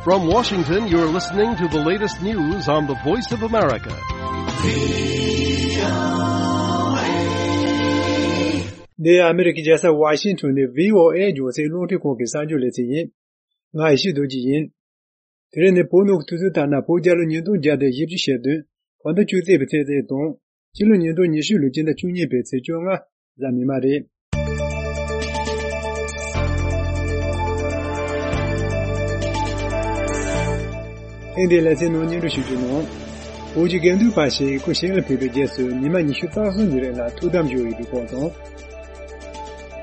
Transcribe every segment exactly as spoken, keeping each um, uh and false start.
From Washington, you're listening to the latest news on the Voice of America. འདི་ཨ་མི་རི་ཀའི་རྒྱལ་ས་ཝ་ཤིང་ཊོན་ནས་བྷི་ཨོ་ཨེ་རྒྱང་སྲིང་རླུང་འཕྲིན་ཁང་གི་གསར་འགྱུར་ལེ་ཚན་ཡིན། ང་ཡེ་ཤེས་རྡོ་རྗེ་ཡིན། དེ་རིང་ནི་བོད་ནང་གི་དུས་ཚོད་ལྟར་ན་བོད་རྒྱལ་ལོ་ཉིས་སྟོང་བརྒྱ་དང་བཞི་བཅུ་ཞེ་བདུན། བོད་ཟླ་བཅུ་གཅིག་པའི་ཚེས་བརྒྱད་དང་། སྤྱི་ལོ་ཉིས་སྟོང་ཉི་ཤུ་ལོའི་སྤྱི་ཟླ་བཅུ་གཉིས་པའི་ཚེས་བཅོ་ལྔ། གཟའ་མིག་དམར་རེད། ཐེངས་འདིའི་ལེ་ཚན་ནང་སྙན་སྒྲོན་ཞུ་རྒྱུ་ནང་། བོད་ཀྱི་དགེ་འདུན་པ་ཞིག་སྐུ་ཞིང་ལ་ཕེབས་པའི་རྗེས་སུ་ཉི་མ་ཉི་ཤུ་རྩ་གསུམ་གྱི་རིང་ལ་ཐུགས་དམ་བཞུགས་ཡོད་པའི་སྐོར་དང་།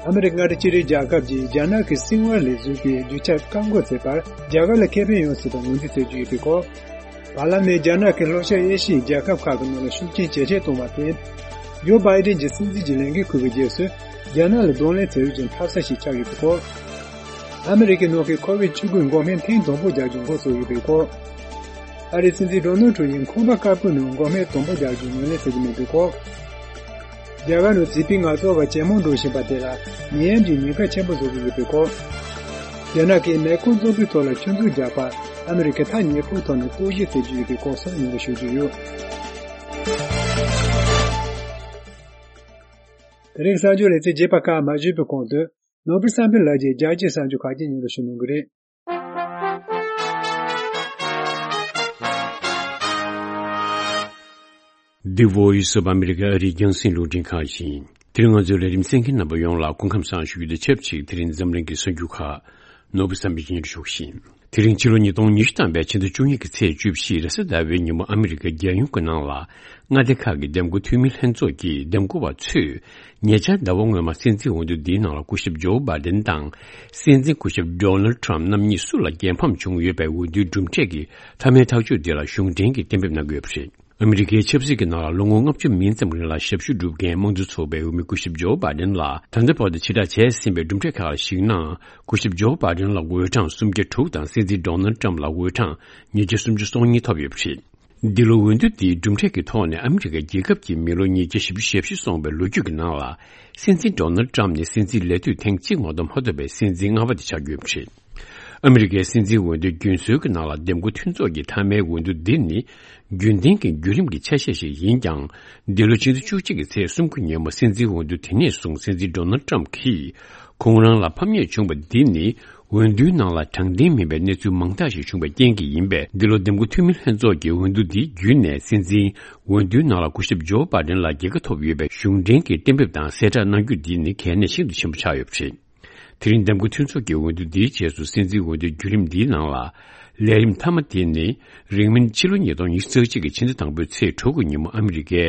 ཨ་མི་རི་ཀ་མངའ་སྡེ་སྤྱི་མཐུན་རྒྱལ་ཁབ་ཀྱིས་རྒྱ་ནག་གི་སྲིད་དབང་ལས་འཛིན་པའི་རྒྱུ་ཆ་བཀག་འགོག་བྱས་པར་རྒྱ་གར་ལ་ཁེ་ཕན་ཡོང་སྲིད་པར་ངོས་འཛིན་བྱེད་ཀྱི་ཡོད་པའི་སྐོར། བར་ལམ་ནས་རྒྱ་ནག་གིས་ལྷོ་ཤར་ཨེ་ཤི་ཡའི་རྒྱལ་ཁབ་ཁག་གི་ནང་ལ་ཤུགས་རྐྱེན་ཇེ་ཆེར་གཏོང་བར་བརྟེན། ཇོ་བྷའི་ཌེན་གྱི་སྲིད་འཛིན་གྱི་ལས་འགན་འཁུར་བའི་རྗེས་སུ། རྒྱ་ནག་ལ་གདོང་ལེན་བྱེད་རྒྱུ་གྱི་འཐབ་ས་ཞིག་ཆགས་ཡོད་པའི་སྐོར། ཨ་མི་རི་ཀའི་ནང་གི་ཁོ་ཝིད་བཅུ་དགུ་འགོག་སྨན་ཐེངས་དང་པོ་རྒྱག་རྒྱུ་འགོ་བཙུགས་ཡོད་པའི་སྐོར། ཨ་རིའི་སྲིད་འཛིན་ཌོ་ནལ་ཊམ་ཡིས་ཁང་པ་དཀར་པོའི་ནང་འགོག་སྨན་དང་པོ་རྒྱག་རྒྱུ་ངོས་ལེན་བྱེད་ཀྱི་མེད་པའི་སྐོར། རྒྱ་གར་ནང་བྱིས་པའི་ངལ་རྩོལ་བ་ཇེ་མང་འགྲོ་བཞིན་པ་དེ་ལ་ནད་ཡམས་ཀྱི་ཉེན་ཁ་ཆེན་པོ་བཟོ་གི་ཡོད་པའི་སྐོར། རྒྱ་ནག་གིས་མེ་འཁོར་བཙོག་པའི་ཐོག་ལ་ཆུ་མཛོད་རྒྱག་པར་ཨ་མི་རི་ཀས་ཐག་ཉེ་པོའི་ཐོག་ནས་རྟོག་ཞིབ་བྱེད་ཀྱི་ཡོད་པའི་སྐོར་སོགས་སྙན་སྒྲོན་ཞུ་རྒྱུ་ཡོད། དེ་རིང་གསར་འགྱུར་ལེ་ཚན་རྒྱས་པ་ཁག་མ་ཞུས་པའི་གོང་དུ། ནོར་བུ་བསམ་འཕེལ་ལགས་ཀྱིས་རྒྱལ་སྤྱིའི་གསར་འགྱུར་ཁག་ཅིག་སྙན་སྒྲོན་ཞུ་གནང་གི་རེད། The Voice of America ཨ་རིའི་རྒྱང་སྲིང་རླུང་འཕྲིན་ཁང་ཡིན། དེ་རིང་ང་ཚོའི་ལས་རིམ་གསན་མཁན་རྣམ་པ་ཡོངས་ལ་སྐུ་ཁམས་བཟང་ཞུ་རྒྱུ་དང་ཆབས་ཅིག་དེ་རིང་འཛམ་གླིང་གི་གསར་འགྱུར་ཁག་ནོར་བུ་བསམ་འཕེལ་གྱིས་སྙན་སྒྲོན་ཞུ་གི་ཡིན། དེ་རིང་ཕྱི་ལོ་ཉིས་སྟོང་ཉི་ཤུ་ཐམ་པའི་ཕྱི་ཟླ་བཅུ་གཉིས་ཀྱི་ཚེས་བཅུ་བཞི་རེས་གཟའ་ཟླ་བའི་ཉིན་མོ་ཨ་མི་རི་ཀའི་རྒྱལ་ཡོངས་ཀྱི་ནང་ལ་མངའ་སྡེ་ཁག་གི་འདེམས་བསྐོ་འཐུས་མི་ལྷན་ཚོགས་ཀྱི་འདེམས་བསྐོ་བ་ཚོས་ཉེ་ཆར་ཟླ་བ་སྔོན་མ་སྲིད་འཛིན་འོས་བསྡུ་འདིའི་ནང་ལ་སྐུ་ཞབས་ཇོ་བྷའི་ཌེན་དང་སྲིད་འཛིན་སྐུ་ཞབས་ཌོ་ནལ་ཊམ་རྣམ་གཉིས་སུ་ལ་རྒྱལ་ཕམ་བྱུང་ཡོད་པའི་འོས་བསྡུའི་གྲུབ་འབྲས་ཀྱི་མཐའ་མའི་ཐག་གཅོད་འདི་ལ་གཞུང་འབྲེལ་གྱིས་གཏན་འབེབས་གནང་གི་ཡོད་པ་རེད། ཨ་མི་རི་ཀའི་ཆབ་སྲིད་ཀྱི་ནང་ལ་ལོ་ངོ་ལྔ་བཅུ་མིན་ཙམ་རིང་ལ་ཞབས་ཞུ་བསྒྲུབས་མཁན་དམངས་གཙོ་ཚོགས་པའི་འོས་མི་སྐུ་ཞབས་ཇོ་བྷའི་ཌེན་ལ་ད་ལྟ་བར་དུ་ཕྱིར་བསྒྲགས་བྱས་ཟིན་པའི་གྲུབ་འབྲས་ཁག་ལ་གཞིགས་ན། སྐུ་ཞབས་ཇོ་བྷའི་ཌེན་ལ་འོས་གྲངས་སུམ་བརྒྱ་དྲུག་དང་སྲིད་འཛིན་ཌོ་ནལ་ཊམ་ལ་འོས་གྲངས་ཉིས་བརྒྱ་སུམ་ཅུ་སོ་གཉིས་ཐོབ་ཡོད་པ་རེད། འདི་ལོ་འོས་བསྡུ་འདིའི་གྲུབ་འབྲས་ཀྱི་ཐོག་ནས་ཨ་མི་རི་ཀ་རྒྱལ་ཁབ་ཀྱི་མི་ལོ་ཉིས་བརྒྱ་བཞི་བཅུ་ཞེ་བཞི་སོང་བའི་ལོ་རྒྱུས་ཀྱི་ནང་ལ། སྲིད་འཛིན་ཌོ་ནལ་ཊམ་ནི་སྲིད་འཛིན་ལས་དུས་ཐེངས་གཅིག་མ་གཏོགས་མ་ཐོབ་པའི་སྲིད་འཛིན་ལྔ་པ་དེ་ཆགས་ཡོད་པ་རེད། ཨ་མི་རི་ཀའི་སྲིད་འཛིན་འོས་བསྡུ་རྒྱུན་སྲོལ་གྱི་ནང་ལ་འདེམས་བསྐོ་མཐུན་ཚོགས་ཀྱི་མཐའ་མའི་འོས་བསྡུ་འདི་ནི། རྒྱུན་ལྡན་གྱི་བརྒྱུད་རིམ་གྱི་ཆ་ཤས་ཤིག་ཡིན་ཀྱང་། འདི་ལོ་ཕྱི་ཟླ་བཅུ་གཅིག་གི་ཚེས་སུམ་ཅུ་ཉིན་མོ་སྲིད་འཛིན་འོས་བསྡུ་དེ་ནས་བཟུང་སྲིད་འཛིན་ཌོ་ནལ་ཊམ་གྱིས་ཁོང་རང་ལ་ཕམ་ཉེས་བྱུང་བ་འདི་ནི། འོས་བསྡུའི་ནང་ལ་དྲང་བདེན་མིན་པའི་གནས་ཚུལ་མང་དག་ཞིག་བྱུང་བའི་རྐྱེན་གྱིས་ཡིན་པས། འདི་ལོ་འདེམས་བསྐོ་འཐུས་མི་ལྷན་ཚོགས་ཀྱི་འོས་བསྡུ་འདི་བརྒྱུད་ནས་སྲིད་འཛིན་འོས་བསྡུའི་ནང་ལ་སྐུ་ཞབས་ཇོ་བྷའི་ཌེན་ལ་རྒྱལ་ཁ་ཐོབ་ཡོད་པའི་གཞུང་འབྲེལ་གྱི་གཏན་འབེབས་དང་གསལ་བསྒྲགས་གནང་རྒྱུ་འདི་ནི་གལ་གནད་ཤིན་ཏུ་ཆེན་པོ་ཆགས་ཡོད་པ་རེད། དེ་རིང་འདེམས་བསྐོ་མཐུན་ཚོགས་ཀྱི་འོས་བསྡུ་འདིའི་རྗེས་སུ་སྲིད་འཛིན་འོས་བསྡུའི་བརྒྱུད་རིམ་འདིའི་ནང་ལ། ལས་རིམ་མཐའ་མ་དེ་ནི། རིང་མིན་ཕྱི་ལོ་ཉིས་སྟོང་ཉི་ཤུ་རྩ་གཅིག་གི་ཕྱི་ཟླ་དང་པོའི་ཚེས་དྲུག་གི་ཉིན་མོ་ཨ་མི་རི་ཀའི་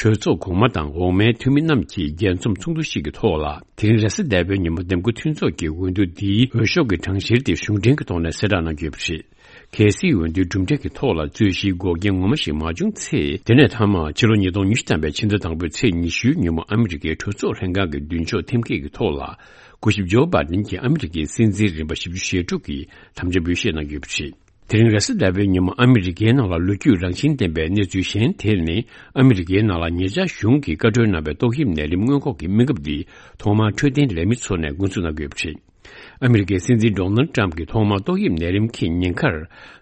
གྲོས་ཚོགས་གོང་མ་དང་འོག་མའི་འཐུས་མི་རྣམས་ཀྱིས་རྒྱས་འཛོམས་ཚོགས་འདུ་ཞིག་གི་ཐོག་ལ། དེ་རིང་རེས་གཟའ་ཟླ་བའི་ཉིན་མོ་འདེམས་བསྐོ་མཐུན་ཚོགས་ཀྱི་འོས་བསྡུ་འདིའི་འོས་ཤོག་གི་གྲངས་བཤེར་དེ་གཞུང་འབྲེལ་གྱི་ཐོག་ནས་གསལ་བསྒྲགས་གནང་རྒྱུ་ཡོད་པ་རེད། གལ་སྲིད་འོས་བསྡུའི་གྲུབ་འབྲས་ཀྱི་ཐོག་ལ་རྩོད་གཞིའི་འགོག་རྐྱེན་ངོ་མ་ཞིག་མ་བྱུང་ཚེ། དེ་ནས་མཐའ་མ་ཕྱི་ལོ་ཉིས་སྟོང་ཉི་ཤུ་ཐམ་པའི་ཕྱི་ཟླ་དང་པོའི་ཚེས་ཉི་ཤུའི་ཉིན་མོ་ཨ་མི་རི་ཀའི་གྲོས་ཚོགས་ལྷན་ཁང་གི་མདུན་ཅོག་ཐེམ་སྐས་ཀྱི་ཐོག་ལ། སྐུ་ཞབས་ཇོ་བྷའི་ཌེན་གྱིས་ཨ་མི་རི་ཀའི་སྲིད་འཛིན་རིམ་པ་བཞི་བཅུ་ཞེ་དྲུག་གི་དམ་བཅའ་འབུལ་བཞེས་གནང་རྒྱུ་ཡོད་པ་རེད། དེ་རིང་རེས་གཟའ་ཟླ་བའི་ཉིན་མོ་ཨ་མི་རི་ཀའི་ནང་ལ་ལོ་རྒྱུས་རང་བཞིན་ལྡན་པའི་གནས་ཚུལ་གཞན་དེ་ནི། ཨ་མི་རི་ཀའི་ནང་ལ་ཉེ་ཆར་གཞུང་གིས་བཀའ་འཁྲོལ་གནང་བའི་ཏོག་དབྱིབས་ནད་རིམས་སྔོན་འགོག་གི་སྨན་ཁབ་འདི་ཐོག་མར་འཕྲོད་བསྟེན་ལས་མི་ཚོ་ནས་འགོ་འཛུགས་གནང་དགོས་པ་རེད། ཨ་མི་རི་ཀའི་སྲིད་འཛིན་ཌོ་ནལ་ཊམ་གྱིས་ཐོག་མར་ཏོག་དབྱིབས་ནད་རིམས་ཀྱི་ཉེན་ཁར་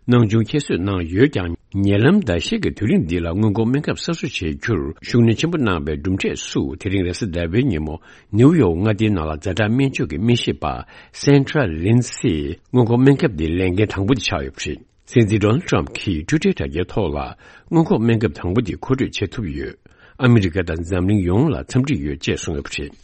སྣང་ཆུང་ཁྱད་གསོད་གནང་ཡོད་ཀྱང་། ཉེ་ལམ་ཟླ་ཤས་ཀྱི་དུས་རིང་འདི་ལ་སྔོན་འགོག་སྨན་ཁབ་གསར་བཟོ་བྱེད་རྒྱུར་ཤུགས་སྣོན་ཆེན་པོ་གནང་བའི་གྲུབ་འབྲས་སུ། དེ་རིང་རེས་གཟའ་ཟླ་བའི་ཉིན་མོ་ནེའུ་ཡོག་མངའ་སྡེའི་ནང་ལ་ཛ་དྲག་སྨན་བཅོས་ཀྱི་སྨན་ཞིབ་པ་སན་ཁྲ་ལིན་སི་སྔོན་འགོག་སྨན་ཁབ་འདི་ལེན་མཁན་དང་པོ་དེ་ཆགས་ཡོད་པ་རེད། སྲིད་འཛིན་ཌོ་ནལ་ཊམ་གྱིས་ཊུའི་ཊར་དྲ་རྒྱའི་ཐོག་ལ། སྔོན་འགོག་སྨན་ཁབ་དང་པོ་དེ་མཁོ་སྤྲོད་བྱེད་ཐུབ་ཡོད། ཨ་མི་རི་ཀ་དང་འཛམ་གླིང་ཡོངས་ལ་འཚམས་འདྲི་ཡོད་ཅེས་གསུངས་ཡོད་པ་རེད།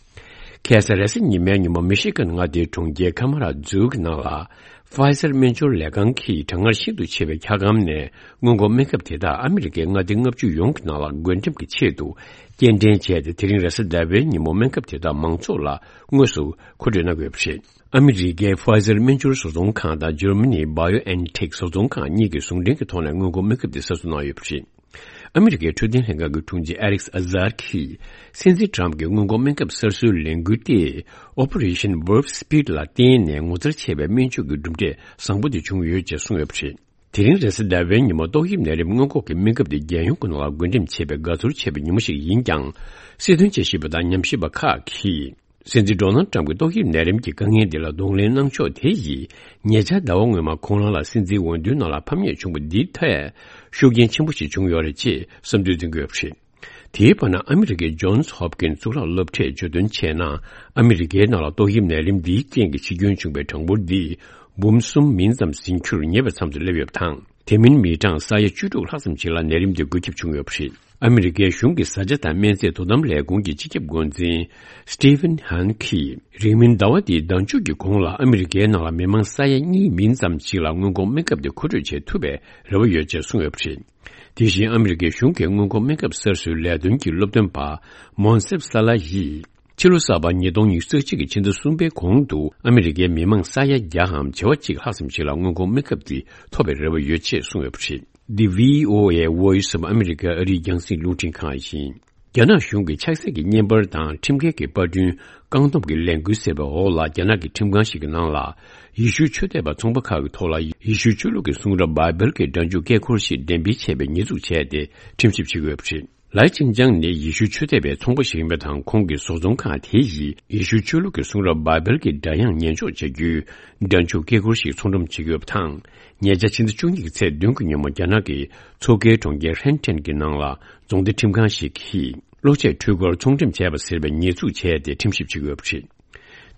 ཁ་སང་རེས་གཟའ་ཉི་མའི་ཉིན་མོ་མི་ཤི་གན་མངའ་སྡེའི་གྲོང་ཁྱེར་ཁ་མ་ར་ཛུ་གི་ནང་ལ། ཕ་ཡི་ཛར་སྨན་སྦྱོར་ལས་ཁང་གིས་གྲང་ངར་ཤིན་ཏུ་ཆེ་བའི་འཁྱག་སྒམ་ནས་སྔོན་འགོག་སྨན་ཁབ་དེ་དག་ཨ་མི་རི་ཀའི་མངའ་སྡེ་ལྔ་བཅུ་ཡོངས་ཀྱི་ནང་ལ་བགོ་འགྲེམས་ཀྱི་ཆེད་དུ་སྐྱེལ་འདྲེན་བྱས་ཏེ། དེ་རིང་རེས་གཟའ་ཟླ་བའི་ཉིན་མོ་སྨན་ཁབ་དེ་དག་མང་ཚོགས་ལ་དངོས་སུ་མཁོ་སྤྲོད་གནང་དགོས་པ་རེད། ཨ་མི་རི་ཀའི་ཕ་ཡི་ཛར་སྨན་སྦྱོར་བཟོ་ཚོང་ཁང་དང་འཇར་མ་ནིའི་བྷ་ཡོ་ཨེན་ཐེག་བཟོ་ཚོང་ཁང་གཉིས་ཀྱིས་ཟུང་འབྲེལ་གྱི་ཐོག་ནས་སྔོན་འགོག་སྨན་ཁབ་དེ་གསར་བཟོ་གནང་ཡོད་པ་རེད། ཨ་མི་རི་ཀའི་འཕྲོད་བསྟེན་ལྷན་ཁང་གི་དྲུང་ཆེ་ཨ་ལེག་ཨ་ཛར་གྱིས། སྲིད་འཛིན་ཊམ་གྱི་སྔོན་འགོག་སྨན་ཁབ་གསར་བཟོའི་ལས་འགུལ་དེ་Operation Warp Speed ལ་བརྟེན་ནས་ངོ་མཚར་ཆེ་བའི་སྨན་བཅོས་ཀྱི་གྲུབ་འབྲས་བཟང་པོ་དེ་བྱུང་ཡོད་ཅེས་གསུངས་ཡོད་པ་རེད། དེ་རིང་རེས་གཟའ་ཟླ་བའི་ཉིན་མོ་ཏོག་དབྱིབས་ནད་རིམས་སྔོན་འགོག་གི་སྨན་ཁབ་དེ་རྒྱལ་ཡོངས་ཀྱི་ནང་ལ་བགོ་འགྲེམས་བྱས་པའི་དགའ་ཚོར་ཆེ་བའི་ཉིན་མོ་ཞིག་ཡིན་ཀྱང་། སྲིད་དོན་དཔྱད་ཞིབ་པ་དང་ཉམས་ཞིབ་པ་ཁག་གིས། སྲིད་འཛིན་ཌོ་ནལ་ཊམ་གྱི་ཏོག་དབྱིབས་ནད་རིམས་ཀྱི་དཀའ་ངལ་འདི་ལ་གདོང་ལེན་གནང་ཕྱོགས་དེ་ཡིས་ཉེ་ཆར་ཟླ་བ་སྔོན་མ་ཁོང་རང་ལ་སྲིད་འཛིན་འོས་བསྡུའི་ནང་ལ་ཕམ་ཉེས་བྱུང་བ་འདིའི་ཐད་ཤུགས་རྐྱེན་ཆེན་པོ་ཞིག་བྱུང་ཡོད་རེད་ཅེས་བསམ་ཚུལ་འཛིན་གྱི་ཡོད་པ་རེད། དེའི་བར་ན་ཨ་མི་རི་ཀའི་ཇོན་སི་ཧོབ་ཀིན་གཙུག་ལག་སློབ་གྲྭས་བརྗོད་དོན་བྱས་ན། ཨ་མི་རི་ཀའི་ནང་ལ་ཏོག་དབྱིབས་ནད་རིམས་འདིའི་རྐྱེན་གྱིས་འཆི་སྐྱོན་བྱུང་བའི་གྲངས་འབོར་འདི་འབུམ་གསུམ་མིན་ཙམ་ཟིན་རྒྱུར་ཉེ་བའི་མཚམས་སུ་སླེབས་ཡོད་པ་དང་། དེ་མིན་མི་གྲངས་ས་ཡ་བཅུ་དྲུག་ལྷག་ཙམ་ཞིག་ལ་ནད་རིམས་དེ་འགོས་ཁྱབ་བྱུང་ཡོད་པ་རེད། ཨ་མི་རི་ཀའི་གཞུང་གི་བཟའ་བཅའ་དང་སྨན་རྫས་དོ་དམ་ལས་ཁུངས་ཀྱི་སྤྱི་ཁྱབ་འགོ་འཛིན་སི་ཏི་ཝན་ཧན་གྱིས། རིང་མིན་ཟླ་བ་འདིའི་ཟླ་མཇུག་གི་གོང་ལ་ཨ་མི་རི་ཀའི་ནང་ལ་མི་མང་ས་ཡ་གཉིས་མིན་ཙམ་ཞིག་ལ་སྔོན་འགོག་སྨན་ཁབ་དེ་མཁོ་སྤྲོད་བྱེད་ཐུབ་པའི་རེ་བ་ཡོད་ཅེས་གསུངས་ཡོད་པ་རེད། དེ་བཞིན་ཨ་མི་རི་ཀའི་གཞུང་གི་སྔོན་འགོག་སྨན་ཁབ་གསར་བཟོའི་ལས་དོན་གྱི་སློབ་སྟོན་པ་མོན་སེབ་ས་ལ་ཡིས། ཕྱི་ལོ་གསར་པ་ཉིས་སྟོང་ཉི་ཤུ་རྩ་གཅིག་གི་ཕྱི་ཟླ་གསུམ་པའི་གོང་དུ་ཨ་མི་རི་ཀའི་མི་མང་ས་ཡ་བརྒྱ་འམ་བྱེ་བ་གཅིག་ལྷག་ཙམ་ཞིག་ལ་སྔོན་འགོག་སྨན་ཁབ་དེ་ཐོབ་པའི་རེ་བ་ཡོད་ཅེས་གསུངས་ཡོད་པ་རེད། འདི་བྷི་ཨོ་ཨེ་Voice of America ཨ་རིའི་རྒྱང་སྲིང་རླུང་འཕྲིན་ཁང་ཡིན། རྒྱ་ནག་གཞུང་གིས་ཆབ་སྲིད་ཀྱི་བརྙན་པར་དང་ཁྲིམས་འགལ་གྱི་པར་སྐྲུན་བཀག་སྡོམ་གྱི་ལས་འགུལ་ཟེར་བའི་འོག་ལ། རྒྱ་ནག་གི་ཁྲིམས་ཁང་ཞིག་གི་ནང་ལ་ཡེ་ཤུ་ཆོས་དད་པ་ཚོང་པ་ཁག་གི་ཐོག་ལ་ཡེ་ཤུ་ཆོས་ལུགས་ཀྱི་གསུང་རབ་བྷའི་བལ་གྱི་སྒྲ་འཇུག་སྐད་འཁོར་ཞིག་འགྲེམས་སྤེལ་བྱས་པའི་ཉེས་འཛུགས་བྱས་ཏེ་ཁྲིམས་ཞིབ་བྱེད་ཀྱི་ཡོད་པ་རེད། ལའི་ཅིན་ཅང་ནི་ཡེ་ཤུ་ཆོས་དད་པའི་ཚོང་པ་ཞིག་ཡིན་པ་དང་། ཁོང་གི་བཟོ་ཚོང་ཁང་དེ་ཡིས་ཡེ་ཤུ་ཆོས་ལུགས་ཀྱི་གསུང་རབ་བྷའི་བལ་གྱི་སྒྲ་དབྱངས་ཉན་འཇོག་བྱ་རྒྱུའི་སྒྲ་འཇུག་སྐད་འཁོར་ཞིག་ཚོང་སྒྲོམ་བྱེད་ཀྱི་ཡོད་པ་དང་། ཉེ་ཆར་ཕྱི་ཟླ་བཅུ་གཉིས་ཀྱི་ཚེས་བདུན་གྱི་ཉིན་མོ་རྒྱ་ནག་གི་མཚོ་ཁའི་གྲོང་ཁྱེར་ཧྲེན་ཀྲེན་གྱི་ནང་ལ་རྫོང་སྡེ་ཁྲིམས་ཁང་ཞིག་གིས་གློག་ཆས་འཕྲུལ་འཁོར་ཚོང་འགྲེམས་བྱས་པ་ཟེར་བའི་ཉེས་འཛུགས་བྱས་ཏེ་ཁྲིམས་ཞིབ་བྱེད་ཀྱི་ཡོད་པ་རེད།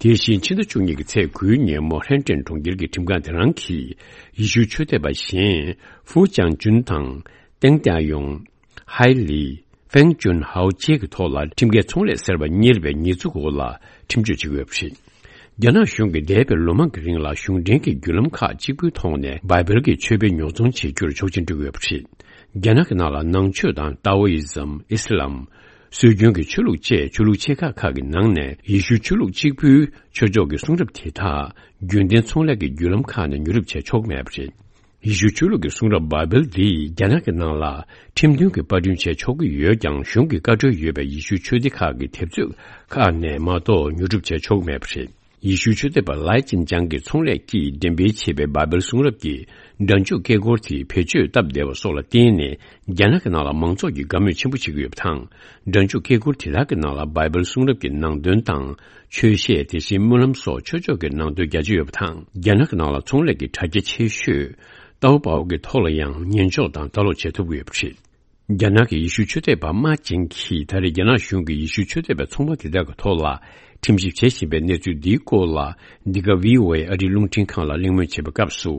དེ་བཞིན་ཕྱི་ཟླ་བཅུ་གཉིས་ཀྱི་ཚེས་དགུའི་ཉིན་མོ་ཧྲེན་ཀྲེན་གྲོང་ཁྱེར་གྱི་ཁྲིམས་ཁང་དེ་རང་གིས་ཡེ་ཤུ་ཆོས་དད་པ་གཞན་ཧྥུ་ཅང་ཅུན་དང་། ཏེང་ཏེ་ཡོང་། ཧའེ་ལི། ཧྥེང་ཅུན་ཧའོ་བཅས་ཀྱི་ཐོག་ལ་ཁྲིམས་འགལ་ཚོང་ལས་ཟེར་བ་གཉེར་བའི་ཉེས་འཛུགས་འོག་ལ་ཁྲིམས་གཅོད་བྱེད་ཀྱི་ཡོད་པ་རེད། རྒྱ་ནག་གཞུང་གིས་འདས་པའི་ལོ་མང་གི་རིང་ལ་གཞུང་འབྲེལ་གྱི་བརྒྱུད་ལམ་ཁག་གཅིག་པུའི་ཐོག་ནས་བྷའི་བལ་གྱི་ཆོས་དཔེ་ཉོ་ཚོང་བྱེད་རྒྱུར་ཆོག་མཆན་སྤྲོད་ཀྱི་ཡོད་པ་རེད། རྒྱ་ནག་གི་ནང་ལ་ནང་ཆོས་དང་ཏཱ་ཝོ་ཨི་ཛམ། ཨི་སི་ལམ། སྲོལ་རྒྱུན་གྱི་ཆོས་ལུགས་བཅས་ཆོས་ལུགས་ཆེ་ཁག་ཁག་གི་ནང་ནས་ཡེ་ཤུ་ཆོས་ལུགས་གཅིག་པུའི་ཆོས་ཕྱོགས་ཀྱི་གསུང་རབ་དེ་དག་རྒྱུན་ལྡན་ཚོང་ལས་ཀྱི་བརྒྱུད་ལམ་ཁག་ནས་ཉོ་སྒྲུབ་བྱས་ཆོག་མེད་པ་རེད། ཡེ་ཤུ་ཆོས་ལུགས་ཀྱི་གསུང་རབ་བྷའི་བལ་འདི་རྒྱ་ནག་གི་ནང་ལ་ཁྲིམས་མཐུན་གྱི་པར་སྐྲུན་བྱས་ཆོག་གི་ཡོད་ཀྱང་། གཞུང་གི་བཀའ་འཁྲོལ་ཡོད་པའི་ཡེ་ཤུ་ཆོས་སྡེ་ཁག་གི་དེབ་མཛོད་ཁག་ནས་མ་གཏོགས་ཉོ་སྒྲུབ་བྱས་ཆོག་གི་མེད་པ་རེད། ཡེ་ཤུ་ཆོས་དད་པ་ལའི་ཅིན་ཅང་གིས་ཚོང་ལས་ཀྱིས་འགྲེམས་སྤེལ་བྱས་པའི་བྷའི་བལ་གསུང་རབ་ཀྱི་སྒྲ་འཇུག་སྐད་འཁོར་དེ་བེད་སྤྱོད་སྟབས་བདེ་བ་སོགས་ལ་བརྟེན་ནས། རྒྱ་ནག་གི་ནང་ལ་མང་ཚོགས་ཀྱིས་དགའ་མོས་ཆེན་པོ་བྱེད་ཀྱི་ཡོད་པ་དང་། སྒྲ་འཇུག་སྐད་འཁོར་དེ་དག་གི་ནང་ལ་བྷའི་བལ་གསུང་རབ་ཀྱི་ནང་དོན་དང་། ཆོས་བཤད། དེ་བཞིན་སྨོན་ལམ་སོགས་ཆོས་ཕྱོགས་ཀྱི་ནང་དོན་རྒྱ་ཆེ་ཡོད་པ་དང་། རྒྱ་ནག་གི་ནང་ལ་ཚོང་ལས་ཀྱི་དྲ་རྒྱ་ཆེ་ཤོས་ཏའོ་པའོ་གི་ཐོག་ལ་ཡང་ཉན་འཇོག་དང་ལྟ་ཀློག་བྱེད་ཐུབ་ཀྱི་ཡོད་པ་རེད། རྒྱ་ནག་གི་ཡེ་ཤུ་ཆོས་དད་པ་མ་ཅིང་གིས་ད་རེས་རྒྱ་ནག་གཞུང་གིས་ཡེ་ཤུ་ཆོས་དད་པའི་ཚོང་པ་དེ་དག་གི་ཐོག་ལ་ཁྲིམས་ཞིབ་བྱེད་བཞིན་པའི་གནས་ཚུལ་འདིའི་སྐོར་ལ། འདི་ག་བྷི་ཨོ་ཨེ་ཨ་རིའི་རླུང་འཕྲིན་ཁང་ལ་གླེང་མོལ་བྱེད་པའི་སྐབས་སུ།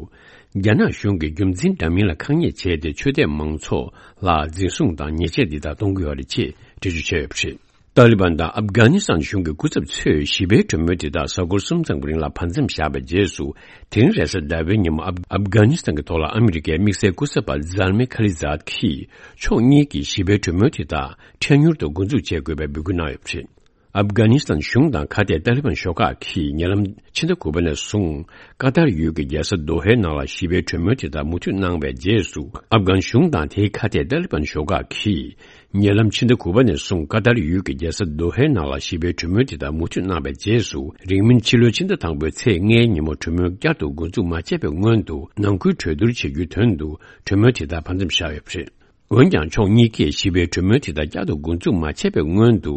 རྒྱ་ནག་གཞུང་གིས་རྒྱུ་མཚན་འདྲ་མིན་ལ་ཁག་ཉེས་བྱས་ཏེ་ཆོས་དད་མང་ཚོགས་ལ་འཛིན་བཟུང་དང་ཉེས་ཆད་འདི་དག་གཏོང་གི་ཡོད་རེད་ཅེས་འགྲེལ་བརྗོད་བྱས་ཡོད་པ་རེད། ཏཱ་ལི་བན་དང་ཨབ་གྷ་ནི་སི་ཐན་གཞུང་གི་སྐུ་ཚབ་ཚོས་ཞི་བའི་གྲོས་མོལ་དེ་དག་གཟའ་འཁོར་གསུམ་ཙམ་གྱི་རིང་ལ་བར་མཚམས་བཞག་པའི་རྗེས་སུ། དེ་རིང་རེས་གཟའ་ཟླ་བའི་ཉིན་མོ་ཨབ་ཨབ་གྷ་ནི་སི་ཐན་གྱི་ཐོག་ལ་ཨ་མི་རི་ཀའི་དམིགས་བསལ་སྐུ་ཚབ་པ་ཛལ་མེ་ཁ་ལི་ཛཱད་ཀྱིས་ཕྱོགས་གཉིས་ཀྱིས་ཞི་བའི་གྲོས་མོལ་དེ་དག་འཕྲལ་མྱུར་དུ་འགོ་འཛུགས་བྱེད་དགོས་པའི་འབོད་སྐུལ་གནང་ཡོད་པ་རེད། ཨབ་གྷ་ནི་སི་ཐན་གཞུང་དང་ཁ་གཏད་ཏཱ་ལི་བན་ཤོག་ཁག་གིས་ཉེ་ལམ་ཕྱི་ཟླ་དགུ་པ་ནས་བཟུང་ཀ་ཏར་ཡུལ་གྱི་རྒྱལ་ས་དོ་ཧའི་ནང་ལ་ཞི་བའི་གྲོས་མོལ་དེ་དག་མུ་མཐུད་གནང་བའི་རྗེས་སུ། ཨབ་གྷན་གཞུང་དང་དེའི་ཁ་གཏད་ཏཱ་ལི་བན་ཤོག་ཁག་གིས། ཉེ་ལམ་ཕྱི་ཟླ་དགུ་པ་ནས་བཟུང་ཀ་ཏར་ཡུལ་གྱི་རྒྱལ་ས་དོ་ཧའི་ནང་ལ་ཞི་བའི་གྲོས་མོལ་དེ་དག་མུ་མཐུད་གནང་བའི་རྗེས་སུ། རིང་མིན་ཕྱི་ལོའི་ཕྱི་ཟླ་དང་པོའི་ཚེས་ལྔའི་ཉིན་མོ་གྲོས་མོལ་བསྐྱར་དུ་འགོ་འཛུགས་མ་བྱས་པའི་སྔོན་དུ། ནང་ཁུལ་གྲོས་བསྡུར་བྱེད་རྒྱུའི་དོན་དུ་གྲོས་མོལ་དེ་དག་བར་མཚམས་བཞག་ཡོད་པ་རེད། འོན་ཀྱང་། ཕྱོགས་གཉིས་ཀས་ཞི་བའི་གྲོས་མོལ་དེ་དག་བསྐྱར་དུ་འགོ་འཛུགས་མ་བྱས་པའི་སྔོན་དུ།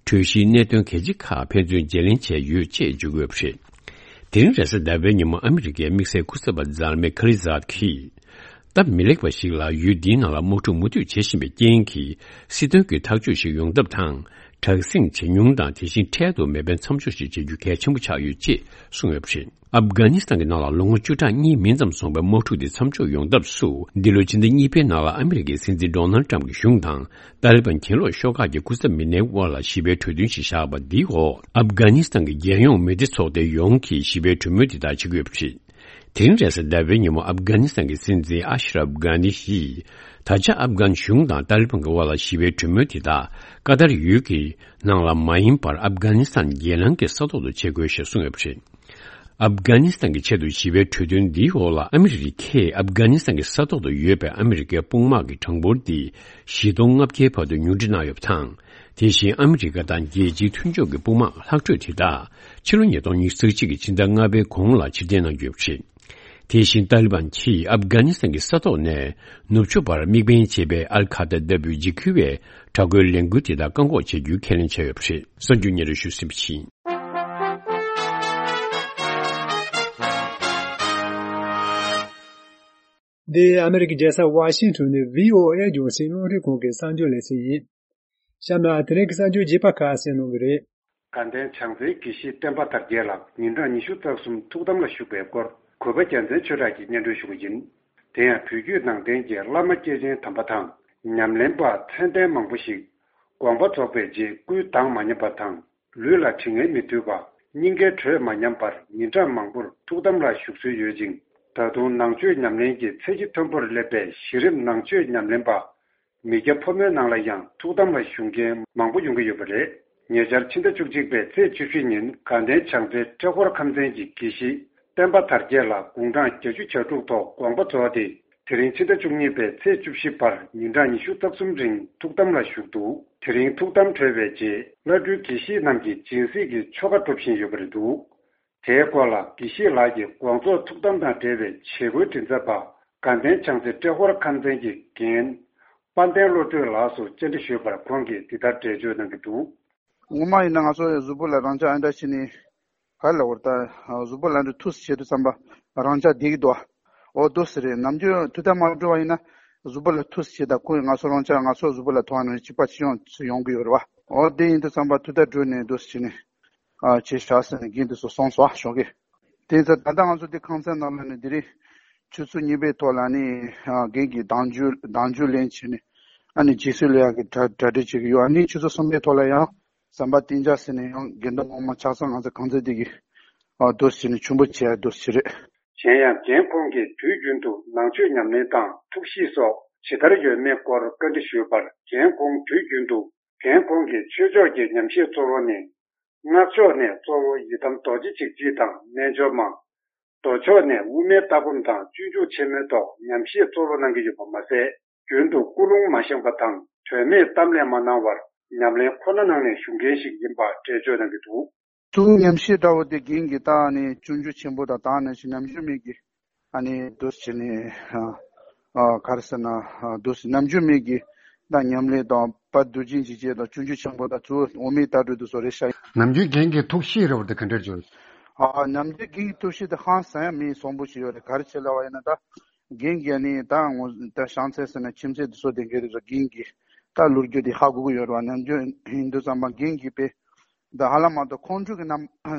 གྲོས་གཞིའི་གནད་དོན་གལ་ཆེ་ཁག་ཕན་ཚུན་བརྗེ་ལེན་བྱས་ཡོད་ཅེས་བརྗོད་ཀྱི་ཡོད་པ་རེད། དེ་རིང་རེས་གཟའ་ཟླ་བའི་ཉིན་མོ་ཨ་མི་རི་ཀའི་དམིགས་བསལ་སྐུ་ཚབ་པ་ཛལ་མེ་ཁ་ལི་ཛཱད་ཀྱིས། སྟབས་མི་ལེགས་པ་ཞིག་ལ་ཡུལ་འདིའི་ནང་ལ་དམག་འཁྲུག་མུ་མཐུད་བྱེད་བཞིན་པའི་རྐྱེན་གྱིས། སྲིད་དོན་གྱི་ཐག་གཅོད་ཞིག་ཡོང་ཐབས་དང་། དྲག་ཟིང་ཇེ་ཉུང་དང་། དེ་བཞིན་འཕྲལ་དུ་མེ་འཕེན་མཚམས་འཇོག་ཞིག་བྱེད་རྒྱུ་གལ་ཆེན་པོ་ཆགས་ཡོད་ཅེས་གསུངས་ཡོད་པ་རེད། ཨབ་གྷ་ནི་སི་ཐན་གྱི་ནང་ལ་ལོ་ངོ་བཅུ་ཕྲག་གཉིས་མིན་ཙམ་སོང་བའི་དམག་འཁྲུག་འདི་མཚམས་འཇོག་ཡོང་ཐབས་སུ། འདི་ལོའི་ཕྱི་ཟླ་གཉིས་པའི་ནང་ལ་ཨ་མི་རི་ཀའི་སྲིད་འཛིན་ཌོ་ནལ་ཊམ་གྱི་གཞུང་དང་། ཏཱ་ལི་བན་གྱེན་ལོག་ཤོག་ཁག་གི་སྐུ་ཚབ་མི་སྣའི་དབར་ལ་ཞི་བའི་གྲོས་མཐུན་ཞིག་བཞག་པ་འདིའི་འོག་ཨབ་གྷ་ནི་སི་ཐན་གྱི་རྒྱལ་ཡོངས་མི་སྡེ་ཚོགས་སྡེ་ཡོངས་ཀྱིས་ཞི་བའི་གྲོས་མོལ་འདི་དག་བྱེད་ཀྱི་ཡོད་པ་རེད། དེ་རིང་རེས་གཟའ་ཟླ་བའི་ཉིན་མོ་ཨབ་གྷ་ནི་སི་ཐན་གྱི་སྲིད་འཛིན་ཨ་ཤ་རབ་གྷ་ནི་ཡིས། ད་ཆ་ཨབ་གྷན་གཞུང་དང་ཏཱ་ལི་བན་གྱི་དབར་ལ་ཞི་བའི་གྲོས་མོལ་དེ་དག་ཀ་ཏར་ཡུལ་གྱི་ནང་ལ་མ་ཡིན་པར། ཨབ་གྷ་ནི་སི་ཐན་རྒྱལ་ནང་གི་ས་ཐོག་ཏུ་བྱེད་དགོས་ཞེས་གསུངས་ཡོད་པ་རེད། ཨབ་གྷ་ནི་སི་ཐན་གྱི་ཆེད་དུ་ཞི་བའི་གྲོས་མཐུན་འདིའི་འོག་ལ། ཨ་མི་རི་ཀས་ཨབ་གྷ་ནི་སི་ཐན་གྱི་ས་ཐོག་ཏུ་ཡོད་པའི་ཨ་མི་རི་ཀའི་དཔུང་དམག་གི་གྲངས་འབོར་འདི་བཞི་སྟོང་ལྔ་བརྒྱའི་བར་དུ་ཉུང་འཕྲི་གནང་ཡོད་པ་དང་། དེ་བཞིན་ཨ་མི་རི་ཀ་དང་རྒྱལ་སྤྱིའི་མཐུན་ཕྱོགས་ཀྱི་དཔུང་དམག་ལྷག་འཕྲོས་དེ་དག་ཕྱི་ལོ་ཉིས་སྟོང་ཉི་ཤུ་རྩ་གཅིག་གི་ཕྱི་ཟླ་ལྔ་པའི་གོང་ལ་ཕྱིར་འཐེན་གནང་རྒྱུ་ཡོད་པ་རེད། དེ་བཞིན་ཏཱ་ལི་བན་གྱིས་ཨབ་གྷ་ནི་སི་ཐན་གྱི་ས་ཐོག་ནས་ནུབ་ཕྱོགས་པར་དམིགས་འབེན་བྱས་པའི་ཨལ་ཁ་ད་ལྟ་བུའི་འཇིགས་སྐུལ་བའི་དྲག་རྒོལ་ལས་འགུལ་དེ་དག་བཀག་འགོག་བྱེད་རྒྱུའི་ཁས་ལེན་བྱས་ཡོད་པ་རེད། གསར་འགྱུར་སྙན་སྒྲོན་ཞུས་ཟིན་པ་ཡིན། འདི་ཨ་མི་རི་ཀའི་རྒྱལ་ས་ཝ་ཤིང་ཊོན་ནས་བྷི་ཨོ་ཨེ་རྒྱང་སྲིང་རླུང་འཕྲིན་ཁང་གི་གསར་འགྱུར་ལེ་ཚན་ཡིན། གཤམ་ལ་དེ་རིང་གི་གསར་འགྱུར་རྒྱས་པ་ཁག་གསན་གནང་གི་རེད། དགའ་ལྡན་བྱང་རྩེའི་དགེ་བཤེས་བསྟན་པ་དར་རྒྱས་ལགས་ཉིན་གྲངས་ཉི་ཤུ་རྩ་གསུམ་ཐུགས་དམ་ལ་བཞུགས་པའི་སྐོར་གུས་པ་རྒྱལ་མཚན་ཆོས་གྲགས་ཀྱིས་སྙན་སྒྲོན་ཞུ་གི་ཡིན། དེ་ཡང་བོད་བརྒྱུད་ནང་བསྟན་གྱི་བླ་མ་སྐྱེས་ཆེན་དམ་པ་དང་ཉམས་ལེན་པ་མཚན་ལྡན་མང་པོ་ཞིག་དགོངས་པ་རྫོགས་པའི་རྗེས་སྐུའི་མདངས་མ་ཉམས་པ་དང་། ལུས་ལ་དྲི་ངན་མི་ཐུལ་བ། སྙིང་གའི་དྲོད་མ་ཉམས་པར་ཉིན་གྲངས་མང་པོར་ཐུགས་དམ་ལ་བཞུགས་སྲོལ་ཡོད་ཅིང་། ད་དུང་ནང་ཆོས་ཉམས་ལེན་གྱི་ཚད་གཞི་མཐོན་པོར་སླེབས་པའི་གཞི་རིམ་ནང་ཆོས་ཉམས་ལེན་པ། མི་སྐྱ་ཕོ་མོའི་ནང་ལ་ཡང་ཐུགས་དམ་ལ་བཞུགས་མཁན་མང་པོ་ཡོང་གི་ཡོད་པ་རེད། ཉེ་ཆར་ཕྱི་ཟླ་བཅུ་གཅིག་པའི་ཚེས་བཅུ་བཞི་ཉིན་དགའ་ལྡན་བྱང་རྩེ་ཏྲེ་ཧོར་ཁམས་ཚན་གྱི་དགེ་བཤེས་བསྟན་པ་དར་རྒྱས་ལགས་དགུང་གྲངས་བརྒྱད་ཅུ་གྱ་དྲུག་ཐོག་དགོངས་པ་རྫོགས་ཏེ། དེ་རིང་ཕྱི་ཟླ་བཅུ་གཉིས་པའི་ཚེས་བཅུ་བཞི་བར་ཉིན་གྲངས་ཉི་ཤུ་རྩ་གསུམ་རིང་ཐུགས་དམ་ལ་བཞུགས་འདུག་དེ་རིང་ཐུགས་དམ་གྲོལ་བའི་རྗེས་བླ་སྤྲུལ་དགེ་བཤེས་རྣམས་ཀྱིས་སྦྱིན་སྲེག་གི་ཆོ་ག་སྒྲུབ་བཞིན་ཡོད་པ་རེད་འདུག་དེའི་སྐོར་ལ་དགེ་བཤེས་ལགས་ཀྱི་དགོངས་རྫོགས་ཐུགས་དམ་དང་འབྲེལ་བའི་བྱེད་སྒོའི་མགྲིན་ཚབ་པ་དགའ་ལྡན་བྱང་རྩེ་ཏྲེ་ཧོར་ཁམས་ཚན་གྱི་འགན་དཔལ་ལྡན་བློ་གྲོས་ལགས་སུ་བཅར་འདྲི་ཞུས་པར་ཁོང་གིས་འདི་ལྟར་འགྲེལ་བརྗོད་གནང་གི་འདུག་ངོ་མ་ཡིན་ན་ང་ཚོ་གཟུགས་པོ་ལ་རང་ཅག་ཨ་འདྲ་བྱས་ནས་ག་རེ་ལབ་དགོས་རེད། ད་གཟུགས་པོ་ལ་འདྲ་ཐུགས་སུ་བྱེད་དུས་ཙམ་པ་རང་ཅག་བསྡད་ཀྱི་འདུག་འོ་འདུག་སེ་རེད། ནམ་རྒྱུན་ཐུགས་དམ་མ་གྲོལ་བ་ཡིན་ན་གཟུགས་པོ་ལ་ཐུགས་སུ་བྱེད། ད་ཁོ་ང་ཚོ་རང་ཅག་ང་ཚོ་གཟུགས་པོ་ལ་ཐུག་པ་ནང་བཞིན་གཅིག་པ་གཅིག་ཡོང་ཚུལ་ཡོང་གི་ཡོད་རེད་བ། འོ་དེ་ཡིན་དུས་ཙམ་པ་ཐུགས་དམ་གྲོལ་ནས་འདུག་སེ་བྱས་ནས་ཨ་བྱས་བཞག་ཟེར་ནས་རྒན་དེ་ཚོ་གསུངས་སོང་ཞོགས་ཀས། དེ་ཚོ་ད་ལྟ་ང་ཚོ་འདི་ཁང་ཚན་ནང་ལ་ནི་དེ་རིང་ཆུ་ཚོད་གཉིས་པའི་ཐོག་ལ་ནི་ཨ་རྒན་གྱིས་གདེང་འཇོག་གདེང་འཇོག་ལེན་བྱས་ནས་ཨ་ནི་རྗེས་སུ་ལུས་ཡག་གི་གྲ་གྲ་སྒྲིག་བྱེད་ཀྱི་ཡོད། ཨ་ནི་ཆུ་ཚོད་གསུམ་པའི་ཐོག་ལ་ཡང་ཟམ་པ་གཏན་འཇགས་ཟེར་ནས་ཡང་དགེ་འདུན་ངོ་མ་ཆ་ཚང་ང་ཚོ་ཁང་ཚན་འདི་གི་ཨ་འདུག་སེ་བྱས་ནས་མཆོད་འབུལ་བྱེད་ཡག་འདུག་སེ་བྱས་རེད། གཞན་ཡང་རྒན་ཁོང་གིས་དུས་རྒྱུན་དུ་ནང་ཆོས་ཉམས་ལེན་དང་ཐུགས་གཤིས་སོགས་ཇི་ལྟར་ཡོད་མེད་སྐོར་བཀའ་འདྲི་ཞུས་པར། རྒན་ཁོང་དུས་རྒྱུན་དུ། རྒན་ཁོང་གིས་ཆོས་ཕྱོགས་ཀྱི་ཉམས་བཞེས་གཙོ་བོ་ནི། སྔགས་ཕྱོགས་ནས་གཙོ་བོ་ཡི་དམ་རྡོ་རྗེ་འཇིགས་བྱེད་དང་རྣལ་འབྱོར་མ། མདོ་ཕྱོགས་ནས་དབུ་མའི་ལྟ་སྒོམ་དང་སྤྱོད་འཇུག་ཆེན་མོའི་ཐོག་ཉམས་བཞེས་གཙོ་བོ་གནང་གི་ཡོད་པ་མ་ཟད། རྒྱུན་དུ་ཀུན་སློང་མ་བཞེངས་པ་དང་དོན་མེད་གཏམ་གླེང་མ་གནང་བར་ཉམས་ལེན་ཁོ་ན་ནང་ནས་བཞུགས་མཁན་ཞིག་ཡིན་པ་འགྲེལ་བརྗོད་གནང་གི་འདུག་ཐུགས་ཉམས་བཞེས་འདྲ་བོ་དེ་རྒན་གྱིས་ད་ནི་སྤྱོད་འཇུག་ཆེན་པོ་དང་ད་ནི་ཞིག་ནམ་རྒྱུན་མེད་ཀྱི་ཨ་ནི་འདུག་སེ་བྱས་ནས་ཨ་ཨ་ག་རེ་ཟེར་ན་ཨ་འདུག་སེ་ནམ་རྒྱུན་མེད་ཀྱི་ད་ཉམས་ལེན་དང་བ་དུ་ཅན་གྱི་རྗེས་དང་སྤྱོད་འཇུག་ཆེན་པོ་དང་གཙོ་བོ་འོ་མའི་ལྟ་གྲུབ་དུ་སོགས་རེད་ཤག་ནམ་རྒྱུན་རྒན་གྱི་ཐུགས་གཤིས་རེད་བ་དེ་ག་འདྲ་བྱུང་། ཨ་ནམ་རྒྱུན་རྒན་གྱི་ཐུགས་གཤིས་དེ་ཧང་སང་ཡ་མེད་བཟང་པོ་ཞིག་ཡོད་རེད། ག་རེ་བྱས་ལབ་པ་ཡིན་ན་ད། རྒན་གྱིས་ནི་ད་ངོ་ད་བྱང་ཚད་ཟེར་ན་ཁྱིམ་མཚེས་དེ་ཚོ་དེ་འགའ་རེ་ཚོ་རྒན་གྱིས་ད་ལོ་རྒྱུས་དེ་ཧ་གོ་གི་ཡོད་རེད་བ། ནམ་རྒྱུན་ཡིན་དུས་ཙམ་པ་རྒན་གྱིས་དཔེ་ད་ཧ་ལམ་མ་གཏོགས་ཁོང་ཁྲོ་གི་རྣམ་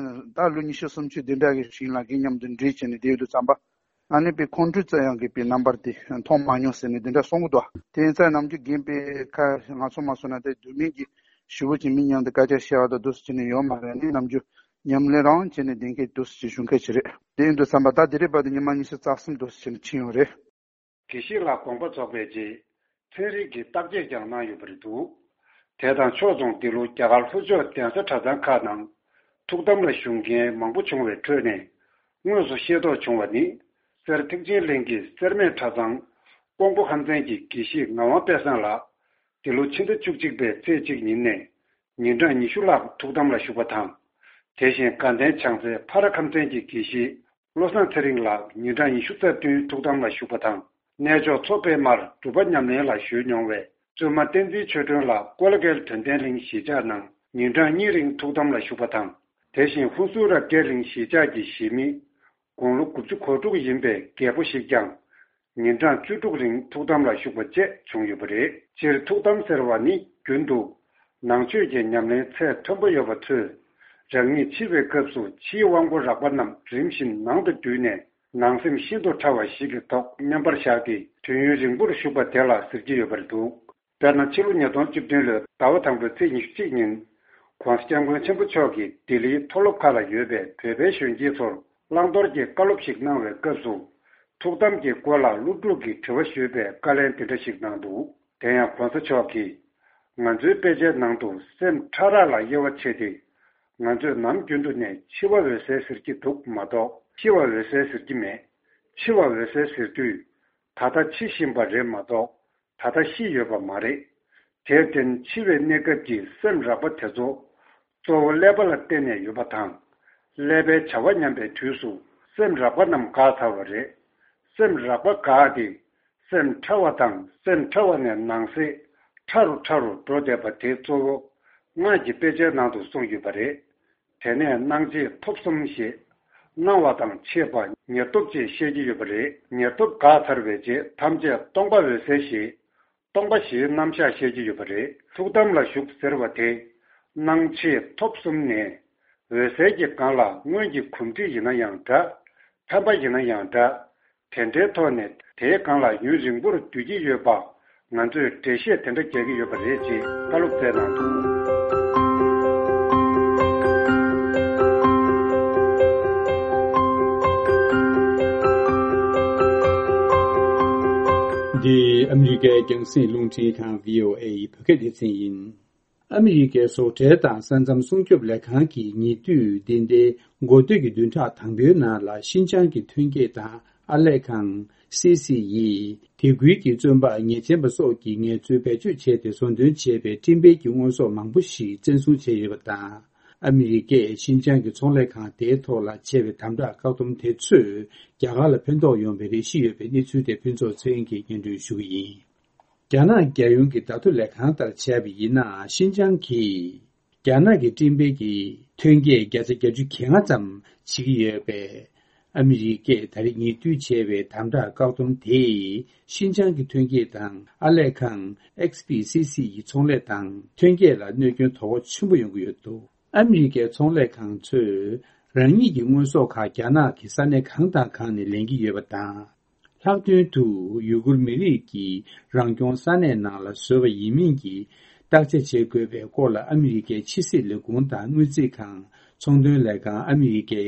ད་ལོ་ཉི་ཤུ་སུམ་ཅུ་དེ་འདྲ་གི་ཞིག་ལ་རྒན་མཉམ་དུ་འདྲིས་བྱས་ནས་བསྡད་ཡོད་དུས་ཙམ་པ་ཨ་ནི་དཔེ་ཁོང་ཁྲོ་ཙམ་ཡང་གི་དཔེ་རྣམ་པར་དེ་མཐོང་མ་མྱོང་ཟེར་ནས་དེ་འདྲ་གསུང་གི་འདུག་དེ་ཡིན་ཙང་ནམ་རྒྱུན་རྒན་དཔེ་ཁ་ང་ཚོ་མ་སོང་ན་དེ་རྒྱུས་མེད་ཀྱི་ཞུ་བོ་ཅིག་མི་མཉམ་དུ་སྐད་ཆ་བཤད་པ་དང་འདུག་སེ་བྱས་ནས་ཡོད་མ་རེད། ཨ་ནི་ནམ་རྒྱུན་ཉམས་ལེན་རང་བྱས་ནས་བསྡད་མཁན་འདུག་སེ་བྱས་བཞུགས་མཁན་ཞིག་རེད། དེ་ཡིན་དུས་ཙམ་པ་ད་དེ་རིང་བར་དུ་ཉི་མ་ཉི་ཤུ་རྩ་གསུམ་འདུག་སེ་བྱས་ནས་ཕྱིན་ཡོད་རེད། དགེ་བཤེས་ལགས་དགོངས་པ་རྫོགས་པའི་རྗེས་ཚན་རིག་གི་བརྟག་དཔྱད་ཀྱང་གནང་ཡོད་པ་རེད་འདུག་དེ་དང་ཕྱོགས་མཚུངས་འདི་ལོ་རྒྱ་གར་ལྷོ་ཕྱོགས་གདན་ས་གྲྭ་ཚང་ཁག་ནང་ཐུགས་དམ་ལ་བཞུགས་མཁན་མང་པོ་བྱུང་བའི་ཁྲོད་ནས་དངོས་སུ་ཤེས་རྟོགས་བྱུང་བ་ནི། སེར་ཐེག་ཆེན་གླིང་གི་སེར་སྨད་གྲྭ་ཚང་ཀོང་པོ་ཁམས་ཚན་གྱི་དགེ་བཤེས་ངག་དབང་དཔལ་བཟང་ལགས། འདི་ལོ་ཕྱི་ཟླ་བཅུ་གཅིག་པའི་ཚེས་གཅིག་ཉིན་ནས་ཉིན་གྲངས་ཉི་ཤུ་ལྷག་ཐུགས་དམ་ལ་བཞུགས་པ་དང་། དེ་བཞིན་དགའ་ལྡན་བྱང་རྩེ་ཕ་ར་ཁམས་ཚན་གྱི་དགེ་བཤེས་བློ་བཟང་ཚེ་རིང་ལགས་ཉིན་གྲངས་ཉི་ཤུ་རྩ་བདུན་ཐུགས་དམ་ལ་བཞུགས་པ་དང་། གནས་མཆོག་མཚོ་པདྨར་སྒྲུབ་པ་ཉམས་ལེན་ལ་བཞུགས་མྱོང་བའི་བཙུན་མ་བསྟན་འཛིན་ཆོས་སྒྲོན་ལགས་ཀོ་ལ་གྷལ་དོན་ལྡན་གླིང་གཞིས་ཆགས་ནང་ཉིན་གྲངས་གཉིས་རིང་ཐུགས་དམ་ལ་བཞུགས་པ་དང་། དེ་བཞིན་ཧུན་སུར་རབ་རྒྱས་གླིང་གཞིས་ཆགས་ཀྱི་གཞིས་མི། དགུང་ལོ་དགུ་བཅུ་གོ་དྲུག་ཡིན་པའི་རྒད་པོ་ཞིག་ཀྱང་། ཉིན་གྲངས་བཅུ་དྲུག་རིང་ཐུགས་དམ་ལ་བཞུགས་པ་བཅས་བྱུང་ཡོད་པ་རེད། སྤྱིར་ཐུགས་དམ་ཟེར་བ་ནི་རྒྱུན་དུ་ནང་ཆོས་ཀྱི་ཉམས་ལེན་ཚད་མཐོན་པོ་ཡོད་པ་ཚོས་རང་ཉིད་འཆི་བའི་སྐབས་སུ་ཕྱིའི་དབང་པོ་རགས་པ་རྣམས་རིམ་བཞིན་ནང་དུ་བསྡུས་ནས་ནང་སེམས་ཤིན་ཏུ་ཕྲ་བ་ཞིག་གི་ཐོག་མཉམ་པར་བཞག་སྟེ་དུས་ཡུན་རིང་པོར་བཞུགས་པ་དེ་ལ་ཟེར་གྱི་ཡོད་པ་རེད་འདུག་དཔེར་ན་ཕྱི་ལོ་ཉིས་སྟོང་བཅུ་བདུན་ལོའི་ཟླ་བ་དང་པོའི་ཚེས་ཉི་ཤུ་གཅིག་ཉིན། ྋགོང་ས་ྋསྐྱབས་མགོན་ཆེན་པོ་མཆོག་གིས་ལྡི་ལིའི་མཐོ་སློབ་ཁག་ལ་ཡོད་པའི་བོད་པའི་གཞོན་སྐྱེས་ཚོར་བླང་དོར་གྱི་བཀའ་སློབ་ཞིག་གནང་བའི་སྐབས་སུ། ཐུགས་དམ་གྱི་སྐོར་ལ་སློབ་ཕྲུག་གིས་དྲི་བ་ཞུས་པའི་བཀའ་ལན་འདི་འདྲ་ཞིག་གནང་འདུག་དེ་ཡང་ྋགོང་ས་མཆོག་གིས། ང་ཚོའི་དཔེ་ཆའི་ནང་དུ་སེམས་ཕྲ་རགས་ལ་དབྱེ་བ་ཕྱེ་སྟེ། ང་ཚོས་ནམ་རྒྱུན་དུ་ནས་འཆི་བ་འོད་གསལ་ཟེར་གྱི་འདུག་མ་གཏོགས་ཤི་བ་འོད་གསལ་ཟེར་གྱི་མེད། འཆི་བ་འོད་གསལ་ཟེར་དུས། ད་ལྟ་འཆི་བཞིན་པ་རེད་མ་གཏོགས་ད་ལྟ་ཤི་ཡོད་པ་མ་རེད། དེར་བརྟེན་འཆི་བའི་གནས་སྐབས་ཀྱི་སེམས་རགས་པ་དེ་ཚོ་གཙོ་བོ་ཀླད་པ་ལ་བརྟེན་ནས་ཡོད་པ་དང་། ཀླད་པའི་བྱ་བ་ཉམས་པའི་དུས་སུ་སེམས་རགས་པ་རྣམས་འགག་ཚར་བ་རེད། སེམས་རགས་པ་འགག་སྟེ་སེམས་ཕྲ་བ་དང་སེམས་ཕྲ་བ་ནས་ནང་གསེས་ཕྲ་རུ་ཕྲ་རུ་འགྲོ་བསྡད་པ་དེ་གཙོ་བོ་སྔགས་ཀྱི་དཔེ་ཆའི་ནང་དུ་གསུངས་ཡོད་པ་རེད། དེ་ནས་སྣང་མཆེད་ཐོབ་གསུམ་ཞེས། སྣང་བ་དང་མཆེད་པ་ ཉེར་ཐོབ་ཅེས་བཤད་ཀྱི་ཡོད་པ་རེད། ཉེར་ཐོབ་འགག་ཚར་བའི་རྗེས་ཐམས་ཅད་སྟོང་པ་འོད་གསལ་ཞེས། སྟོང་པ་ཞེས་རྣམ་གཞག་བཤད་ཀྱི་ཡོད་པ་རེད། ཐུགས་དམ་ལ་བཞུགས་ཟེར་བ་དེ། སྣང་མཆེད་ཐོབ་གསུམ་ནས། འོད་གསལ་གྱི་སྒང་ལ་སྔོན་གྱི་གོམས་འདྲིས་ཡིན་ན་ཡང་འདྲ། ཕན་པ་ཡིན་ན་ཡང་འདྲ། དེ་འདྲའི་ཐོག་ནས་དེའི་སྒང་ལ་ཡུན་རིང་པོར་སྡོད་ཀྱི་ཡོད་པ། ང་ཚོས་འགྲེལ་བཤད་དེ་འདྲ་རྒྱག་གི་ཡོད་པ་རེད་ཅེས་བཀའ་སློབ་སྩལ་གནང་འདུག། འདི་ཨ་མི་རི་ཀའི་རྒྱང་སྲིང་རླུང་འཕྲིན་ཁང་བྷི་ཨོ་ཨེ་ཡི་བོད་སྐད་སྡེ་ཚན་ཡིན། ཨ་མི་རི་ཀའི་བཟོ་གྲྭ་དང་ས་མཚམས་སྲུང་སྐྱོབ་ལས་ཁང་གིས་ཉེ་དུས་འདི་ཟླའི་འགོ་སྟོད་ཀྱི་བདུན་ཕྲག་དང་པོའི་ནང་ལ་ཤིན་ཅང་གི་ཐོན་སྐྱེད་དང་ཨར་ལས་ཁང་། སི་སི་ཡིས་དེ་ཁུལ་གྱི་བཙོན་པ་ཉེས་ཅན་པ་སོགས་ཀྱི་ངལ་རྩོལ་བེད་སྤྱོད་བྱས་ཏེ་བཟོ་འདོན་བྱས་པའི་སྤྲིན་འཕེན་གྱི་དངོས་ཟོག་མང་པོ་ཞིག་བཙན་བཟུང་བྱས་ཡོད་པ་དང་། ཨ་མི་རི་ཀས་ཤིན་ཅང་གི་ཚོང་ལས་ཁང་དེའི་ཐོག་ལ་བྱས་པའི་དམ་དྲག་བཀག་སྡོམ་དེ་ཚོས་རྒྱ་གར་ལ་ཕན་ཐོགས་ཡོང་བའི་རེ་ཞིག་ཡོད་པའི་གནས་ཚུལ་དེ་ཕུན་ཚོགས་ཚེ་རིང་གིས་སྙན་སྒྲོན་ཞུ་གི་ཡིན། རྒྱ་ནག་རྒྱལ་ཡོངས་ཀྱི་བརྡ་ཐོ་ལས་ཁང་ལྟར་བྱས་པ་ཡིན་ན། ཤིན་ཅང་གིས་རྒྱ་ནག་གི་སྤྲིན་འཕེན་གྱི་ཐོན་སྐྱེད་བརྒྱ་ཆ་བརྒྱད་ཅུ་གྱ་ལྔ་ཙམ་བྱེད་ཀྱི་ཡོད་པས། ཨ་མི་རི་ཀས་ད་རེས་ཉེ་དུས་བྱས་པའི་དམ་དྲག་བཀག་སྡོམ་དེས་ཤིན་ཅང་གི་ཐོན་སྐྱེད་དང་ཨར་ལས་ཁང་། ཨེག་སི་པི་སི་སི་ཡི་ཚོང་ལས་དང་ཐོན་སྐྱེད་ལ་གནོད་སྐྱོན་དོ་ཕོག་ཆེན་པོ་ཡོང་གི་ཡོད་འདུག། ཨ་མི་རི་ཀའི་ཚོང་ལས་ཁང་ཚོས་རང་ཉིད་ཀྱི་དངོས་ཟོག་ཁག་རྒྱ་ནག་གི་ས་གནས་གང་དང་གང་ནས་ལེན་གྱི་ཡོད་པ་དང་། ལྷག་དོན་དུ་ཡུ་གུར་མི་རིགས་ཀྱི་རང་སྐྱོང་ས་གནས་ནང་ལ་བཟོས་པ་ཡིན་མིན་གྱི་བརྟག་དཔྱད་བྱེད་དགོས་པའི་སྐོར་ལ་ཨ་མི་རི་ཀའི་ཕྱི་སྲིད་ལས་ཁུངས་དང་དངུལ་རྩིས་ཁང་། ཚོང་དོན་ལས་ཁང་། ཨ་མི་རི་ཀའི་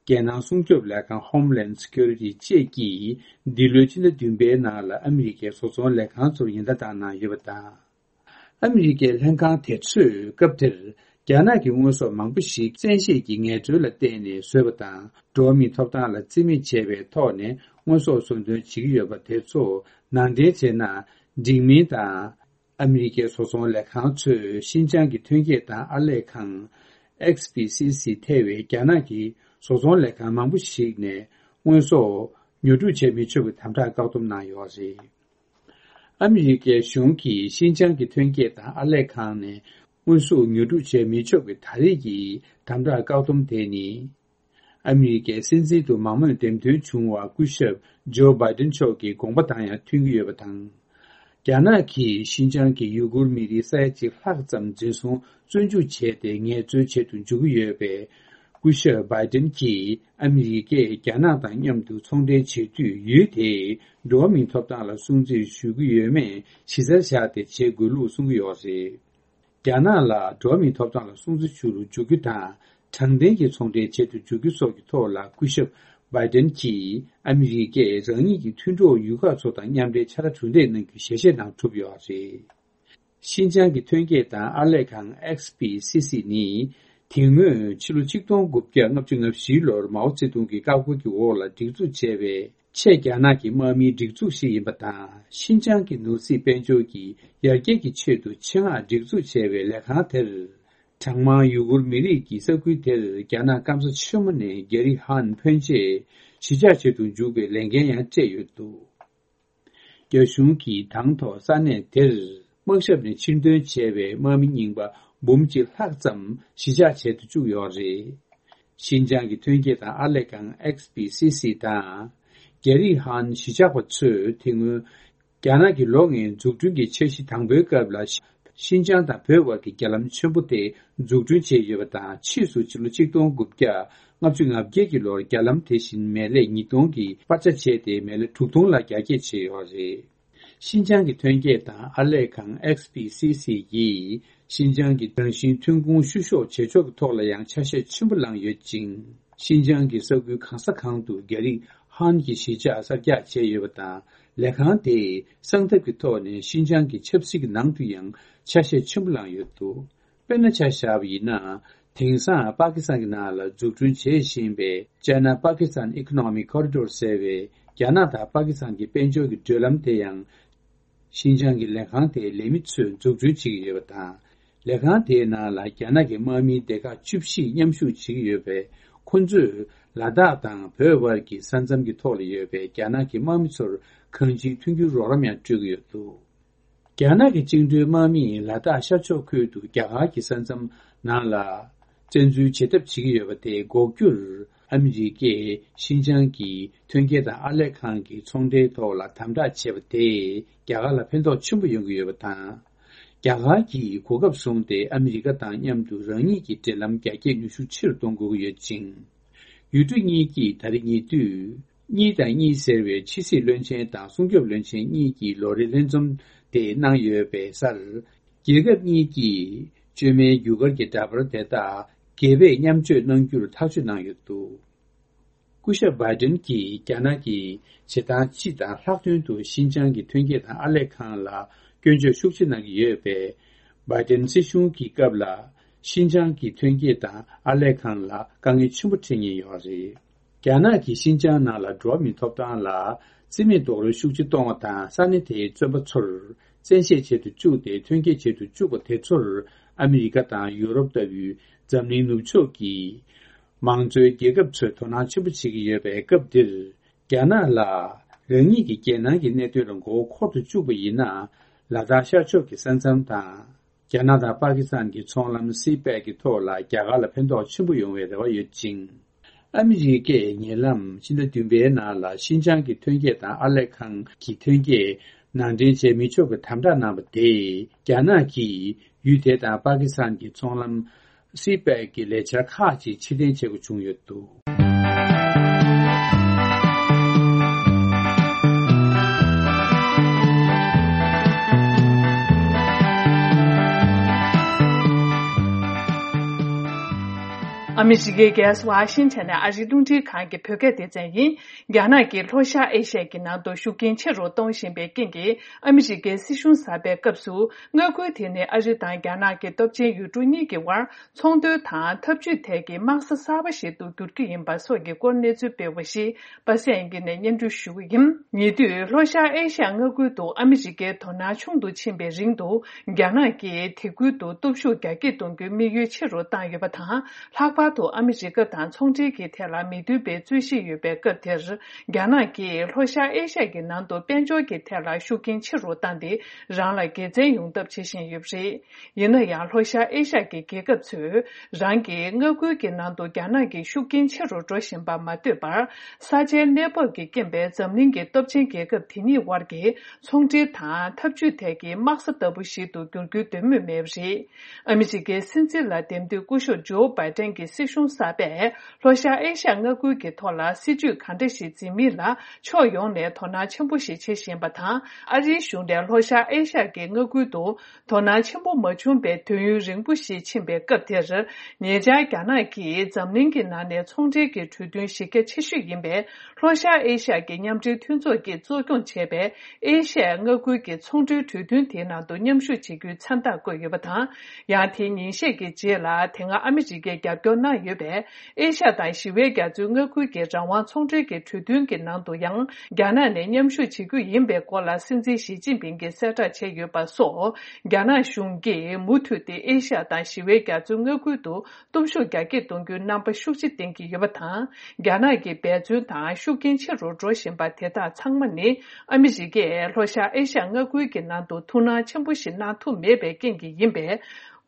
རྒྱལ་ནང་སྲུང་སྐྱོབ་ལས་ཁང་Homeland Security བཅས་ཀྱིས་འདི་ལོའི་ཕྱི་ཟླ་བདུན་པའི་ནང་ལ་ཨ་མི་རི་ཀའི་བཟོ་ཚོང་ལས་ཁང་ཚོར་ཉེན་བརྡ་བཏང་གནང་ཡོད་པ་དང་། ཨ་མི་རི་ཀའི་ལྷན་ཁང་དེ་ཚོས་སྐབས་དེར་རྒྱ་ནག་གི་དངོས་ཟོག་མང་པོ་ཞིག་བཙན་ཤེད་ཀྱི་ངལ་རྩོལ་ལ་བརྟེན་ནས་བཟོས་པ་དང་། འགྲོ་བ་མིའི་ཐོབ་ཐང་ལ་བརྩི་མེད་བྱས་པའི་ཐོག་ནས་དངོས་ཟོག་བཟོ་འདོན་བྱེད་ཀྱི་ཡོད་པ་དེ་ཚོ་ནང་འདྲེན་བྱས་ན་འགྲིག་མིན་དང་། ཨ་མི་རི་ཀའི་བཟོ་ཚོང་ལས་ཁང་ཚོས་ཤིན་ཅང་གི་ཐོན་སྐྱེད་དང་ཨར་ལས་ཁང་། ཨེག་སི་པི་སི་སི་ཐེ་བའི་རྒྱ་ནག་གི་བཟོ་ཚོང་ལས་ཁང་མང་པོ་ཞིག་ནས་དངོས་ཟོག་ཉོ་སྒྲུབ་བྱེད་མི་ཆོག་པའི་དམ་དྲག་བཀག་སྡོམ་གནང་ཡོད་རེད། ཨ་མི་རི་ཀའི་གཞུང་གིས་ཤིན་ཅང་གི་ཐོན་སྐྱེད་དང་ཨར་ལས་ཁང་ནས་དངོས་ཟོག་ཉོ་སྒྲུབ་བྱེད་མི་ཆོག་པའི་ད་རེས་ཀྱི་དམ་དྲག་བཀག་སྡོམ་དེ་ནི། ཨ་མི་རི་ཀའི་སྲིད་འཛིན་དུ་མང་མོས་འདེམས་ཐོན་བྱུང་བ་སྐུ་ཞབས་ཇོ་བྷའི་ཏིན་མཆོག་གི་དགོངས་པ་དང་ཡང་མཐུན་གྱི་ཡོད་པ་དང་། རྒྱ་ནག་གིས་ཤིན་ཅང་གི་ཡུ་གུར་མི་རིགས་ས་ཡ་གཅིག་ལྷག་ཙམ་འཛིན་བཟུང་བཙོན་འཇུག་བྱས་ཏེ་ངལ་རྩོལ་བྱེད་དུ་འཇུག་གི་ཡོད་པས། སྐུ་ཞབས་བྷའི་ཏིན་གྱིས་ཨ་མི་རི་ཀས་རྒྱ་ནག་དང་མཉམ་དུ་ཚོང་འབྲེལ་བྱེད་དུས་ཡུལ་དེའི་འགྲོ་བ་མིའི་ཐོབ་ཐང་ལ་སྲུང་བརྩི་ཞུ་གི་ཡོད་མེད་གཞི་རྩར་བཞག་སྟེ་བྱེད་དགོས་ལུགས་གསུང་གི་ཡོད་རེད། རྒྱ་ནག་ལ་འགྲོ་བ་མིའི་ཐོབ་ཐང་ལ་སྲུང་བརྩི་ཞུ་རུ་འཇུག་རྒྱུ་དང་། དྲང་བདེན་གྱི་ཚོང་འབྲེལ་བྱེད་དུ་འཇུག་རྒྱུ་སོགས་ཀྱི་ཐོག་ལ་སྐུ་ཞབས་བྷའི་ཏིན་གྱིས་ཨ་མི་རི་ཀས་རང་ཉིད་ཀྱི་མཐུན་གྲོགས་ཡུལ་ཁག་ཚོ་དང་མཉམ་འབྲེལ་ཕྱག་ལས་གྲུབ་འབྲས་གནང་རྒྱུའི་ཞལ་བཞེས་གནང་གྲུབ་ཡོད་རེད། ཤིན་ཅང་གི་ཐོན་སྐྱེད་དང་ཨར་ལས་ཁང་ཨེག་སི་པི་སི་སི་ནི། དེ་སྔོན་ཕྱི་ལོ་ཆིག་སྟོང་དགུ་བརྒྱ་ལྔ་བཅུ་ང་བཞིའི་ལོར་མའོ་ཙེ་ཏུང་གི་བཀའ་བཀོད་ཀྱི་འོག་ལ་སྒྲིག་འཛུགས་བྱས་པའི་ཆེས་རྒྱ་ནག་གི་དམག་མིའི་སྒྲིག་འཛུགས་ཤིག་ཡིན་པ་དང་། ཤིན་ཅང་གི་ནོར་སྲིད་དཔལ་འབྱོར་གྱི་ཡར་རྒྱས་ཀྱི་ཆེད་དུ་ཆེད་མངགས་སྒྲིག་འཛུགས་བྱས་པའི་ལས་ཁང་དེར། གྲངས་མང་ཡུ་གུར་མི་རིགས་ཀྱི་ས་ཁུལ་དེར་རྒྱ་ནག་སྐམ་ས་ཆེན་མོ་ནས་རྒྱ་རིགས་ཧན་ཕོན་ཆེ་གཞིས་ཆགས་བྱེད་དུ་འཇུག་པའི་ལས་འགན་ཡང་སྤྲད་ཡོད་འདུག། རྒྱ་གཞུང་གིས་དང་ཐོག་ས་གནས་དེར་དམག་ཞབས་ནས་ཕྱིར་འདོན་བྱས་པའི་དམག་མི་རྙིང་པ་འབུམ་གཅིག་ལྷག་ཙམ་གཞིས་ཆགས་བྱེད་དུ་བཅུག་ཡོད་རེད། ཤིན་ཅང་གི་ཐོན་སྐྱེད་དང་ཨར་ལས་ཁང་ཨེག་སི་པི་སི་སི་དང་། རྒྱ་རིགས་ཧན་གཞིས་ཆགས་པ་ཚོས་དེ་སྔོན། རྒྱ་ནག་གི་ལོ་ལྔའི་འཛུགས་སྐྲུན་གྱི་འཆར་གཞི་དང་པོའི་སྐབས་ལ། ཤིན་ཅང་དང་བོད་དབར་གྱི་རྒྱ་ལམ་ཆེན་པོ་དེ་འཛུགས་སྐྲུན་བྱས་ཡོད་པ་དང་། ཕྱིས་སུ་ཕྱི་ལོ་ཆིག་སྟོང་དགུ་བརྒྱ་ལྔ་བཅུ་ང་བརྒྱད་ཀྱི་ལོར་རྒྱ་ལམ་དེ་བཞིན་མལ་ལས་ཉིས་སྟོང་གི་སྤར་ཆ་བྱས་ཏེ་མལ་ལས་དྲུག་སྟོང་ལ་རྒྱ་སྐྱེད་བྱས་ཡོད་རེད། ཤིན་ཅང་གི་ཐོན་སྐྱེད་དང་ཨར་ལས་ཁང་ཨེག་སི་པི་སི་སི་ཡིས་ཤིན་ཅང་གི་རང་བཞིན་ཐོན་ཁུངས་བཤུ་གཞོག་བྱེད་ཕྱོགས་ཀྱི་ཐོག་ལ་ཡང་ཆ་ཤས་ཆེན་པོ་བླངས་ཡོད་ཅིང་། ཤིན་ཅང་གི་ས་ཁུལ་གང་ས་གང་དུ་རྒྱ་རིགས་ཧན་གྱི་གཞིས་ཆགས་གསར་རྒྱག་བྱས་ཡོད་པ་དང་། ལས་ཁང་དེས་གསང་ཐབས་ཀྱི་ཐོག་ནས་ཤིན་ཅང་གི་ཆབ་སྲིད་ཀྱི་ནང་དུ་ཡང་ཆ་ཤས་ཆེན་པོ་བླངས་ཡོད་འདུག། དཔེར་ན་ཆ་བཞག་པ་ཡིན་ན། དེང་སང་པ་ཀི་སི་ཐན་གྱི་ནང་ལ་འཛུགས་སྐྲུན་བྱེད་བཞིན་པའི་China Pakistan Economic Corridor ཟེར་བའི་རྒྱ་ནག་དང་པ་ཀི་སི་ཐན་གྱི་དཔལ་འབྱོར་གྱི་བགྲོད་ལམ་དེ་ཡང་། ཤིན་ཅང་གི་ལས་ཁང་དེའི་ལས་མི་ཚོས་འཛུགས་སྐྲུན་བྱེད་ཀྱི་ཡོད་པ་དང་། ལས་ཁང་དེའི་ནང་ལ་རྒྱ་ནག་གི་དམག་མིའི་སྡེ་ཁག་བཅུ་བཞི་མཉམ་ཞུགས་བྱེད་ཀྱི་ཡོད་པས། ཁོ་ཚོས་ལ་དྭགས་དང་བོད་དབར་གྱི་ས་མཚམས་ཀྱི་ཐོག་ལ་ཡོད་པའི་རྒྱ་ནག་གི་དམག་མི་ཚོར་གང་ཅིའི་མཐུན་འགྱུར་རོགས་རམ་ཡང་སྤྲོད་ཀྱི་ཡོད་འདུག། རྒྱ་ནག་གི་བཅིངས་འགྲོལ་དམག་མིས་ལ་དྭགས་ཤར་ཕྱོགས་ཁུལ་དུ་རྒྱ་གར་གྱི་ས་མཚམས་ནང་ལ་བཙན་འཛུལ་བྱེད་ཐབས་བྱེད་ཀྱི་ཡོད་པ་དེ་འགོག་རྒྱུར། ཨ་མི་རི་ཀས་ཤིན་ཅང་གི་ཐོན་སྐྱེད་དང་ཨར་ལས་ཁང་གི་ཚོང་འབྲེལ་ཐོག་ལ་དམ་དྲག་བྱས་པ་དེས་རྒྱ་གར་ལ་ཕན་ཐོགས་ཆེན་པོ་ཡོང་གི་ཡོད་པ་དང་། རྒྱ་གར་གྱིས་གོ་སྐབས་བཟུང་སྟེ་ཨ་མི་རི་ཀ་དང་མཉམ་དུ་རང་ཉིད་ཀྱི་འབྲེལ་ལམ་རྒྱ་སྐྱེད་ནུས་ཤུགས་ཆེ་རུ་གཏོང་དགོས་ཀྱི་ཡོད་ཅིང་། ཡུལ་གྲུ་གཉིས་ཀྱིས་ད་རེས་ཉེ་དུས་གཉིས་དང་གཉིས་ཟེར་བའི་ཕྱི་སྲིད་བློན་ཆེན་དང་སྲུང་སྐྱོབ་བློན་ཆེན་གཉིས་ཀྱིས་ལོ་རེའི་ལྷན་འཛོམས་དེ་གནང་ཡོད་པའི་སར། རྒྱལ་ཁབ་གཉིས་ཀྱིས་བཅོས་མའི་རྒྱུ་སྐར་གྱི་འདྲ་པར་དེ་དག་སྒེར་པས་མཉམ་སྤྱོད་གནང་རྒྱུར་ཐག་གཅོད་གནང་ཡོད་འདུག་སྐུ་ཞབས་བྷའི་ཏིན་གྱིས་རྒྱ་ནག་གིས་བྱེད་སྟངས་སྤྱི་དང་ལྷག་དོན་དུ་ཤིན་ཅང་གི་ཐོན་སྐྱེད་དང་ཨར་ལས་ཁང་ལ་སྐྱོན་བརྗོད་ཤུགས་ཆེ་གནང་གི་ཡོད་པས། བྷའི་ཏིན་སྲིད་གཞུང་གི་སྐབས་ལ་ཤིན་ཅང་གི་ཐོན་སྐྱེད་དང་ཨར་ལས་ཁང་ལ་དཀའ་ངལ་ཆེན་པོ་འཕྲད་མཁན་ཡོད་རེད། རྒྱ་ནག་གིས་ཤིན་ཅང་ནང་ལ་འགྲོ་བ་མིའི་ཐོབ་ཐང་ལ་བརྩི་མེད་རྡོག་རོལ་ཤུགས་ཆེ་གཏོང་བ་དང་ས་གནས་དེའི་བཙོན་པ་ཚོར་བཙན་ཤེད་བྱེད་དུ་བཅུག་སྟེ་ཐོན་སྐྱེད་བྱེད་དུ་བཅུག་པ་དེ་ཚོར་ཨ་མི་རི་ཀ་དང་ཡུ་རོབ་ལྟ་བུའི་འཛམ་གླིང་ནུབ་ཕྱོགས་ཀྱི་མང་གཙོའི་རྒྱལ་ཁབ་ཚོས་དོ་སྣང་ཆེན་པོ་བྱེད་ཀྱི་ཡོད་པའི་སྐབས་འདིར། རྒྱ་ནག་ལ་རང་ཉིད་ཀྱི་རྒྱལ་ནང་གི་གནད་དོན་ལ་མགོ་བོ་འཁོར་དུ་བཅུག་པ་ཡིན་ན། ལ་དྭགས་ཤར་ཕྱོགས་ཀྱི་ས་མཚམས་དང་། རྒྱ་ནག་དང་པ་ཀི་སི་ཐན་གྱི་ཚོང་ལམ་སི་པེག་གི་ཐོག་ལ་རྒྱ་གར་ལ་ཕན་ཐོགས་ཆེན་པོ་ཡོང་བའི་རེ་བ་ཡོད་ཅིང་། ཨ་མི་རི་ཀས་ཉེ་ལམ་ཕྱི་ཟླ་བདུན་པའི་ནང་ལ་ཤིན་ཅང་གི་ཐོན་སྐྱེད་དང་ཨར་ལས་ཁང་གི་ཐོན་སྐྱེད་ནང་འདྲེན་བྱེད་མི་ཆོག་པའི་དམ་དྲག་གནང་བ་དེས་རྒྱ་ནག་གིས་ཡུལ་དེ་དང་པ་ཀི་སི་ཐན་གྱི་ཚོང་ལམ་སི་པེག་གི་ལས་འཆར་ཁག་ཅིག་ཕྱིར་འཐེན་བྱེད་དགོས་བྱུང་ཡོད་འདུག་ཨ་མི་རི་ཀའི་རྒྱལ་ས་ཝ་ཤིང་ཊོན་ནས་ཨ་རིའི་རླུང་འཕྲིན་ཁང་གི་བོད་སྐད་སྡེ་ཚན་ཡིན། རྒྱ་ནག་གིས་ལྷོ་ཤར་ཨེ་ཤ་ཡའི་ནང་དུ་ཤུགས་རྐྱེན་ཆེ་རུ་གཏོང་བཞིན་པའི་རྐྱེན་གྱིས། ཨ་མི་རི་ཀའི་སྲིད་གཞུང་གསར་པའི་སྐབས་སུ། མངའ་ཁུལ་དེ་ནི་ཨ་རི་དང་རྒྱ་ནག་གི་སྟོབས་ཆེན་ཡུལ་གྲུ་གཉིས་ཀྱི་དབར་ཚོང་དོན་དང་འཐབ་ཇུས་ཐད་ཀྱི་དམག་ས་གསར་པ་ཞིག་ཏུ་འགྱུར་རྒྱུ་ཡིན་པ་སོགས་ཀྱི་སྐོར་གནས་ཚུལ་སྤེལ་བ་ཞིག་པ་སངས་དབྱངས་སྐྱིད་ནས་སྙན་སྒྲོན་ཞུ་གི་ཡིན། ཉེ་དུས་ལྷོ་ཤར་ཨེ་ཤ་ཡ་མངའ་ཁུལ་དུ་ཨ་མི་རི་ཀའི་དོ་སྣང་ཆུང་དུ་ཕྱིན་པའི་རིང་དུ། རྒྱ་ནག་གིས་དེ་ཁུལ་དུ་སྟོབས་ཤུགས་རྒྱ་སྐྱེད་གཏོང་རྒྱུའི་དམིགས་ཡུལ་ཆེ་རུ་བཏང་ཡོད་པ་དང་། ལྷག་པར་དུ་ཨ་མི་རི་ཀ་དང་ཚོང་འབྲེལ་གྱི་ཐད་ལ་མི་མཐུན་པའི་རྩོད་གཞི་ཡོད་པའི་སྐབས་དེར། རྒྱ་ནག་གིས་ལྷོ་ཤར་ཨེ་ཤ་ཡའི་ནང་དུ་དཔལ་འབྱོར་གྱི་ཐད་ལ་ཤུགས་རྐྱེན་ཆེ་རུ་བཏང་སྟེ། རང་ལ་དགེ་མཚན་ཡོང་ཐབས་བྱེད་བཞིན་ཡོད་པ་རེད། ཡིན་ན་ཡང་། ལྷོ་ཤར་ཨེ་ཤ་ཡའི་རྒྱལ་ཁབ་ཚོས་རང་གི་མངའ་ཁུལ་གྱི་ནང་དུ་རྒྱ་ནག་གི་ཤུགས་རྐྱེན་ཆེ་རུ་འགྲོ་བཞིན་པར་མ་ལྟོས་པར། ས་ཆའི་གནས་བབ་ཀྱི་རྐྱེན་པས་འཛམ་གླིང་གི་སྟོབས་ཆེན་རྒྱལ་ཁབ་དེ་གཉིས་དབར་གྱི་ཚོང་འབྲེལ་དང་འཐབ་ཇུས་ཐད་ཀྱི་དམག་ས་ལྟ་བུ་ཞིག་ཏུ་འགྱུར་རྒྱུའི་འདོད་མོས་མེད་པ་རེད། ཨ་མི་རི་ཀའི་སྲིད་འཛིན་ལ་འདེམས་ཐོན་སྐུ་ཞབས་ཇོ་བྷའི་ཏན་གྱི་སྲིད་གཞུང་གསར་པས། ལྷོ་ཤར་ཨེ་ཤ་ཡ་མངའ་ཁུལ་གྱི་ཐོག་ལ་སྲིད་ཇུས་གང་འདྲ་ཞིག་འཛིན་མིན་ལ་ཕྱོགས་ཡོངས་ནས་དོ་སྣང་ཆེན་པོ་ཞིག་བྱེད་བཞིན་པ་དང་། ཨ་རིའི་གཞུང་ནས་ལྷོ་ཤར་ཨེ་ཤ་ཡ་གི་མངའ་ཁུལ་དུ་དོ་སྣང་ཆེན་པོ་མ་བྱུང་པའི་དུས་ཡུན་རིང་པོ་ཞིག་ཕྱིན་པའི་སྐབས་དེར། ཉེ་ཆར་རྒྱ་ནག་གིས་འཛམ་གླིང་གི་ནང་ནས་ཚོང་འབྲེལ་གྱི་གྲོས་མཐུན་གཞི་རྒྱ་ཆེ་ཤོས་ཡིན་པའི་ལྷོ་ཤར་ཨེ་ཤ་ཡ་གི་མཉམ་འབྲེལ་མཐུན་ཚོགས་ཀྱིས་གཙོ་སྐྱོང་བྱས་པའི་ཨེ་ཤ་ཡ་མངའ་ཁུལ་གྱི་ཚོང་འབྲེལ་གྲོས་མཐུན་དེའི་ནང་དུ་མཉམ་ཞུགས་བྱེད་རྒྱུའི་མཚན་རྟགས་བཀོད་ཡོད་པ་དང་། ཡང་དེའི་ཉིན་ཤས་ཀྱི་རྗེས་ལ་དེ་སྔ་ཨ་མི་རི་ཀས་རྒྱབ་སྐྱོར་གནང་ཡོད་པའི་ཨེ་ཤ་ཡ་དང་ཞི་བའི་རྒྱ་མཚོའི་མངའ་ཁུལ་གྱི་རང་དབང་ཚོང་འབྲེལ་གྱི་གྲོས་མཐུན་གྱི་ནང་དུ་ཡང་རྒྱ་ནག་ནས་མཉམ་ཞུགས་བྱེད་རྒྱུ་ཡིན་པའི་སྐོར་ལ་སྲིད་འཛིན་ཞི་ཅིན་ཕིང་གིས་གསལ་བསྒྲགས་བྱས་ཡོད་པ་སོགས། རྒྱ་ནག་གཞུང་གིས་མུ་མཐུད་དེ་ཨེ་ཤ་ཡ་དང་ཞི་བའི་རྒྱ་མཚོའི་མངའ་ཁུལ་དུ་སྟོབས་ཤུགས་རྒྱ་སྐྱེད་གཏོང་རྒྱུའི་རྣམ་པ་ཤུགས་ཆེ་བསྟན་གྱི་ཡོད་པ་དང་། རྒྱ་ནག་གི་འབད་བརྩོན་དང་ཤུགས་རྐྱེན་ཆེ་རུ་འགྲོ་བཞིན་པ་དེ་དག་ཚང་མ་ནི། ཨ་མི་རི་ཀས་ལྷོ་ཤར་ཨེ་ཤ་ཡ་མངའ་ཁུལ་གྱི་ནང་དུ་ཐུགས་སྣང་ཆེན་པོ་ཞིག་གནང་ཐུབ་མེད་པའི་རྐྱེན་གྱིས་ཡིན་པས།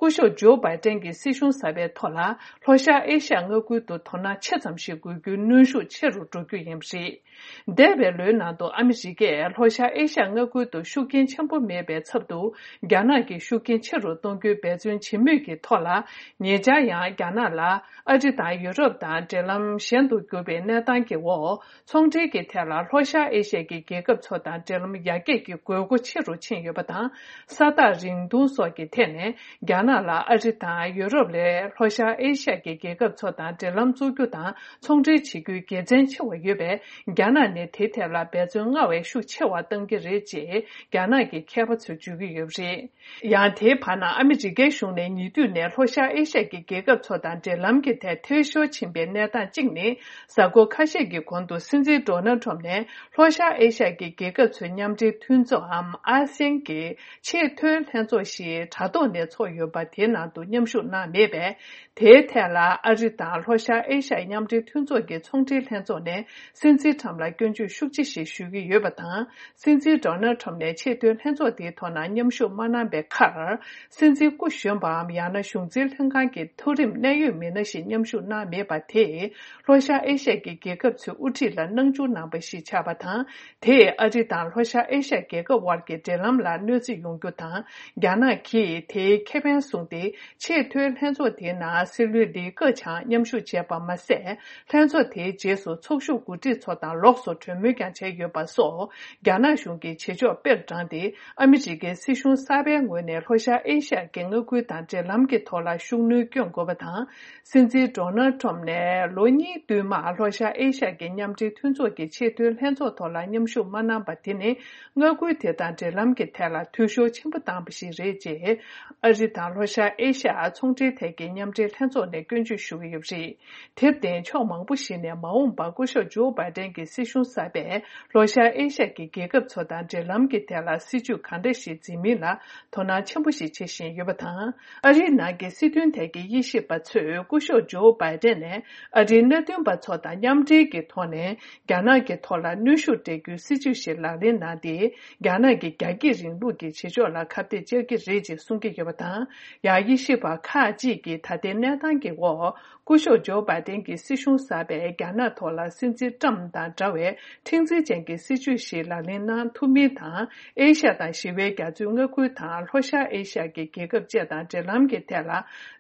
སྐུ་ཞབས་ཇོ་བྷའི་ཏན་གྱི་སྲིད་གཞུང་གསར་པའི་ཐོག་ལ། ལྷོ་ཤར་ཨེ་ཤ་ཡ་མངའ་ཁུལ་དུ་དོ་སྣང་ཆེ་ཙམ་ཞིག་དགོས་རྒྱུའི་གནོན་ཤུགས་ཆེ་རུ་འགྲོ་རྒྱུ་ཡིན་པ་རེད། འདས་པའི་ལོའི་ནང་དུ་ཨ་མི་རི་ཀས་ལྷོ་ཤར་ཨེ་ཤ་ཡ་མངའ་ཁུལ་དུ་ཤུགས་རྐྱེན་ཆེན་པོ་མེད་པའི་ཚབ་ཏུ། རྒྱ་ནག་གི་ཤུགས་རྐྱེན་ཆེ་རུ་གཏོང་རྒྱུའི་འབད་བརྩོན་བྱེད་མུས་ཀྱི་ཐོག་ལ། ཉེ་ཆར་ཡང་རྒྱ་ནག་ལ་ཨ་རི་དང་ཡུ་རོབ་དང་འབྲེལ་ལམ་ཞན་དུ་གྱུར་པའི་གནས་སྟངས་ཀྱི་འོག་ཚོང་འབྲེལ་གྱི་ཐད་ལ་ལྷོ་ཤར་ཨེ་ཤ་ཡའི་རྒྱལ་ཁབ་ཚོ་དང་འབྲེལ་ལམ་ཡར་རྒྱས་ཀྱི་དགོས་མཁོ་ཆེ་རུ་ཕྱིན་ཡོད་པ་དང་། ས་ཐག་རིང་ཐུང་སོགས་ཀྱི་ཐད་ནས་རྒྱ་ནག་ལ་ཨ་རི་དང་ཡུ་རོབ་ལས་ལྷོ་ཤར་ཨེ་ཤ་ཡའི་རྒྱལ་ཁབ་ཚོ་དང་འབྲེལ་ལམ་བཙུགས་རྒྱུ་དང་ཚོང་འབྲེལ་བྱེད་རྒྱུའི་དགེ་མཚན་ཆེ་བ་ཡོད་པས། རྒྱ་ནག་ནས་དེའི་ཐད་ལ་འབད་བརྩོན་སྔར་བས་ཤུགས་ཆེ་བ་གཏང་གི་རེད་ཅེས་རྒྱ་ནག་གི་མཁས་པ་ཚོས་བརྗོད་ཀྱི་ཡོད་པ་རེད། ཡང་དེའི་བར་ན་ཨ་མི་རི་ཀའི་གཞུང་ནས་ཉེ་དུས་ནས་ལྷོ་ཤར་ཨེ་ཤ་ཡའི་རྒྱལ་ཁབ་ཚོ་དང་འབྲེལ་ལམ་གྱི་ཐད་འཐུས་ཤོར་ཕྱིན་པའི་གནས་སྟངས་གཅིག་ནི། གཟའ་འཁོར་ཁ་ཤས་ཀྱི་གོང་དུ་སྲིད་འཛིན་ཌོ་ནལ་ཊམ་ནས་ལྷོ་ཤར་ཨེ་ཤ་ཡའི་རྒྱལ་ཁབ་ཚོའི་མཉམ་འབྲེལ་མཐུན་ཚོགས་འམ་ཨ་སེན་གྱི་ཆེས་མཐོའི་ལྷན་ཚོགས་ཤིག་དྲ་ཐོག་ནས་ཚོགས་ཡོད་པ། དེའི་ནང་དུ་མཉམ་ཞུགས་གནང་མེད་པས། དེའི་ཐད་ལ་ཨ་རི་དང་ལྷོ་ཤར་ཨེ་ཤ་ཡའི་མཉམ་འབྲེལ་མཐུན་ཚོགས་ཀྱི་ཚོང་འབྲེལ་ལྷན་ཚོགས་ནས་སྲིད་འཛིན་ཊམ་ལ་སྐྱོན་བརྗོད་ཤུགས་ཆེ་ཞིག་ཞུ་གི་ཡོད་པ་དང་། སྲིད་འཛིན་ཌོ་ནལ་ཊམ་ནས་ཆེས་མཐོའི་ལྷན་ཚོགས་དེའི་ཐོག་ན་མཉམ་ཞུགས་མ་གནང་པའི་ཁར། སྲིད་འཛིན་སྐུ་གཞོན་པའམ་ཡང་ན་གཞུང་འཛིན་ལྷན་ཁང་གི་མཐོ་རིམ་གནད་ཡོད་མི་སྣ་ཞིག་མཉམ་ཞུགས་གནང་མེད་པ་དེས་ལྷོ་ཤར་ཨེ་ཤ་ཡའི་རྒྱལ་ཁབ་ཚོའི་དབུ་ཁྲིད་ལ་སྣང་ཆུང་གནང་པ་ཞིག་ཆགས་པ་དང་། དེས་ཨ་རི་དང་ལྷོ་ཤར་ཨེ་ཤ་ཡའི་རྒྱལ་ཁབ་དབར་གྱི་འབྲེལ་ལམ་ལ་གནོད་འཚེ་ཡོང་རྒྱུ་དང་། རྒྱ་ནག་གིས་དེའི་ཁེ་ཕན་བཟུང་སྟེ། ཆེས་མཐོའི་ལྷན་ཚོགས་དེའི་ནང་སྲིད་བློན་ལི་ཀེ་ཆང་མཉམ་ཞུགས་བྱས་པ་མ་ཟད། ལྷན་ཚོགས་དེའི་རྗེས་སུ་ཚོགས་ཞུགས་འགོ་ཁྲིད་ཚོ་དང་ལོགས་སུ་གྲོས་མོལ་ཀྱང་བྱས་ཡོད་པ་སོགས། རྒྱ་ནག་གཞུང་གིས་བྱེད་ཕྱོགས་དཔེར་དྲངས་ཏེ། ཨ་མི་རི་ཀའི་སྲིད་གཞུང་གསར་པའི་ངོས་ནས་ལྷོ་ཤར་ཨེ་ཤ་ཡའི་མངའ་ཁུལ་དང་འབྲེལ་ལམ་གྱི་ཐོག་ལ་ཤུགས་སྣོན་སྐྱོན་དགོས་པ་དང་། སྲིད་འཛིན་ཌོ་ནལ་ཊམ་ནས་ལོ་གཉིས་བསྟུད་མར་ལྷོ་ཤར་ཨེ་ཤ་ཡའི་མཉམ་འབྲེལ་མཐུན་ཚོགས་ཀྱི་ཆེས་མཐོའི་ལྷན་ཚོགས་ཐོག་ལ་མཉམ་ཞུགས་མ་གནང་པ་དེ་ནི། མངའ་ཁུལ་དེ་དང་འབྲེལ་ལམ་གྱི་ཐད་ལ་འཐུས་ཤོར་ཆེན་པོ་བཏང་པ་ཞིག་རེད། ཅེས་ཨ་རི་དང་ལྷོ་ཤར་ཨེ་ཤ་ཡ་ཚོང་འབྲེལ་ཐད་ཀྱི་མཉམ་འབྲེལ་ལྷན་ཚོགས་ནས་སྐྱོན་བརྗོད་ཞུ་གི་ཡོད་པ་རེད། དེར་བརྟེན། ཕྱོགས་མང་པོ་ཞིག་ནས་མ་འོངས་པར་སྐུ་ཞབས་ཇོ་བྷའི་ཏན་གྱི་སྲིད་གཞུང་གསར་པས་ལྷོ་ཤར་ཨེ་ཤ་ཡའི་རྒྱལ་ཁབ་ཚོ་དང་འབྲེལ་ལམ་གྱི་ཐད་ལ་སྲིད་ཇུས་གང་འདྲ་ཞིག་འཛིན་མིན་ལ་དོ་སྣང་ཆེན་པོ་ཞིག་བྱེད་བཞིན་ཡོད་པ་དང་། ཨ་རིའི་ནང་གི་སྲིད་དོན་ཐད་ཀྱི་དབྱེ་ཞིབ་པ་ཚོས་སྐུ་ཞབས་ཇོ་བྷའི་ཏན་ནས་ཨ་རིའི་མནའ་མཐུན་པ་ཚོ་དང་མཉམ་འབྲེལ་གྱི་ཐོག་ནས། རྒྱ་ནག་གི་ཐོག་ལ་གནོན་ཤུགས་སྤྲད་རྒྱུའི་སྲིད་ཇུས་ཤིག་ལག་ལེན་གནང་སྟེ། རྒྱ་ནག་གི་རྒྱ་སྐྱེད་རིང་ལུགས་ཀྱི་བྱེད་ཕྱོགས་ལ་ཁ་གཏད་བཅག་གི་རེད་ཅེས་གསུང་གི་ཡོད་པ་དང་། ཡང་དབྱེ་ཞིབ་པ་ཁག་ཅིག་གིས་ད་ལྟའི་གནས་སྟངས་ཀྱི་འོག་སྐུ་ཞབས་ཇོ་བྷའི་ཏན་གྱི་སྲིད་གཞུང་གསར་པས་རྒྱ་ནག་ཐོག་ལ་སྲིད་འཛིན་ཏྲམ་དང་འདྲ་བའི་མཁྲེགས་འཛིན་ཅན་གྱི་སྲིད་ཇུས་ཤིག་ལག་ལེན་གནང་ཐུབ་མིན་དང་། ཨེ་ཤ་ཡ་དང་ཞི་བའི་རྒྱ་མཚོའི་མངའ་ཁུལ་དང་ལྷོ་ཤར་ཨེ་ཤ་ཡ་གི་རྒྱལ་ཁབ་བཅས་དང་འབྲེལ་ལམ་གྱི་ཐད་ལ་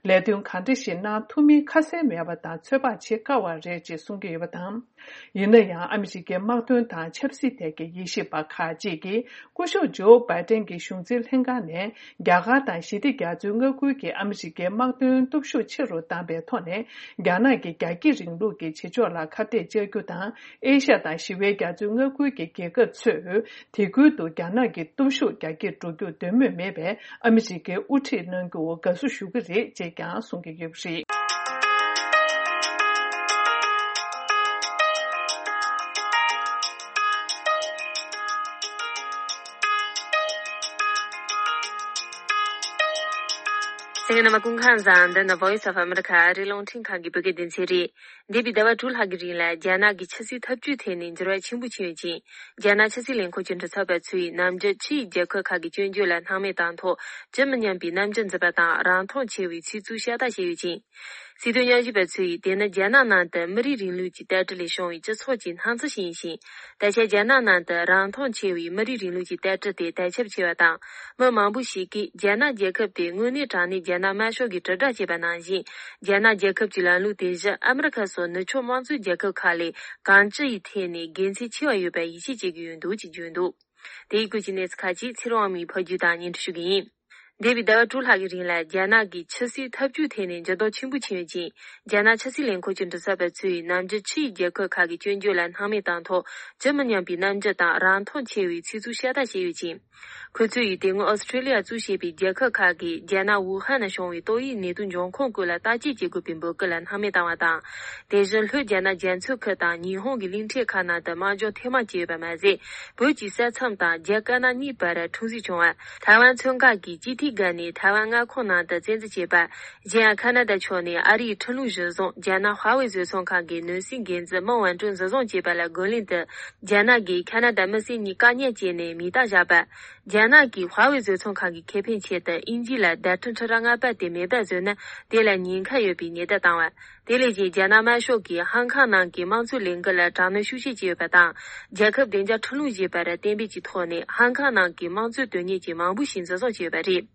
ལས་དོན་གང་འདྲ་ཞིག་གནང་ཐུབ་མིན་ཁ་གསལ་མེད་པ་དང་ཚོད་དཔག་བྱེད་དཀའ་བ་རེད་ཅེས་གསུང་གི་ཡོད་པ་དང་། ཡིན་ན་ཡང་། ཨ་མི་རི་ཀའི་དམག་དོན་དང་ཆབ་སྲིད་ཐད་ཀྱི་དབྱེ་ཞིབ་པ་ཁག་ཅིག་གིས། སྐུ་ཞབས་ཇོ་བྷའི་ཏན་གྱི་གཞུང་འཛིན་ལྷན་ཁང་ནས། རྒྱ་གར་དང་ཞི་བདེ་རྒྱ་མཚོའི་མངའ་ཁུལ་གྱི་ཨ་མི་རི་ཀའི་དམག་དོན་སྟོབས་ཤུགས་ཆེ་རུ་བཏང་པའི་ཐོག་ནས། རྒྱ་ནག་གི་རྒྱ་སྐྱེད་རིང་ལུགས་ཀྱི་བྱེད་ཕྱོགས་ལ་ཁ་གཏད་བཅག་རྒྱུ་དང་། ཨེ་ཤ་ཡ་དང་ཞི་བའི་རྒྱ་མཚོའི་མངའ་ཁུལ་གྱི་རྒྱལ་ཁབ་ཚོས། དེ་ཁུལ་དུ་རྒྱ་ནག་གི་སྟོབས་ཤུགས་རྒྱ་སྐྱེད་འགྲོ་རྒྱུ་འདོད་མོས་མེད་པས། ཨ་མི་རི་ཀའི་དབུ་ཁྲིད་གནང་རྒྱུར་དགའ་བསུ་ཞུ་གི་རེད་ཅེས་ཀྱང་གསུང་གི་ཡོད་པ་རེད། གསན་མཁན་རྣམ་པ་སྐུ་ཁམས་བཟང་། འདི་ནི་Voice of America ཨ་རིའི་རླུང་འཕྲིན་ཁང་གི་བོད་སྐད་སྡེ་ཚན་རེད། འདས་པའི་ཟླ་བ་དྲུག་ལྷག་གི་རིང་ལ་རྒྱ་ནག་གི་ཆབ་སྲིད་འཐབ་ཇུས་ཐད་ནས་འགྱུར་བ་ཆེན་པོ་ཕྱིན་ཡོད་ཅིང་། རྒྱ་ནག་ཆབ་སྲིད་ལས་ཁུངས་ཀྱི་མགྲིན་ཚབ་པ་ཚོས་ནམ་རྒྱུན་ཕྱི་ཡི་རྒྱལ་ཁབ་ཁག་གི་སྐྱོན་བརྗོད་ལ་སྣང་མེད་བཏང་ཐོག་ཇི་མི་སྙམ་པའི་རྣམ་འགྱུར་འཛིན་པ་དང་རང་མཐོང་ཆེ་བའི་ཚིག་རྩུབ་ཤ་སྟག་བཤད་ཡོད་ཅིང་། སྲིད་དོན་དབྱེ་ཞིབ་པ་ཚོས་དེ་ནི་རྒྱ་ནག་ནང་དུ་མི་རིགས་རིང་ལུགས་ཀྱི་ལྟ་གྲུབ་ལས་བྱུང་བའི་སྤྱི་ཚོགས་ཀྱི་སྣང་ཚུལ་ཞིག་ཡིན་ཞིང་། ད་ཆ་རྒྱ་ནག་ནང་དུ་རང་མཐོང་ཆེ་བའི་མི་རིགས་རིང་ལུགས་ཀྱི་ལྟ་གྲུབ་དེ་དར་ཁྱབ་ཆེ་བ་དང་། མི་མང་པོ་ཞིག་གིས་རྒྱ་ནག་རྒྱལ་ཁབ་དེ་དངོས་གནས་དྲང་གནས་རྒྱ་ནག་དམར་ཤོག་གི་དྲིལ་བསྒྲགས་བྱས་པ་ནང་བཞིན། རྒྱ་ནག་རྒྱལ་ཁབ་ཀྱི་ལམ་ལུགས་དེ་བཞིན་ཨ་མི་རི་ཁ་སོགས་ནུབ་ཕྱོགས་དམངས་གཙོའི་རྒྱལ་ཁབ་ཁག་ལས་གང་ཅི་ཡི་ཐད་ནས་དགེ་མཚན་ཆེ་བ་ཡོད་པར་ཡིད་ཆེས་བྱེད་ཀྱི་ཡོད་འདུག་ཅེས་བརྗོད་འདུག་དེ་ཡི་སྐོར་གྱི་གནས་ཚུལ་ཁག་ཅིག་ཚེ་རིང་དབང་མོས་ཕབ་སྒྱུར་དང་སྙན་སྒྲོན་ཞུ་གི་ཡིན། འདས་པའི་ཟླ་བ་དྲུག་ལྷག་གི་རིང་ལ་རྒྱ་ནག་གི་ཆབ་སྲིད་འཐབ་ཇུས་ཐད་ནས་འགྱུར་ལྡོག་ཆེན་པོ་ཕྱིན་ཡོད་ཅིང་། རྒྱ་ནག་ཆབ་སྲིད་ལས་ཁུངས་ཀྱི་མགྲིན་ཚབ་པ་ཚོས་ནམ་རྒྱུན་ཕྱི་ཡི་རྒྱལ་ཁབ་ཁག་གི་སྐྱོན་བརྗོད་ལ་སྣང་མེད་བཏང་ཐོག་ཇི་མི་སྙམ་པའི་རྣམ་འགྱུར་དང་རང་མཐོང་ཆེ་བའི་ཚིག་རྩུབ་ཤ་སྟག་བཤད་ཡོད་ཅིང་། ཁོ་ཚོས་དེ་སྔོན་ཨོ་སི་ཁྲུ་ལི་ཡ་གཙོས་བྱས་པའི་རྒྱལ་ཁབ་ཁག་གིས་རྒྱ་ནག་ཝུ་ཧན་ནང་བྱུང་བའི་ཏོག་དབྱིབས་ནད་དུག་འབྱུང་ཁུངས་སྐོར་ལ་བརྟག་དཔྱད་བྱེད་དགོས་པའི་འབོད་སྐུལ་ལ་སྣང་མེད་བཏང་བ་དང་། དེ་བཞིན་ལྷོ་རྒྱ་ནག་རྒྱ་མཚོའི་ཁུལ་དང་ཉི་ཧོང་གི་གླིང་ཕྲན་ཁག་ནང་དུ་དམག་སྦྱོང་ཐེངས་མང་བྱས་ཡོད་པ་མ་ཟད། བོད་ཀྱི་ས་མཚམས་དང་རྒྱ་དཀར་ནག་གཉིས་བར་འཁྲུག་འཛིང་བྱུང་བ། ཐའེ་ཝན་མཚོ་འགག་གི་ཅི་ཐི་སྒར་ནས་ཐའེ་ཝན་མངའ་ཁོངས་ནང་དུ་བཙན་འཛུལ་བྱས་པ། གཞན་ཡང་ཁ་ན་ཌ་ཕྱོགས་ནས་ཨ་རིའི་ཁྲིམས་ལུགས་གཞིར་བཟུང་རྒྱ་ནག་ཧྭ་ཝེ་བཟོ་ཚོང་ཁང་གི་ནང་སྲིད་འགན་འཛིན་མིང་ཝན་ཀྲུན་འཛིན་བཟུང་བྱས་པ་ལ་རྒོལ་ལན་དུ། རྒྱ་ནག་གིས་ཁ་ན་ཌ་མི་སེར་གཉིས་བཀག་ཉར་བྱས་ནས་མིང་རྟགས་བཞག་པ། རྒྱ་ནག་གིས་ཧྭ་ཝེ་བཟོ་ཚོང་ཁང་གི་ཁེ་ཕན་ཆེད་དུ་དབྱིན་ཇི་ལ་བརྡ་སྤྲོད་འཕྲུལ་རིག་སྔ་པ་དེ་མེད་པར་བཟོས་ན་དེ་ལ་ཉེན་ཁ་ཡོད་པའི་ཉེན་བརྡ་བཏང་བ། དེ་ལས་ཀྱང་རྒྱ་ནག་དམར་ཤོག་གིས་ཧང་ཁང་ནང་གི་དམངས་གཙོའི་ལས་འགུལ་ལ་དྲག་གནོན་ཤུགས་ཆེ་བྱས་ཡོད་པ་དང་། རྒྱལ་ཁབ་བདེ་འཇགས་ཁྲིམས་ལུགས་ཞེས་པར་གཏན་འབེབས་ཀྱི་ཐོག་ནས་ཧང་ཁང་ནང་གི་དམངས་གཙོའི་དོན་གཉེར་ཅན་མང་པོ་ཞིག་འཛིན་བཟུང་བྱས་ཡོད་པ་རེད།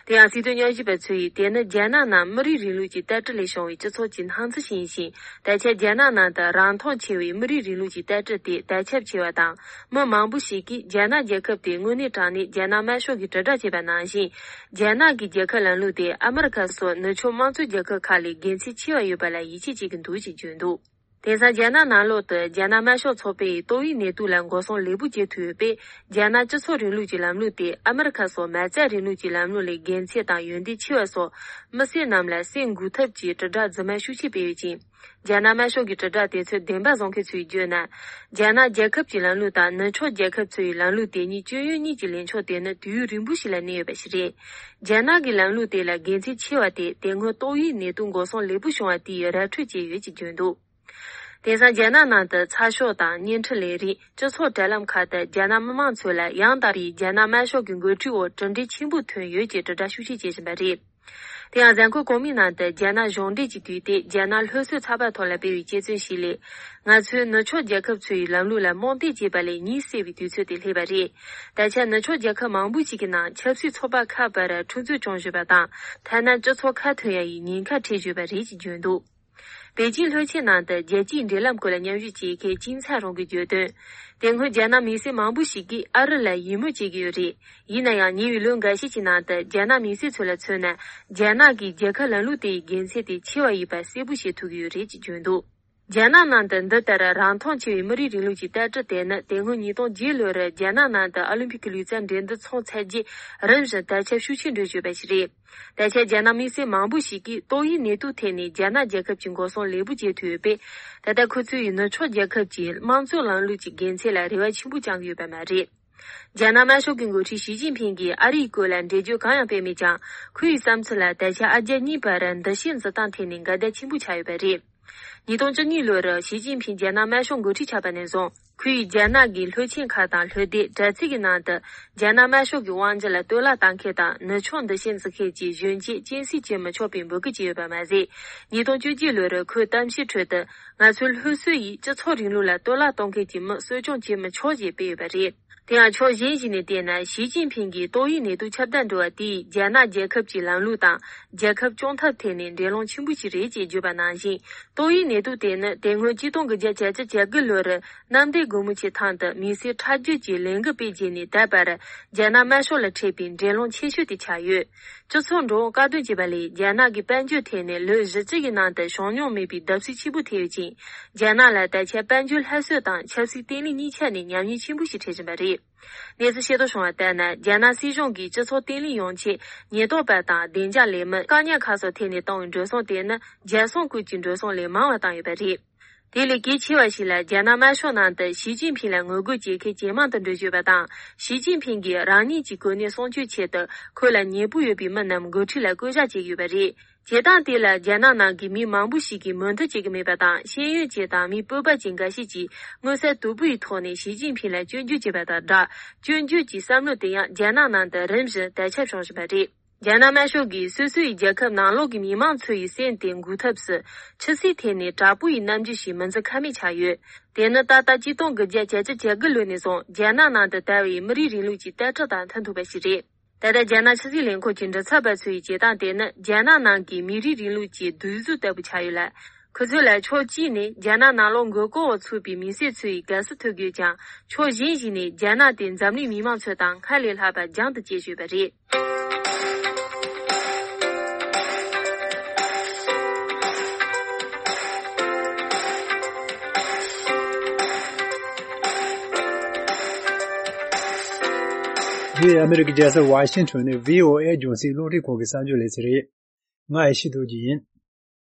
དེ་ཡང་སྲིད་དོན་དབྱེ་ཞིབ་པ་ཚོས་དེ་ནི་རྒྱ་ནག་ནང་མི་རིགས་རིང་ལུགས་ཀྱི་ལྟ་གྲུབ་ལས་བྱུང་བའི་སྤྱི་ཚོགས་ཀྱི་སྣང་ཚུལ་ཞིག་ཡིན་ཞིང་། ད་ཆ་རྒྱ་ནག་ནང་དུ་རང་མཐོང་ཆེ་བའི་མི་རིགས་རིང་ལུགས་ཀྱི་ལྟ་གྲུབ་དེ་དར་ཁྱབ་ཆེ་བ་དང་། མི་མང་པོ་ཞིག་གིས་རྒྱ་ནག་རྒྱལ་ཁབ་དེ་དངོས་གནས་དྲང་གནས་རྒྱ་ནག་དམར་ཤོག་གིས་དྲིལ་བསྒྲགས་བྱས་པ་ནང་བཞིན། རྒྱ་ནག་གི་རྒྱལ་ཁབ་ལམ་ལུགས་དེ་ཨ་མི་རི་ཁ་སོགས་ནུབ་ཕྱོགས་དམངས་གཙོའི་རྒྱལ་ཁབ་ཁག་ལས་དགེ་མཚན་ཆེ་བ་ཡོད་པ་ལ་ཡིད་ཆེས་བྱེད་ཀྱི་འདུག་ཅེས་བརྗོད་འདུག་དེང་སང་རྒྱ་ནག་ནང་ལོགས་དུ་རྒྱ་ནག་དམར་ཤོག་ཚོགས་པའི་ཏོག་དབྱིབས་ནད་དུག་ལ་འགོག་སྲུང་ལེགས་པོ་བྱེད་ཐུབ་ཡོད་པས། རྒྱ་ནག་སྤྱི་ཚོགས་རིང་ལུགས་ཀྱི་ལམ་ལུགས་དེ་ཨ་མི་རི་ཁ་སོགས་མ་རྩ་རིང་ལུགས་ཀྱི་ལམ་ལུགས་ལས་དགེ་མཚན་དང་ཡོན་ཏན་ཆེ་བ་སོགས། མི་སེར་རྣམས་ལ་སེམས་འགུག་ཐབས་ཀྱི་དྲིལ་བསྒྲགས་རྫུན་མ་ཤུགས་ཆེ་སྤེལ་ཡོད་ཅིང་། རྒྱ་ནག་དམར་ཤོག་གི་དྲིལ་བསྒྲགས་དེ་ཚོས་བདེན་པ་བཟུང་མཁན་ཚོས་བརྗོད་ན། རྒྱ་ནག་རྒྱལ་ཁབ་ཀྱི་ལམ་ལུགས་དང་ནུབ་ཕྱོགས་རྒྱལ་ཁབ་ཚོའི་ལམ་ལུགས་དེ་གཉིས་སྐྱོན་ཡོན་གཉིས་ཀྱི་ལས་ཆོག་དེ་ནི་དུས་ཡུན་རིང་པོ་ཞིག་ལ་གནས་ཡོད་པ་ཞིག་རེད། རྒྱ་ནག་གི་ལམ་ལུགས་དེ་ལ་དགེ་མཚན་ཆེ་བ་དེ་དེ་སྔོན་ཏོག་དབྱིབས་ནད་དུག་འགོག་སྲུང་ལེགས་པོ་བྱུང་བ་དེ་ཡི་ར་འཕྲོད་ཅིག་ཡོད་ཅེས་བརྗོད་འདུག་དེང་སང་རྒྱ་ནག་ནང་དུ་ཚགས་ཤོག་དང་བརྙན་འཕྲིན་ལས་རིགས། སྤྱི་ཚོགས་དྲ་ལམ་ཁག་ཏུ་རྒྱ་ནག་མི་མང་ཚོ་ལ་ཡང་དག་པའི་རྒྱ་ནག་དམར་ཤོག་གི་འགོ་ཁྲིད་འོག་གྲུབ་འབྲས་ཆེན་པོ་ཐོན་ཡོད་ཅེས་དྲིལ་བསྒྲགས་ཤུགས་ཆེ་བྱེད་བཞིན་པ་རེད། དེ་ཡང་གཟའ་འཁོར་གོང་མའི་ནང་དུ་རྒྱ་ནག་གཞུང་འབྲེལ་གྱི་དུས་དེབ་རྒྱ་ནག་ལྷོ་སོའི་ཚགས་པར་ཐོག་ལ་སྤེལ་བའི་དཔྱད་རྩོམ་ཞིག་ལས། ང་ཚོས་ནུབ་ཕྱོགས་རྒྱལ་ཁབ་ཚོའི་ལམ་ལུགས་ལ་རྨོངས་དད་བྱེད་པ་ལས་ཉིན་གསལ་བའི་དུས་ཚོད་དེ་སླེབས་པ་རེད། ད་ཆ་ནུབ་ཕྱོགས་རྒྱལ་ཁབ་མང་པོ་ཞིག་གི་ནང་ཆབ་སྲིད་ཚོགས་པ་ཁག་བར་འཁྲུག་རྩོད་བྱུང་བཞིན་པ་དང་། ཐ་ན་སྤྱི་ཚོགས་ཁ་ཐོན་ཡ་ཡི་ཉེན་ཁ་འཕྲད་བཞིན་པ་རེད་ཅེས་བརྗོད་འདུག་པེ་ཅིང་ལྷོ་ཆེན་ནང་དུ་རྒྱལ་སྤྱིའི་འབྲེལ་ལམ་སྐོར་ལ་མཉམ་ཞུགས་བྱེད་མཁན་ཅིན་ཚན་རོང་གིས་བརྗོད་དོན། དེ་སྔོན་རྒྱ་ནག་མི་སེར་མང་པོ་ཞིག་གིས་ཨ་རི་ལ་ཡིད་སྨོན་བྱེད་ཀྱི་ཡོད་རེད། ཡིན་ན་ཡང་ཉེ་བའི་ལོ་འགའ་ཤས་ཀྱི་ནང་དུ་རྒྱ་ནག་མི་སེར་ཚོ་ལ་མཚོན་ན། རྒྱ་ནག་གི་རྒྱལ་ཁབ་ལམ་ལུགས་དེ་ཡི་དགེ་མཚན་དེ་ཆེ་བ་ཡིན་པ་གསལ་པོ་ཤེས་ཐུབ་ཀྱི་ཡོད་རེད་ཅེས་བརྗོད་འདུག་རྒྱ་ནག་ནང་དུ་འདི་ལྟར་རང་མཐོང་ཆེ་བའི་མི་རིགས་རིང་ལུགས་ཀྱི་ལྟ་གྲུབ་དེ་ནི་དེ་སྔོན་ཉིས་སྟོང་བརྒྱད་ལོར་རྒྱ་ནག་ནང་དུ་ཨོ་ལིམ་ཕིག་གི་ལུས་རྩལ་འགྲན་བསྡུར་ཚོགས་ཚར་རྗེས་རིམ་བཞིན་དར་ཁྱབ་ཤུགས་ཆེ་འགྲོ་བཞིན་ཡོད་པ་ཞིག་རེད། ད་ཆ་རྒྱ་ནག་མི་སེར་མང་པོ་ཞིག་གིས་ཏོག་དབྱིབས་ནད་དུག་ཐད་ནས་རྒྱ་ནག་རྒྱལ་ཁབ་ཀྱི་འགོག་སྲུང་ལེགས་པོ་བྱེད་ཐུབ་ཡོད་པས། ད་ལྟ་ཁོ་ཚོས་ནུབ་ཕྱོགས་རྒྱལ་ཁབ་ཀྱི་དམངས་གཙོའི་ལམ་ལུགས་ཀྱི་དགེ་མཚན་ལ་རེ་བ་ཆེན་པོ་བཅངས་ཀྱི་ཡོད་པ་མ་རེད། རྒྱ་ནག་དམར་ཤོག་གི་འགོ་ཁྲིད་ཞི་ཅིན་ཕིང་གིས་ཨ་རིའི་སྐོར་ལ་འགྲེལ་བརྗོད་གང་ཡང་སྤེལ་མེད་ཀྱང་། ཁོའི་བསམ་ཚུལ་ལ་ད་ཆ་ཨ་རྒྱ་གཉིས་བར་འདུ་ཤེས་འཛིན་སྟངས་ཐད་ནས་འགལ་ཟླ་ཆེན་པོ་ཆགས་ཡོད་པ་རེད། ཉིས་སྟོང་བཅུ་གཉིས་ལོར་ཞི་ཅིན་ཕིང་རྒྱ་ནག་དམར་ཤོག་འགོ་ཁྲིད་ཆགས་པ་ནས་བཟུང་། ཁོས་རྒྱ་ནག་གི་ལྷོད་ཆེན་ཁག་དང་ལྷོད་ལྡན་དྲ་ཚིགས་ཀྱི་ནང་དུ། རྒྱ་ནག་དམར་ཤོག་གི་དབང་སྒྱུར་ལ་གཏོར་བརླག་བཏང་མཁན་དང་ནུབ་ཕྱོགས་འདུ་ཤེས་འཛིན་མཁན་གྱི་གཞོན་སྐྱེས་སྤྱན་གཟིགས་བྱེད་མི་ཆོག་པའི་འབོད་སྐུལ་བྱས་ཡོད་པ་མ་ཟད། ཉིས་སྟོང་བཅུ་གཅིག་ལོར་ཁོས་གཏམ་བཤད་ཁྲོད་དུ། ང་ཚོའི་སློབ་གསོ་ཡིས་སྤྱི་ཚོགས་རིང་ལུགས་ལ་གཏོར་བརླག་གཏོང་མཁན་གྱི་མི་གསོ་སྐྱོང་བྱེད་མི་ཆོག་ཅེས་སྤེལ་ཡོད་པ་རེད། དེ་ཡང་ཕྱོགས་གཞན་ཞིག་ནས་བལྟས་ན། ཞི་ཅིན་ཕིང་གིས་ཏོག་དབྱིབས་ནད་དུག་ཁྱབ་གདལ་འགྲོ་བ་དེས་རྒྱ་ནག་རྒྱལ་ཁབ་ཀྱི་ལམ་ལུགས་དང་རྒྱལ་ཁབ་སྐྱོང་ཐབས་ཐད་ནས་འགྲན་སློང་ཆེན་པོ་ཞིག་རེད་ཅེས་བརྗོད་པ་ནང་བཞིན། ཏོག་དབྱིབས་ནད་དུག་དེ་ནི་དེ་སྔོན་ཆིག་སྟོང་དགུ་བརྒྱ་བརྒྱད་ཅུ་གྱ་དགུ་ལོར་གནམ་བདེ་སྒོ་མོ་ཆེའི་ཐང་དུ་མི་སེར་ཁྲག་རྒྱུད་ཀྱི་ལས་འགུལ་སྤེལ་རྗེས་ནས་ད་བར་རྒྱ་ནག་དམར་ཤོག་ལ་འཕྲད་པའི་འགྲན་སློང་ཆེ་ཤོས་དེ་ཆགས་ཡོད། སྤྱི་ཚོགས་འགྲོ་འོང་བཀག་སྡོམ་བྱས་པ་ལས་རྒྱ་ནག་གི་དཔལ་འབྱོར་ཐད་ནས་ལོ་བཞི་བཅུ་ཡི་ནང་དུ་བྱུང་མྱོང་མེད་པའི་བརྡབ་གསིག་ཆེན་པོ་ཐེབས་ཡོད་ཅིང་། རྒྱ་ནག་ལ་ད་ཆ་དཔལ་འབྱོར་སླར་གསོ་དང་ཆབ་སྲིད་བརྟན་ལྷིང་གཉིས་ཆ་ནས་ཉམས་ཉེས་ཆེན་པོ་ཞིག་འཕྲད་བཞིན་པ་རེད། གནས་ཚུལ་ཤེས་རྟོགས་བྱུང་བ་ལྟར་ན། རྒྱ་ནག་སྲིད་གཞུང་གིས་སྤྱི་ཚོགས་བརྟན་ལྷིང་ཡོང་ཆེད་ཉེན་རྟོག་པ་དང་བདེ་འཇགས་ལས་མི། བཀག་ཉར་ཁག་སོགས་ཐད་ནས་བཏང་བའི་འགྲོ་སོང་དེ་ནི་རྒྱལ་སྲུང་ཁུལ་གྱི་འགྲོ་སོང་ལས་མང་བ་བཏང་ཡོད་པ་རེད། དེ་ལས་གལ་ཆེ་བ་ཞིག་ལ། རྒྱ་ནག་དམར་ཤོག་ནང་དུ་ཞི་ཅིན་ཕིང་ལ་ངོ་རྒོལ་བྱེད་མཁན་ཇེ་མང་དུ་འགྲོ་བཞིན་པ་དང་། ཞི་ཅིན་ཕིང་གིས་རང་ཉིད་ཀྱི་གོ་གནས་སྲུང་སྐྱོབ་ཆེད་དུ། ཁོ་ལ་ཉེ་པོ་ཡོད་པའི་མི་རྣམས་འགོ་ཁྲིད་ལ་བསྐོ་གཞག་བྱེད་ཀྱི་ཡོད་པ་རེད། བྱེད་སྟངས་དེ་ལ་རྒྱ་ནག་ནང་གི་མི་མང་པོ་ཞིག་གིས་མོས་མཐུན་བྱེད་ཀྱི་མེད་པ་དང་། ཤེས་ཡོན་ཅན་དང་མི་སྤོབས་པ་ཅན་འགའ་ཤས་ཀྱིས་མངོན་གསལ་དོད་པོ་ཡི་ཐོག་ནས་ཞི་ཅིན་ཕིང་ལ་སྐྱོན་བརྗོད་བྱས་པ་དང་སྦྲགས། སྐྱོན་བརྗོད་ཀྱི་བསམ་བློ་དེ་ཡང་རྒྱ་ནག་ནང་དུ་རིམ་བཞིན་དར་ཁྱབ་བྱུང་བཞིན་པ་རེད། རྒྱ་ནག་དམར་ཤོག་གིས་སོ་སོ་ཡི་རྒྱལ་ཁབ་ནང་ལོགས་ཀྱི་མི་མང་ཚོ་ཡི་སེམས་དེ་འགུག་ཐབས་སུ། ཆབ་སྲིད་ཐད་ནས་དྲག་པོ་ཡི་རྣམ་འགྱུར་ཞིག་མི་འཛིན་ཁ་མེད་ཆགས་ཡོད། དེ་ནི་ད་ལྟ་ཆིག་སྟོང་དགུ་བརྒྱ་བརྒྱད་ཅུ་གྱ་དགུ་ལོ་ནས་བཟུང་རྒྱ་ནག་ནང་དུ་དར་བའི་མི་རིགས་རིང་ལུགས་ཀྱི་ལྟ་གྲུབ་དང་མཐུན་ཐུབ་པ་ཞིག་རེད། ད་ལྟ་རྒྱ་ནག་ཕྱི་སྲིད་ལས་ཁུངས་ཀྱི་མགྲིན་ཚབ་པ་ཚོ་ཡི་བྱེད་སྟངས་དེ་ནི་རྒྱ་ནག་ནང་གི་མི་རིགས་རིང་ལུགས་ཀྱི་སྡུག་གཟུགས་ལྟ་བུ་ཆགས་ཡོད་ལ། ཁོ་ཚོ་ལ་ཕྱོགས་གཅིག་ནས་རྒྱ་ནག་ནང་ལོགས་མགོ་སྐོར་འོག་ཚུད་པའི་མི་སེར་ཚོ་ཡི་དགའ་བསུ་ཐོབ་དགོས་ཀྱང་། ཕྱོགས་གཞན་ཞིག་ནས་རྒྱ་ནག་དེ་འཛམ་གླིང་མི་མང་ཚོ་དང་སྔར་ལས་ལྷག་པ་རྒྱང་དུ་བཀྱེད་བཞིན་པ་རེད། འདི་ཨ་མི་རི་ཀའི་རྒྱལ་ས་ཝ་ཤིང་ཊོན་ནས་བྷི་ཨོ་ཨེ་རྒྱང་སྲིང་རླུང་འཕྲིན་ཁང་གི་གསར་འགྱུར་ལས་ཚན་རེད། ང་ཨེ་ཤེ་རྡོ་རྗེ་ཡིན།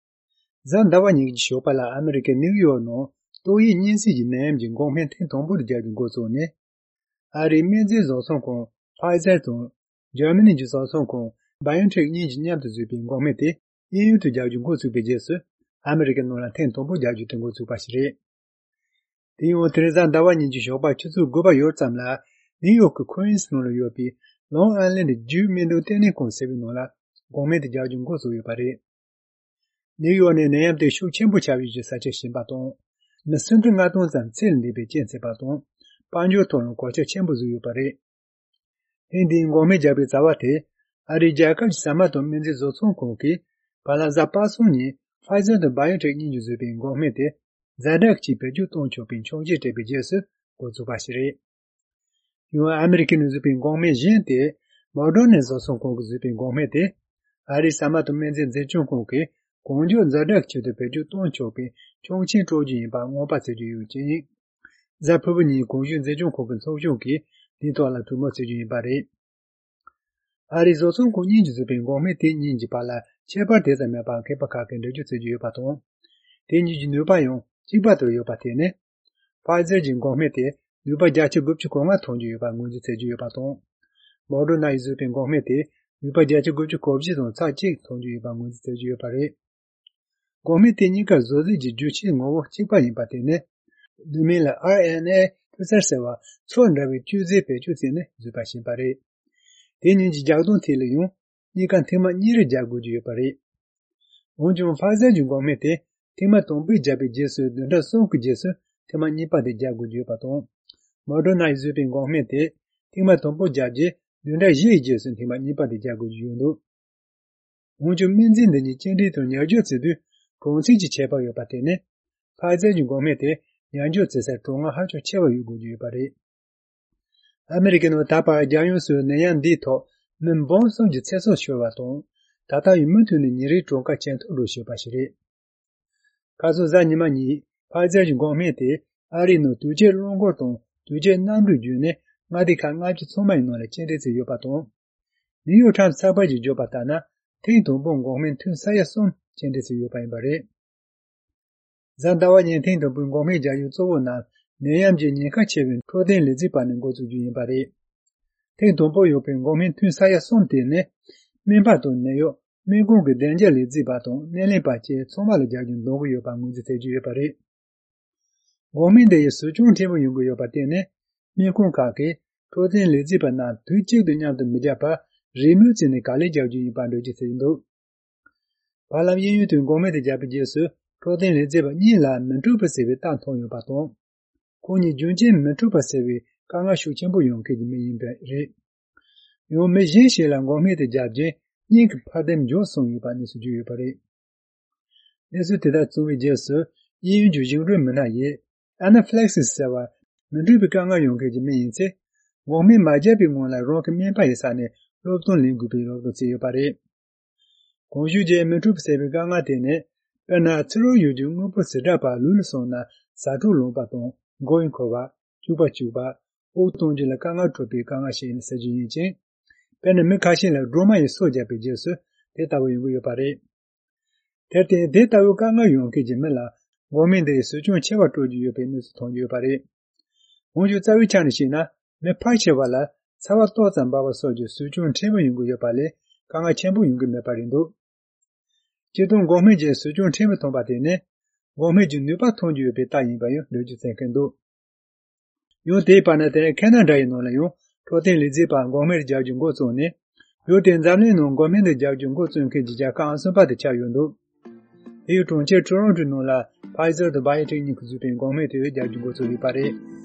གཟའ་ཟླ་བ་ཉིན་གྱི་ཞོགས་པ་ལ་ཨ་མི་རི་ཀའི་ནིའུ་ཡོག་ནང་ཏོག་དབྱིབས་གཉན་སྲིན་གྱི་ནད་ཡམས་ཀྱི་འགོག་སྨན་ཐེངས་དང་པོ་དེ་རྒྱག་རྒྱུ་འགོ་བཙུགས་ནས། ཨ་རིའི་སྨན་རྫས་བཟོ་ཚོང་ཁང་Pfizer་དང་འཇར་མ་ནི་གྱི་བཟོ་ཚོང་ཁང་BioNTech་གཉིས་ཀྱིས་མཉམ་དུ་བཟོས་པའི་འགོག་སྨན་དེ་གཡས་གཡོན་དུ་རྒྱག་རྒྱུ་འགོ་བཙུགས་པའི་རྗེས་སུ། ཨ་མི་རི་ཀའི་ནང་ལ་ཐེངས་དང་པོ་རྒྱག་རྒྱུ་དེ་འགོ་བཙུགས་པ་ཞིག་རེད། དེ་ཡང་དེ་རིང་གཟའ་ཟླ་བ་ཉིན་གྱི་ཞོགས་པ་ཆུ་ཚོད་དགུ་པ་ཡོལ་ཙམ་ལ། ནིའུ་ཡོག་གི་ཁུའིན་སི་ནང་ལ་ཡོད་པའི་Long Island་རྒྱུད་སྨན་དང་བསྟེན་གནས་ཁང་ཟེར་བའི་ནང་ལ་འགོག་སྨན་དེ་རྒྱག་རྒྱུ་འགོ་བཙུགས་ཡོད་པ་རེད། ནིའུ་ཡོག་ནི་ནད་ཡམས་དེ་ཤུགས་ཆེན་པོ་ཆགས་པའི་གི་ས་ཆ་གཞན་པ་དང་། མི་སུམ་ཁྲི་ལྔ་སྟོང་ཙམ་ཚེ་ལས་འདས་པའི་རྐྱེན་བྱས་པ་དང་། དཔལ་འབྱོར་ཐོག་ལ་གོད་ཆག་ཆེན་པོ་བཟོས་ཡོད་པ་རེད། ཐེངས་འདིའི་འགོག་སྨན་རྒྱག་པའི་རྩ་བ་དེ། ཨ་རིའི་རྒྱལ་ཁབ་ཀྱི་ཟ་མ་དང་སྨན་རྫས་བཟོ་ཚོང་ཁང་གིས། བར་ལ་གཟའ་པ་སངས་ཉིན་Pfizer་དང་BioNTech་གཉིས་ཀྱིས་བཟོས་པའི་འགོག་སྨན་དེ། ཛ་དྲག་ཅིག་བེད་སྤྱོད་གཏོང་ཆོག་པའི་འཆར་གཞི་སྤྲད་པའི་རྗེས་སུ་འགོ་བཙུགས་པ་ཞིག་རེད། ཡང་ཨ་མི་རི་ཀས་ནས་བཟོས་པའི་འགོག་སྨན་གཞན་དེ། Moderna་བཟོ་ཚོང་ཁང་གིས་བཟོས་པའི་འགོག་སྨན་དེ། ཨ་རིའི་ཟ་མ་དང་སྨན་རྫས་འཛིན་སྐྱོང་ཁང་གིས་ གང་མགྱོགས་ཛ་དྲག་གི་ཆེད་དུ་བེད་སྤྱོད་གཏོང་ཆོག་པའི་ཆོག་མཆན་སྤྲོད་རྒྱུ་ཡིན་པ་སྔོན་དཔག་བྱེད་ཀྱི་ཡོད་ཅིང་། གཟའ་ཕུར་བུ་ཉིན་གོང་ཞུས་འཛིན་སྐྱོང་ཁང་གི་ཚོགས་ཆུང་གིས་དེའི་ཐོག་ལ་གྲོས་མོལ་བྱེད་རྒྱུ་ཡིན་པ་རེད། ཨ་རིའི་བཟོ་ཚོང་ཁང་གཉིས་ཀྱིས་བཟོས་པའི་འགོག་སྨན་དེ་གཉིས་ཀྱི་བར་ལ་ཁྱད་པར་དེ་ཙམ་མེད་པར་མཁས་པ་ཁག་གིས་འགྲེལ་བརྗོད་བྱེད་ཀྱི་ཡོད་པ་དང་། དེ་གཉིས་ཀྱི་ནུས་པ་ཡང་གཅིག་པ་ལྟར་ཡོད་པ་དེ་ནི། ཕ་ཛར་གྱི་འགོག་སྨན་དེ་ནུས་པ་བརྒྱ་ཆ་དགུ་བཅུ་གོ་ལྔ་ཐོན་རྒྱུ་ཡོད་པ་ངོས་འཛིན་བྱེད་ཀྱི་ཡོད་པ་དང་། མོ་ཌར་ན་ཡིས་བཟོས་པའི་འགོག་སྨན་དེ་ནུས་པ་བརྒྱ་ཆ་དགུ་བཅུ་གོ་བཞི་དང་ཚེག་གཅིག་ཐོན་རྒྱུ་ཡོད་པ་ངོས་འཛིན་བྱེད་ཀྱི་ཡོད་པ་རེད། འགོག་སྨན་དེ་གཉིས་ཀ་བཟོ་རྩལ་གྱི་རྒྱུ་ཆའི་ངོ་བོ་གཅིག་པ་ཡིན་པ་དེ་ནི། བསྡུས་མིང་ལ་ཨར་ཨེན་ཨེ་ཕུ་སར་ཟེར་བ་ཚོས་འདྲ་བའི་བཅོས་རྫས་བེད་སྤྱོད་བྱས་ནས་བཟོས་པ་ཞིག་ཡིན་པ་རེད། དེ་གཉིས་ཀྱི་རྒྱག་སྟངས་ཐད་ལ་ཡང་གཉིས་ཀ་ཐེངས་མ་གཉིས་རེ་རྒྱག་དགོས་ཀྱི་ཡོད་པ་རེད། འོན་ཀྱང་ཕ་ཛར་གྱི་འགོག་སྨན་དེ་ཐེངས་མ་དང་པོའི་རྒྱག་པའི་རྗེས་སུ་བདུན་ཕྲག་གསུམ་གྱི་རྗེས་སུ་ཐེངས་མ་གཉིས་པ་དེ་རྒྱག་དགོས་ཀྱི་ཡོད་པ་དང་། མོ་ཌར་ན་ཡིས་བཟོས་པའི་འགོག་སྨན་དེ་ཐེངས་མ་དང་པོ་བརྒྱབ་རྗེས་བདུན་ཕྲག་བཞིའི་རྗེས་སུ་ཐེངས་མ་གཉིས་པ་དེ་རྒྱག་དགོས་ཀྱི་ཡོད་འདུག་འོན་ཀྱང་སྨན་རྫས་འདི་གཉིས་གཅིག་འདྲེས་དང་ཉར་སྦྱོར་བྱེད་དུས་གྲངས་ཚད་ཀྱི་ཁྱད་པར་ཡོད་པ་དེ་ནི། ཕ་ཛར་གྱི་འགོག་སྨན་དེ་ཉར་སྦྱོར་བྱེད་སར་གྲོན་དངུལ་ཧ་ཅང་ཆེ་བ་ཡོད་དགོས་ཀྱི་ཡོད་པ་རེད། ཨ་མེ་རི་ཀའི་ནང་ད་བར་རྒྱལ་ཡོངས་སུ་ནད་ཡམས་འདིའི་ཐོག་མི་འབུམ་གསུམ་གྱི་ཚེ་སྲོག་ཤོར་བ་དང་། ད་ལྟ་ཡང་མུ་མཐུད་ནས་ཉིན་རེའི་གྲངས་ཀ་ཇེ་མཐོར་འགྲོ་བཞིན་པ་ཞིག་རེད། ཁ་སང་གཟའ་ཉི་མ་ཉིན་ཕ་ཛར་གྱི་འགོག་སྨན་དེ་ཨ་རིའི་ནང་དུས་བཅད་རླངས་འཁོར་དང་དུས་བཅད་གནམ་གྲུ་བརྒྱུད་ནས་མངའ་སྡེ་ཁག་ལྔ་བཅུ་ཚང་མའི་ནང་ལ་སྤྱན་འདྲེན་བྱས་ཡོད་པ་དང་། ནིའུ་ཡོག་ཊའིམ་སི་ཚགས་པར་གྱིས་བརྗོད་པ་ལྟར་ན། ཐེངས་དང་པོར་འགོག་སྨན་ཐུན་ས་ཡ་གསུམ་སྤྱན་འདྲེན་བྱས་ཡོད་པ་ཡིན་པ་རེད། གཟའ་ཟླ་བ་ཉིན་ཐེངས་དང་པོའི་འགོག་སྨན་རྒྱག་ཡུལ་གཙོ་བོ་རྣམས་ནད་ཡམས་ཀྱི་ཉེན་ཁ་ཆེ་བའི་འཕྲོད་བསྟེན་ལས་རྩིས་པ་ནས་འགོ་བཙུགས་རྒྱུ་ཡིན་པ་རེད། ཐེངས་དང་པོ་ཡོད་པའི་འགོག་སྨན་ཐུན་ས་ཡ་གསུམ་དེ་ནི། སྨན་པ་དང་ནད་གཡོག་སྨན་ཁང་གི་བདེ་འཇགས་ལས་རྩིས་པ་དང་སྣེ་ལེན་པ་བཅས་ཚང་མ་ལ་རྒྱག་རྒྱུ་འདང་གི་ཡོད་པ་ངོས་འཛིན་བྱེད་ཀྱི་ཡོད་པ་རེད། འགོག་སྨན་འདི་ཡི་ཟབ་སྦྱོང་ཕྲན་བུ་ཡོང་གི་ཡོད་པར་བརྟེན་ནས། སྨན་ཁང་ཁག་གིས་འཕྲོད་བསྟེན་ལས་རྩིས་པ་རྣམས་དུས་གཅིག་ཏུ་མཉམ་དུ་མི་རྒྱག་པར་རེས་མོས་བྱས་ནས་ག་ལེར་རྒྱག་རྒྱུ་ཡིན་པར་འགྲེལ་བརྗོད་བྱས་འདུག་བར་ལམ་གཡས་གཡོན་དུ་འགོག་སྨན་དེ་བརྒྱབ་པའི་རྗེས་སུ་འཕྲོད་བསྟེན་ལས་བྱེད་པ་གཉིས་ལ་མི་འཕྲོད་པ་ཟེར་བའི་རྟགས་མཐོང་ཡོད་པ་དང་། ཁོང་གཉིས་རྒྱུན་ཆད་མི་འཕྲོད་པ་ཟེར་བའི་དཀའ་ངལ་ཤུགས་ཆེན་པོ་ཡོང་མཁན་གྱི་མི་ཡིན་པ་རེད། ཡང་མི་གཞན་ཞིག་ལ་འགོག་སྨན་དེ་བརྒྱབ་རྗེས་སྙིང་གི་འཕར་ལྡིང་མགྱོགས་སོང་ཡོད་པ་གནས་ཚུལ་བརྗོད་ཡོད་པ་རེད། གནས་ཚུལ་དེ་དག་བྱུང་བའི་རྗེས་སུ་གཡས་གཡོན་གྱི་ཞིང་འབྲོག་མི་སྣ་ཡིས་ཨ་ན་ཕི་ལེག་སི་ཟེར་བ་མི་འཕྲོད་པའི་དཀའ་ངལ་ཡོང་མཁན་གྱི་མི་ཡིན་ཚེ། འགོག་སྨན་མ་བརྒྱབ་པའི་སྔོན་ལ་རང་གི་སྨན་པ་ཡི་ས་ནས་སློབ་སྟོན་ལེན་དགོས་པའི་རོགས་སྐྱོར་བྱས་ཡོད་པ་རེད། གོང་ཞུས་ཀྱི་མི་འཕྲོད་པ་ཟེར་བའི་དཀའ་ངལ་དེ་ནི། དཔེར་ན་ཚུར་རོལ་ཡུལ་གྱི་དངོས་པོ་བྱེ་བྲག་པ་ལུས་ལ་སོང་ན་ཟ་འཕྲུག་ལངས་པ་དང་མགོ་ཡི་འཁོར་བ། སྐྱུག་པ་སྐྱུག་པ། དབུགས་གཏོང་རྒྱུ་ལ་དཀའ་ངལ་འཕྲད་པའི་དཀའ་ངལ་ཞིག་ཡིན་ཟེར་རྒྱུ་ཡིན་ཅིང་། དཔེར་ན་མི་ཁ་ཤས་ལ་སྒྲོལ་མ་ཡིས་སོ་བརྒྱབ་པའི་རྗེས་སུ་དེ་ལྟ་བུ་ཡོང་གི་ཡོད་པ་རེད། དེར་བརྟེན་དེ་ལྟ་བུའི་དཀའ་ངལ་ཡོང་མཁན་གྱི་མི་ལ་འགོག་སྨན་འདི་ཡིས་ཟབ་སྦྱོང་ཆེ་བ་སྤྲོད་རྒྱུ་ཡོད་པའི་གནས་ཚུལ་མཐོང་རྒྱུ་ཡོད་པ་རེད། འོན་ཀྱང་རྩ་བའི་ཆ་ནས་བཤད་ན་མི་ཕལ་ཆེ་བ་ལ་ཚ་བ་ཏོག་ཙམ་འབར་བ་སོགས་ཀྱི་ཟབ་སྦྱོང་ཕྲན་བུ་ཡོང་གི་ཡོད་པ་ལས་དཀའ་ངལ་ཆེན་པོ་ཡོང་གི་མེད་པ་རེད་འདུག་སྤྱིར་བཏང་འགོག་སྨན་གྱི་ཟབ་སྦྱོང་ཕྲན་བུ་ཐོན་པ་དེ་ནི་འགོག་སྨན་གྱི་ནུས་པ་ཐོན་རྒྱུ་ཡོད་པའི་རྟགས་ཡིན་པ་ཡང་འགྲེལ་བརྗོད་བྱེད་མཁན་འདུག་ཡང་དེའི་བར་ན་དེ་ནས་ཁེ་ན་ཌ་ཡི་ནང་ལ་ཡང་འཕྲོད་བསྟེན་ལས་རྩིས་པ་འགོག་སྨན་རྒྱག་རྒྱུ་འགོ་བཙུགས་ནས། ཡུལ་དེའི་འཛམ་གླིང་ནང་འགོག་སྨན་དེ་རྒྱག་རྒྱུ་འགོ་བཙུགས་མཁན་གྱི་རྒྱལ་ཁབ་ཨང་གསུམ་པ་དེ་ཆགས་ཡོད་འདུག་དེའི་གྲོང་ཁྱེར་ཊོ་རོན་ཊོའི་ནང་ལ་ཕ་ཡི་ཛར་དང་བྷ་ཡོ་ཊེག་གཉིས་ཀྱིས་བཟོས་པའི་འགོག་སྨན་དེ་རྒྱག་རྒྱུ་འགོ་བཙུགས་ཡོད་པ་རེད།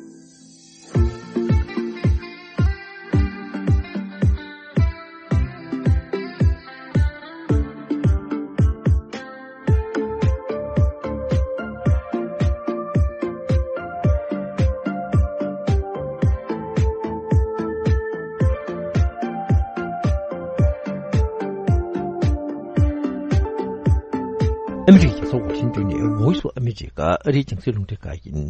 ཨ་མི་རི་ཀའི་རྒྱལ་ས་ཝ་ཤིང་ཏོན་ནས་Voice of America ཨ་རིའི་རྒྱང་སྲིང་རླུང་འཕྲིན་ཁང་ཡིན།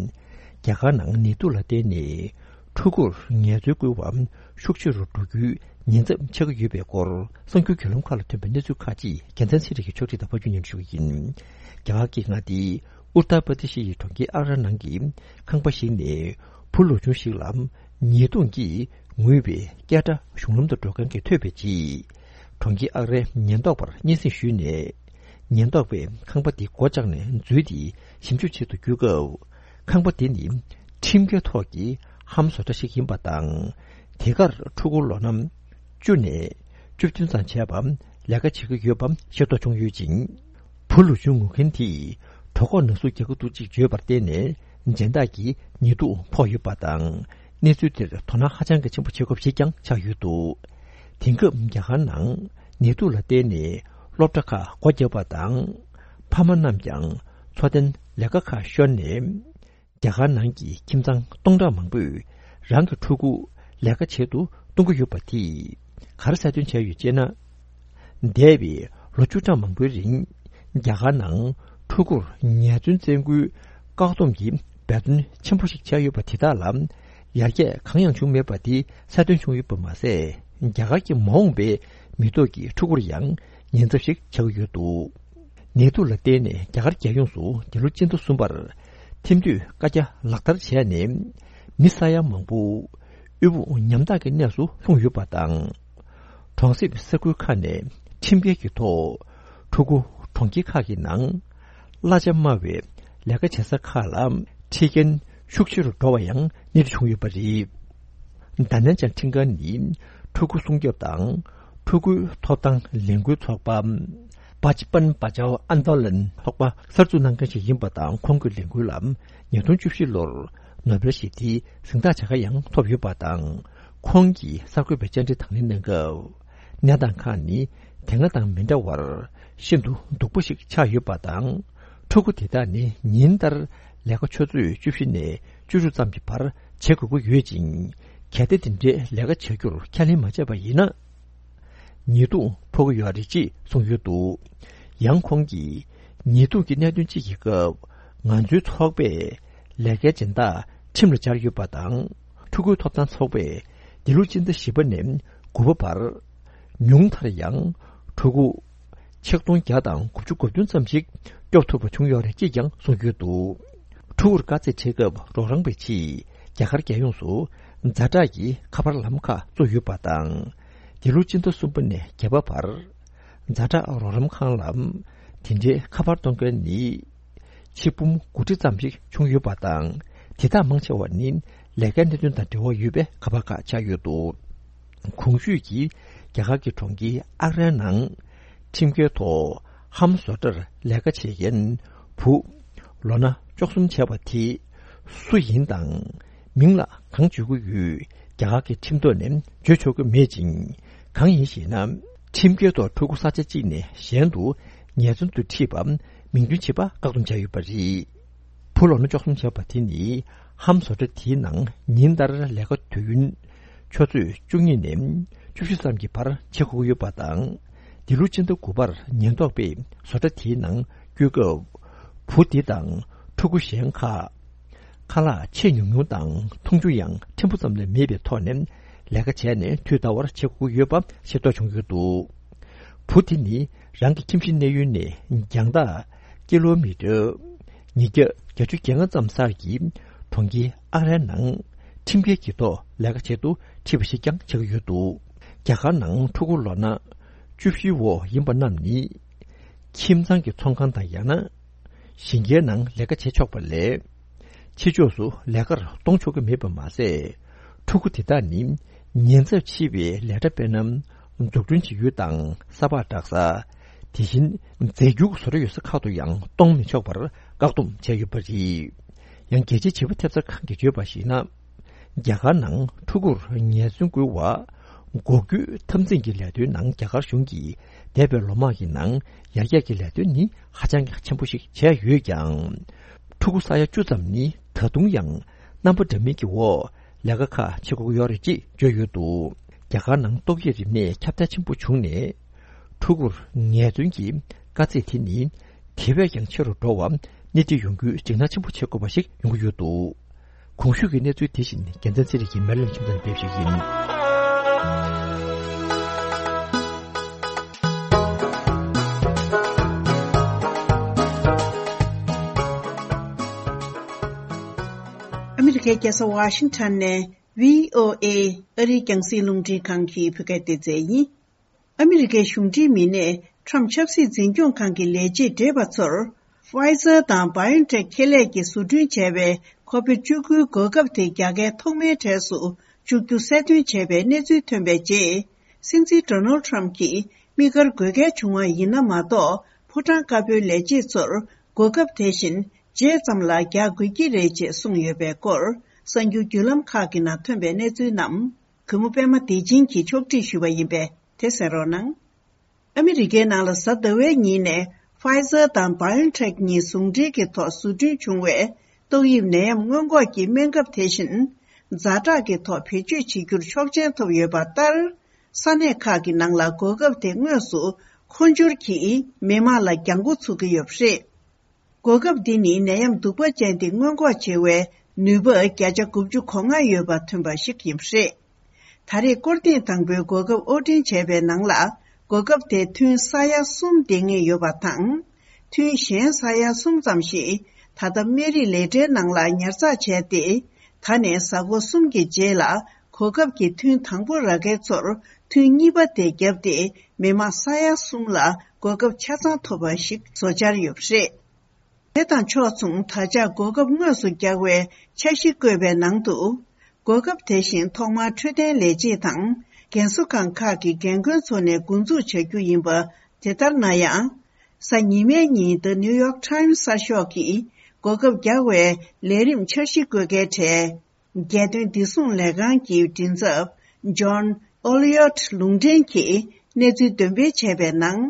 རྒྱ་གར་ནང་ནད་དུག་ལ་བརྟེན་ནས་ཕྲུ་གུར་ངལ་རྩོལ་བསྐུལ་བ་ཤུགས་ཆེ་རུ་འགྲོ་རྒྱུའི་ཉེན་ཚབས་ཆགས་ཀྱི་ཡོད་པའི་སྐོར་གསར་འགྱུར་བརྒྱུད་ལམ་ཁག་ལ་ཐོན་པའི་གནས་ཚུལ་ཁག་ཅིག་རྒྱལ་མཚན་ཚེ་རིང་གིས་ཕྱོགས་སྒྲིག་དང་ཕབ་སྒྱུར་སྙན་སྒྲོན་ཞུ་གི་ཡིན། རྒྱ་གར་གྱི་མངའ་སྡེ་ཨུ་ཏར་པར་དི་ཤི་ཡི་གྲོང་ཁྱེར་ཨག་ར་ནང་གི་ཁང་པ་ཞིག་ནས་བུ་ལོ་ཆུང་ཞིག་ལ་ཉེས་རྡུང་གིས་ངུས་པའི་སྐད་སྒྲ་གཞུང་ལམ་དུ་འགྲོ་མཁན་གྱིས་ཐོས་པའི་རྗེས། གྲོང་ཁྱེར་ཨག་རའི་ཉེན་རྟོག་པར་སྙན་སེང་ཞུས་ནས། ཉེན་རྟོག་པས་ཁང་པ་དེ་སྒོ་བཅག་ནས་འཛུལ་ཏེ་ཞིབ་འཇུག་བྱེད་དུ་བསྐྱོད་སྐབས། ཁང་པ་དེ་ནི་ཁྲིམས་འགལ་ཐོག་གི་ཧམ་བཟོ་གྲྭ་ཞིག་ཡིན་པ་དང་། དེ་གར་ཕྲུ་གུ་ལོ་ན་བཅུ་ནས་བཅུ་བདུན་ཙམ་བྱས་པ་ལས་ཀ་བྱེད་ཀྱི་ཡོད་པ་ཤེས་རྟོགས་བྱུང་ཡོད་ཅིང་། བུ་ལོ་ཆུང་ངུ་མཁན་དེས་གྲོད་ཁོག་ན་ཟུག་རྒྱག་གི་འདུག་ཅེས་བརྗོད་པར་བརྟེན་ནས། སྦྱིན་བདག་གིས་ཉེས་རྡུང་ཕོག་ཡོད་པ་དང་། གནས་ཚུལ་དེར་དོ་སྣང་ཧ་ཅང་གི་ཆེན་པོ་བྱེད་དགོས་ཞེས་ཀྱང་ཆགས་ཡོད་འདུག་དེང་སྐབས་རྒྱ་གར་ནང་ནད་དུག་ལ་བརྟེན་ནས་སློབ་གྲྭ་ཁག་སྒོ་བརྒྱབ་པ་དང་། ཕ་མ་རྣམས་ཀྱང་འཚོ་རྟེན་ལས་ཀ་ཁག་ཤོར་ནས། རྒྱ་གར་ནང་གི་ཁྱིམ་ཚང་སྟོང་ཕྲག་མང་པོས་རང་གི་ཕྲུ་གུ་ལས་ཀ་བྱེད་དུ་གཏོང་གི་ཡོད་པ་དེས་ག་རེ་གསལ་སྟོན་བྱས་ཡོད་ཅེ་ན། འདས་པའི་ལོ་བཅུ་ཕྲག་མང་པོའི་རིང་། རྒྱ་གར་ནང་ཕྲུ་གུར་ངལ་རྩོལ་བཙན་སྐུལ་བཀག་སྡོམ་གྱི་འབད་བརྩོན་ཆེན་པོ་ཞིག་བྱས་ཡོད་པ་དེ་དག་ལ་ཡར་རྒྱས་གང་ཡང་བྱུང་མེད་པ་དེ་གསལ་སྟོན་བྱུང་ཡོད་པ་མ་ཟད། རྒྱ་གར་གྱི་མ་འོངས་པའི་མི་ཐོག་གི་ཕྲུ་གུར་ཡང་ཉེན་ཚབས་ཤིག་ཆགས་ཀྱི་ཡོད་འདུག། ནད་དུག་ལ་བརྟེན་ནས་རྒྱ་གར་རྒྱལ་ཡོངས་སུ་འདི་ལོ་སྤྱི་ཟླ་གསུམ་པར་ཐེམ་དུད་བཀའ་རྒྱ་ལག་བསྟར་བྱས་ནས་མི་ས་ཡ་མང་པོ་དབུལ་པོ་ཉམ་ཐག་གི་གནས་སུ་ལྷུང་ཡོད་པ་དང་། གྲོང་གསེབ་ས་ཁུལ་ཁག་ནས་ཁྲིམས་འགལ་གྱི་ཐོག་ཕྲུ་གུ་གྲོང་ཁྱེར་ཁག་གི་ནང་གླ་ཆ་དམའ་བའི་ལས་ཀ་བྱེད་ས་ཁག་ལ་ཁྲིད་མཁན་ཤུགས་ཆེ་རུ་འགྲོ་བ་ཡང་གནས་འདྲི་བྱུང་ཡོད་པ་རེད། ད་ནན་ཅང་ཁྲིན་ཀན་ནི་ཕྲུ་གུ་སྲུང་སྐྱོབ་དང་ཕྲུ་གུའི་ཐོབ་ཐང་ལས་འགུལ་ཚོགས་པ་བཱཅ་པན་བཱ་ཅའོ་ཨན་དོ་ལན་ཚོགས་པ་གསར་འཛུགས་གནང་མཁན་ཞིག་ཡིན་པ་དང་། ཁོང་གི་ལས་འགུལ་ལ་ཉིས་སྟོང་བཅུ་བཞི་ལོར་ནོ་བེལ་ཞི་བདེའི་གཟེངས་རྟགས་བྱ་དགའ་ཡང་ཐོབ་ཡོད་པ་དང་། ཁོང་གིས་གསར་འགོད་པའི་བཅར་འདྲི་དང་ལེན་གནང་སྐབས། གནས་སྟངས་ཁག་ནི་དེ་སྔ་དང་མི་འདྲ་བར་ཤིན་ཏུ་སྡུག་པོ་ཞིག་ཆགས་ཡོད་པ་དང་། ཕྲུ་གུ་དེ་དག་ནི་ཉིན་ལྟར་ལས་ཀ་ཆུ་ཚོད་བཅུ་བཞི་ནས་བཅུ་དྲུག་ཙམ་གྱི་བར་བྱེད་དགོས་ཀྱི་ཡོད་ཅིང་། གལ་ཏེ་དེ་འདྲའི་ལས་ཀ་བྱ་རྒྱུར་ཁས་ལེན་མ་བྱས་པ་ཡིན་ན། ཉེས་རྡུང་ཕོག་གི་ཡོད་རེད་ཅེས་གསུངས་ཡོད་འདུག། ཡང་ཁོང་གིས་ཉེས་རྡུང་གི་གནད་དོན་གཅིག་གི་སྐབས། ང་ཚོའི་ཚོགས་པས་ལས་ཀའི་སྦྱིན་བདག་ཁྲིམས་ལ་སྦྱར་ཡོད་པ་དང་། ཕྲུ་གུའི་ཐོབ་ཐང་ཚོགས་པས་འདི་ལོ་སྤྱི་ཟླ་བཞི་པ་ནས་དགུ་པ་བར། ཉུང་མཐར་ཡང་ཕྲུ་གུ་ཆིག་སྟོང་བརྒྱ་དང་དགུ་བཅུ་གོ་བདུན་ཙམ་ཞིག་སྐྱོབ་ཐུབ་པ་བྱུང་ཡོད་རེད་ཅེས་ཀྱང་གསུངས་ཡོད་འདུག། ཕྲུ་གུར་དཀའ་ཚེགས་འཕྲད་སྐབས་རོགས་རམ་པའི་ཆེད། རྒྱ་གར་རྒྱལ་ཡོངས་སུ་ཛ་དྲག་གི་ཁ་པར་ལམ་ཁ་བཙུགས་ཡོད་པ་དང་། འདི་ལོ་སྤྱི་ཟླ་གསུམ་པ་ནས་བརྒྱད་པ་བར། ཛ་དྲག་རོགས་རམ་ཁང་ལ་དེ་འདྲའི་ཁ་པར་གཏོང་མཁན་ནི་ཆིག་འབུམ་དགུ་ཁྲི་ཙམ་ཞིག་བྱུང་ཡོད་པ་དང་། དེ་དག་མང་ཆེ་བ་ནི་ལས་ཀའི་གནད་དོན་དང་འབྲེལ་བ་ཡོད་པའི་ཁ་པར་ཁག་ཆགས་ཡོད་འདུག། གོང་ཞུས་ཀྱི་རྒྱ་གར་གྱི་གྲོང་ཁྱེར་ཨག་རའི་ནང་ཁྲིམས་འགལ་ཐོག་ཧམ་བཟོ་གྲྭར་ལས་ཀ་བྱེད་མཁན་བུ་ལོ་ན་བཅུ་གསུམ་བྱས་པ་དེ་སུ་ཡིན་དང་། མིང་ལ་གང་བརྗོད་ཀྱི་ཡོད། རྒྱ་གར་གྱི་ཁྲིམས་ཐོག་ནས་བརྗོད་ཆོག་གི་མེད་ཅིང་། གང་ཡིན་ཞེ་ན། ཁྲིམས་འགལ་ཐོག་ཕྲུ་གུ་ས་ཆ་གཅིག་ནས་གཞན་དུ་ངལ་རྩོལ་དུ་ཁྲིད་པ་མིང་འདོན་བྱེད་པ་བཀག་སྡོམ་བྱས་ཡོད་པ་རེད། བུ་ལོ་ན་བཅུ་གསུམ་བྱས་པ་དེ་ནི་ཧམ་བཟོ་གྲྭ་དེའི་ནང་ཉིན་ལྟར་ལས་ཀ་དུས་ཡུན་ཆུ་ཚོད་བཅུ་གཉིས་ནས་བཅུ་བཞི་ཙམ་གྱི་བར་བྱེད་དགོས་ཀྱི་ཡོད་པ་དང་། འདི་ལོ་སྤྱི་ཟླ་དགུ་པར་ཉེན་རྟོག་པས་བཟོ་གྲྭ་དེའི་ནང་བསྐྱོད་སྐབས། བུ་འདི་དང་ཕྲུ་གུ་གཞན་ཁག་ཁ་ལག་ཆེས་ཉུང་ཉུང་དང་འཐུང་ཆུ་ཡང་ཕྲན་བུ་ཙམ་ལས་མེད་པའི་ཐོག་ནས་ལས་ཀ་བྱས་ནས་དུས་ལྟར་བར་བྱེད་དགོས་ཀྱི་ཡོད་པ་ཤེས་རྟོགས་བྱུང་ཡོད་འདུག། བུ་དེ་ནི་རང་གི་ཁྱིམ་གཞིས་གནས་ཡུལ་ནས་རྒྱང་ཐག་ཀི་ལོ་མི་ཊར་ཉིས་བརྒྱ་བརྒྱད་ཅུ་གྱ་ལྔ་ཙམ་སར་གྱི་གྲོང་ཁྱེར་ཨག་རའི་ནང་ཁྲིམས་འགལ་གྱི་ཐོག་ལས་ཀ་བྱེད་དུ་ཁྲིད་པ་ཞིག་ཀྱང་ཆགས་ཀྱི་ཡོད་འདུག། རྒྱ་གར་ནང་ཕྲུ་གུ་ལོ་ན་བཅུ་བཞིའི་འོག་ཡིན་པ་རྣམས་ནི། ཁྱིམ་ཚང་གི་ཚོང་ཁང་དང་ཡང་ན་ཞིང་ཁའི་ནང་ལས་ཀ་བྱེད་ཆོག་པ་ལས། ཕྱི་ཕྱོགས་སུ་ལས་ཀར་གཏོང་ཆོག་གི་མེད་པ་མ་ཟད། ཕྲུ་གུ་དེ་དག་ནི་ཉེན་ཚབས་ཆེ་བའི་ལས་གྲྭ་དཔེར་ན་འཛུགས་སྐྲུན་བྱེད་ཡུལ་དང་ས་ཕག་འདྲ་ས། དེ་བཞིན་རྫས་འགྱུར་བཟོ་གྲྭ་ཡོད་ས་ཁག་ཏུ་ཡང་གཏོང་མི་ཆོག་པར་བཀག་སྡོམ་བྱས་ཡོད་པ་རེད། ཡང་རྒྱལ་སྤྱིའི་བྱིས་པ་ཐེབས་རྩ་ཁང་གིས་བརྗོད་པར་གཞིགས་ན། རྒྱ་གར་ནང་ཕྲུ་གུར་ངལ་རྩོལ་སྐུལ་བ། འགོག་རྒྱུའི་འཐབ་འཛིང་གི་ལས་དོན་ནང་རྒྱ་གར་གཞུང་གིས་འདས་པའི་ལོ་མང་གི་ནང་ཡར་རྒྱས་ཀྱི་ལས་དོན་ནི་ཧ་ཅང་གི་ཆེན་པོ་ཞིག་བྱས་ཡོད་ཀྱང་། ཕྲུ་གུ་ས་ཡ་བཅུ་ཙམ་ནི་ད་དུང་ཡང་རྣམ་པ་འདྲ་མིན་གྱི་འོག་ལས་ཀ་ཁག་བྱེད་དགོས་ཀྱི་ཡོད་རེད་ཅེས་བརྗོད་ཡོད་འདུག། རྒྱ་གར་ནང་ཏོག་དབྱིབས་རིམས་ནད་ཁྱབ་གདལ་ཆེན་པོ་བྱུང་ནས། ཕྲུ་གུར་ངལ་རྩོལ་གྱི་དཀའ་ཚེགས་དེ་ནི་དེ་བས་ཀྱང་ཆེ་རུ་འགྲོ་བར་སྣེ་ཁྲིད་ཡོང་རྒྱུའི་འཇིགས་སྣང་ཆེན་པོ་བྱེད་དགོས་པ་ཞིག་ཡོང་གི་ཡོད་འདུག། གོང་ཞུས་ཀྱི་གནས་ཚུལ་དེ་བཞིན་རྒྱལ་མཚན་ཚེ་རིང་གིས་མེ་ལོན་ཁྱིམ་ཚང་ལ་ཕེབས་ཞུས་ཡིན། ཨ་མི་རི་ཀའི་རྒྱལ་ས་ཝ་ཤིང་ཊོན་ནས་བྷི་ཨོ་ཨེ་ཨ་རིའི་རྒྱང་སྲིང་རླུང་འཕྲིན་ཁང་གི་བོད་སྐད་སྡེ་ཚན་ཡིན། ཨ་མི་རི་ཀའི་གཞུང་འབྲེལ་མི་སྣས་ཁྲམ་ཆབ་སྲིད་འཛིན་སྐྱོང་ཁང་གི་ལས་བྱེད་བགྲེས་པ་ཚོར་Pfizer་དང་BioNTech་ཁེ་ལས་ཀྱིས་བཟོ་སྐྲུན་བྱས་པའི་ཁོ་བིད་བཅུ་དགུའི་འགོག་ཁབ་དེ་རྒྱག་གལ་ཐོག་མའི་གྲས་སུ་བཅུག་རྒྱུ་གསལ་སྟོན་བྱས་པའི་གནས་ཚུལ་ཐོན་པའི་རྗེས། སྲིད་འཛིན་Donald Trump་གྱིས་དམིགས་བཀར་དགོས་གལ་བྱུང་བ་ཡིན་ན་མ་གཏོགས། ཕོ་བྲང་དཀར་པོའི་ལས་བྱེད་ཚོར་འགོག་ཁབ་དེ་བཞིན་རྗེས་ཙམ་ལ་རྒྱག་དགོས་ཀྱི་རེད་ཅེས་གསུངས་ཡོད་པའི་སྐོར། གསར་འགྱུར་བརྒྱུད་ལམ་ཁག་གི་ནང་ཐོན་པའི་གནས་ཚུལ་རྣམས། གུས་མོ་པད་མ་བདེ་ཆེན་གྱིས་ཕྱོགས་སྒྲིག་ཞུས་པ་ཡིན་པས་དེ་གསན་རོགས་གནང་། ཨ་མི་རི་ཀའི་ནང་ལ་གཟའ་ཟླ་བའི་ཉིན་ནས་Pfizer་དང་BioNTech་གཉིས་ཟུང་འབྲེལ་གྱི་ཐོག་བཟོ་སྐྲུན་བྱུང་བའི་ཏོག་དབྱིབས་ནད་ཡམས་སྔོན་འགོག་གི་སྨན་ཁབ་དེ་བཞིན་ཛ་དྲག་གི་ཐོག་བེད་སྤྱོད་བྱེད་རྒྱུར་ཆོག་མཆན་ཐོབ་ཡོད་པ་ལྟར། ས་གནས་ཁག་གི་ནང་ལ་འགོག་ཁབ་དེ་དངོས་སུ་ འཕོ་འགྱུར་གྱིས་མི་དམངས་ལ་རྒྱང་མགོ་ཚུགས་ཀྱི་ཡོད་པ་རེད། འགོག་ཁབ་འདི་ནི་ནད་ཡམས་གདུག་པ་ཅན་དེ་སྔོན་འགོག་བྱེད་པའི་ནུས་པ་བརྒྱ་ཆ་དགུ་བཅུ་གོ་ལྔ་ཡོད་པ་ཐོན་པ་ཞིག་ཡིན་པ་རེད། ད་རེས་སྐོར་ཐེངས་དང་པོའི་འགོག་ཁབ་དབོར་འདྲེན་བྱས་པའི་ནང་ལ། འགོག་ཁབ་དེ་ཐུན་ས་ཡ་གསུམ་ལྡང་ངེས་ཡོད་པ་དང་། ཐུན་གཞན་ས་ཡ་གསུམ་ཙམ་ཞིག་ད་ལྟ་སྨན་རིགས་ལས་གྲྭའི་ནང་ལ་ཉར་ཚགས་བྱས་ཏེ། ད་ནས་གཟའ་འཁོར་གསུམ་གྱི་རྗེས་ལ་འགོག་ཁབ་ཀྱི་ཐུན་དང་པོ་རག་མཁན་ཚོར་ཐུན་གཉིས་པ་དེ་བརྒྱབ་སྟེ། མི་མང་ས་ཡ་གསུམ་ལ་འགོག་ཁབ་ཆ་ཚང་ཐོབ་པ་ཞིག་བཟོ་འཆར་ཡོད་པ་རེད། དེ་དང་ཕྱོགས་མཚུངས། ད་ཆ་འགོག་ཁབ་དངོས་སུ་རྒྱག་པའི་འཆར་གཞི་བཀོད་པའི་ནང་དུ། འགོག་ཁབ་དེ་བཞིན་ཐོག་མར་འཕྲོད་བསྟེན་ལས་བྱེད་དང་། རྒན་གསོ་ཁང་ཁག་གི་འགན་ཁུར་ཚོ་ནས་འགོ་འཛུགས་བྱ་རྒྱུ་ཡིན་པ། དེ་ལྟར་ན་ཡང་། གཟའ་ཉི་མའི་ཉིན། The New York Times གསར་ཤོག་གིས་འགོག་ཁབ་རྒྱག་པའི་ལས་རིམ་འཆར་གཞི་བཀོད་མཁན་གྲས། རྒྱལ་དོན་བདེ་སྲུང་ལས་ཁང་གི་མགྲིན་ཚབ། John Oliot ལུང་འདྲེན་གྱིས་གནས་ཚུལ་འདོན་སྤེལ་བྱས་པའི་ནང་།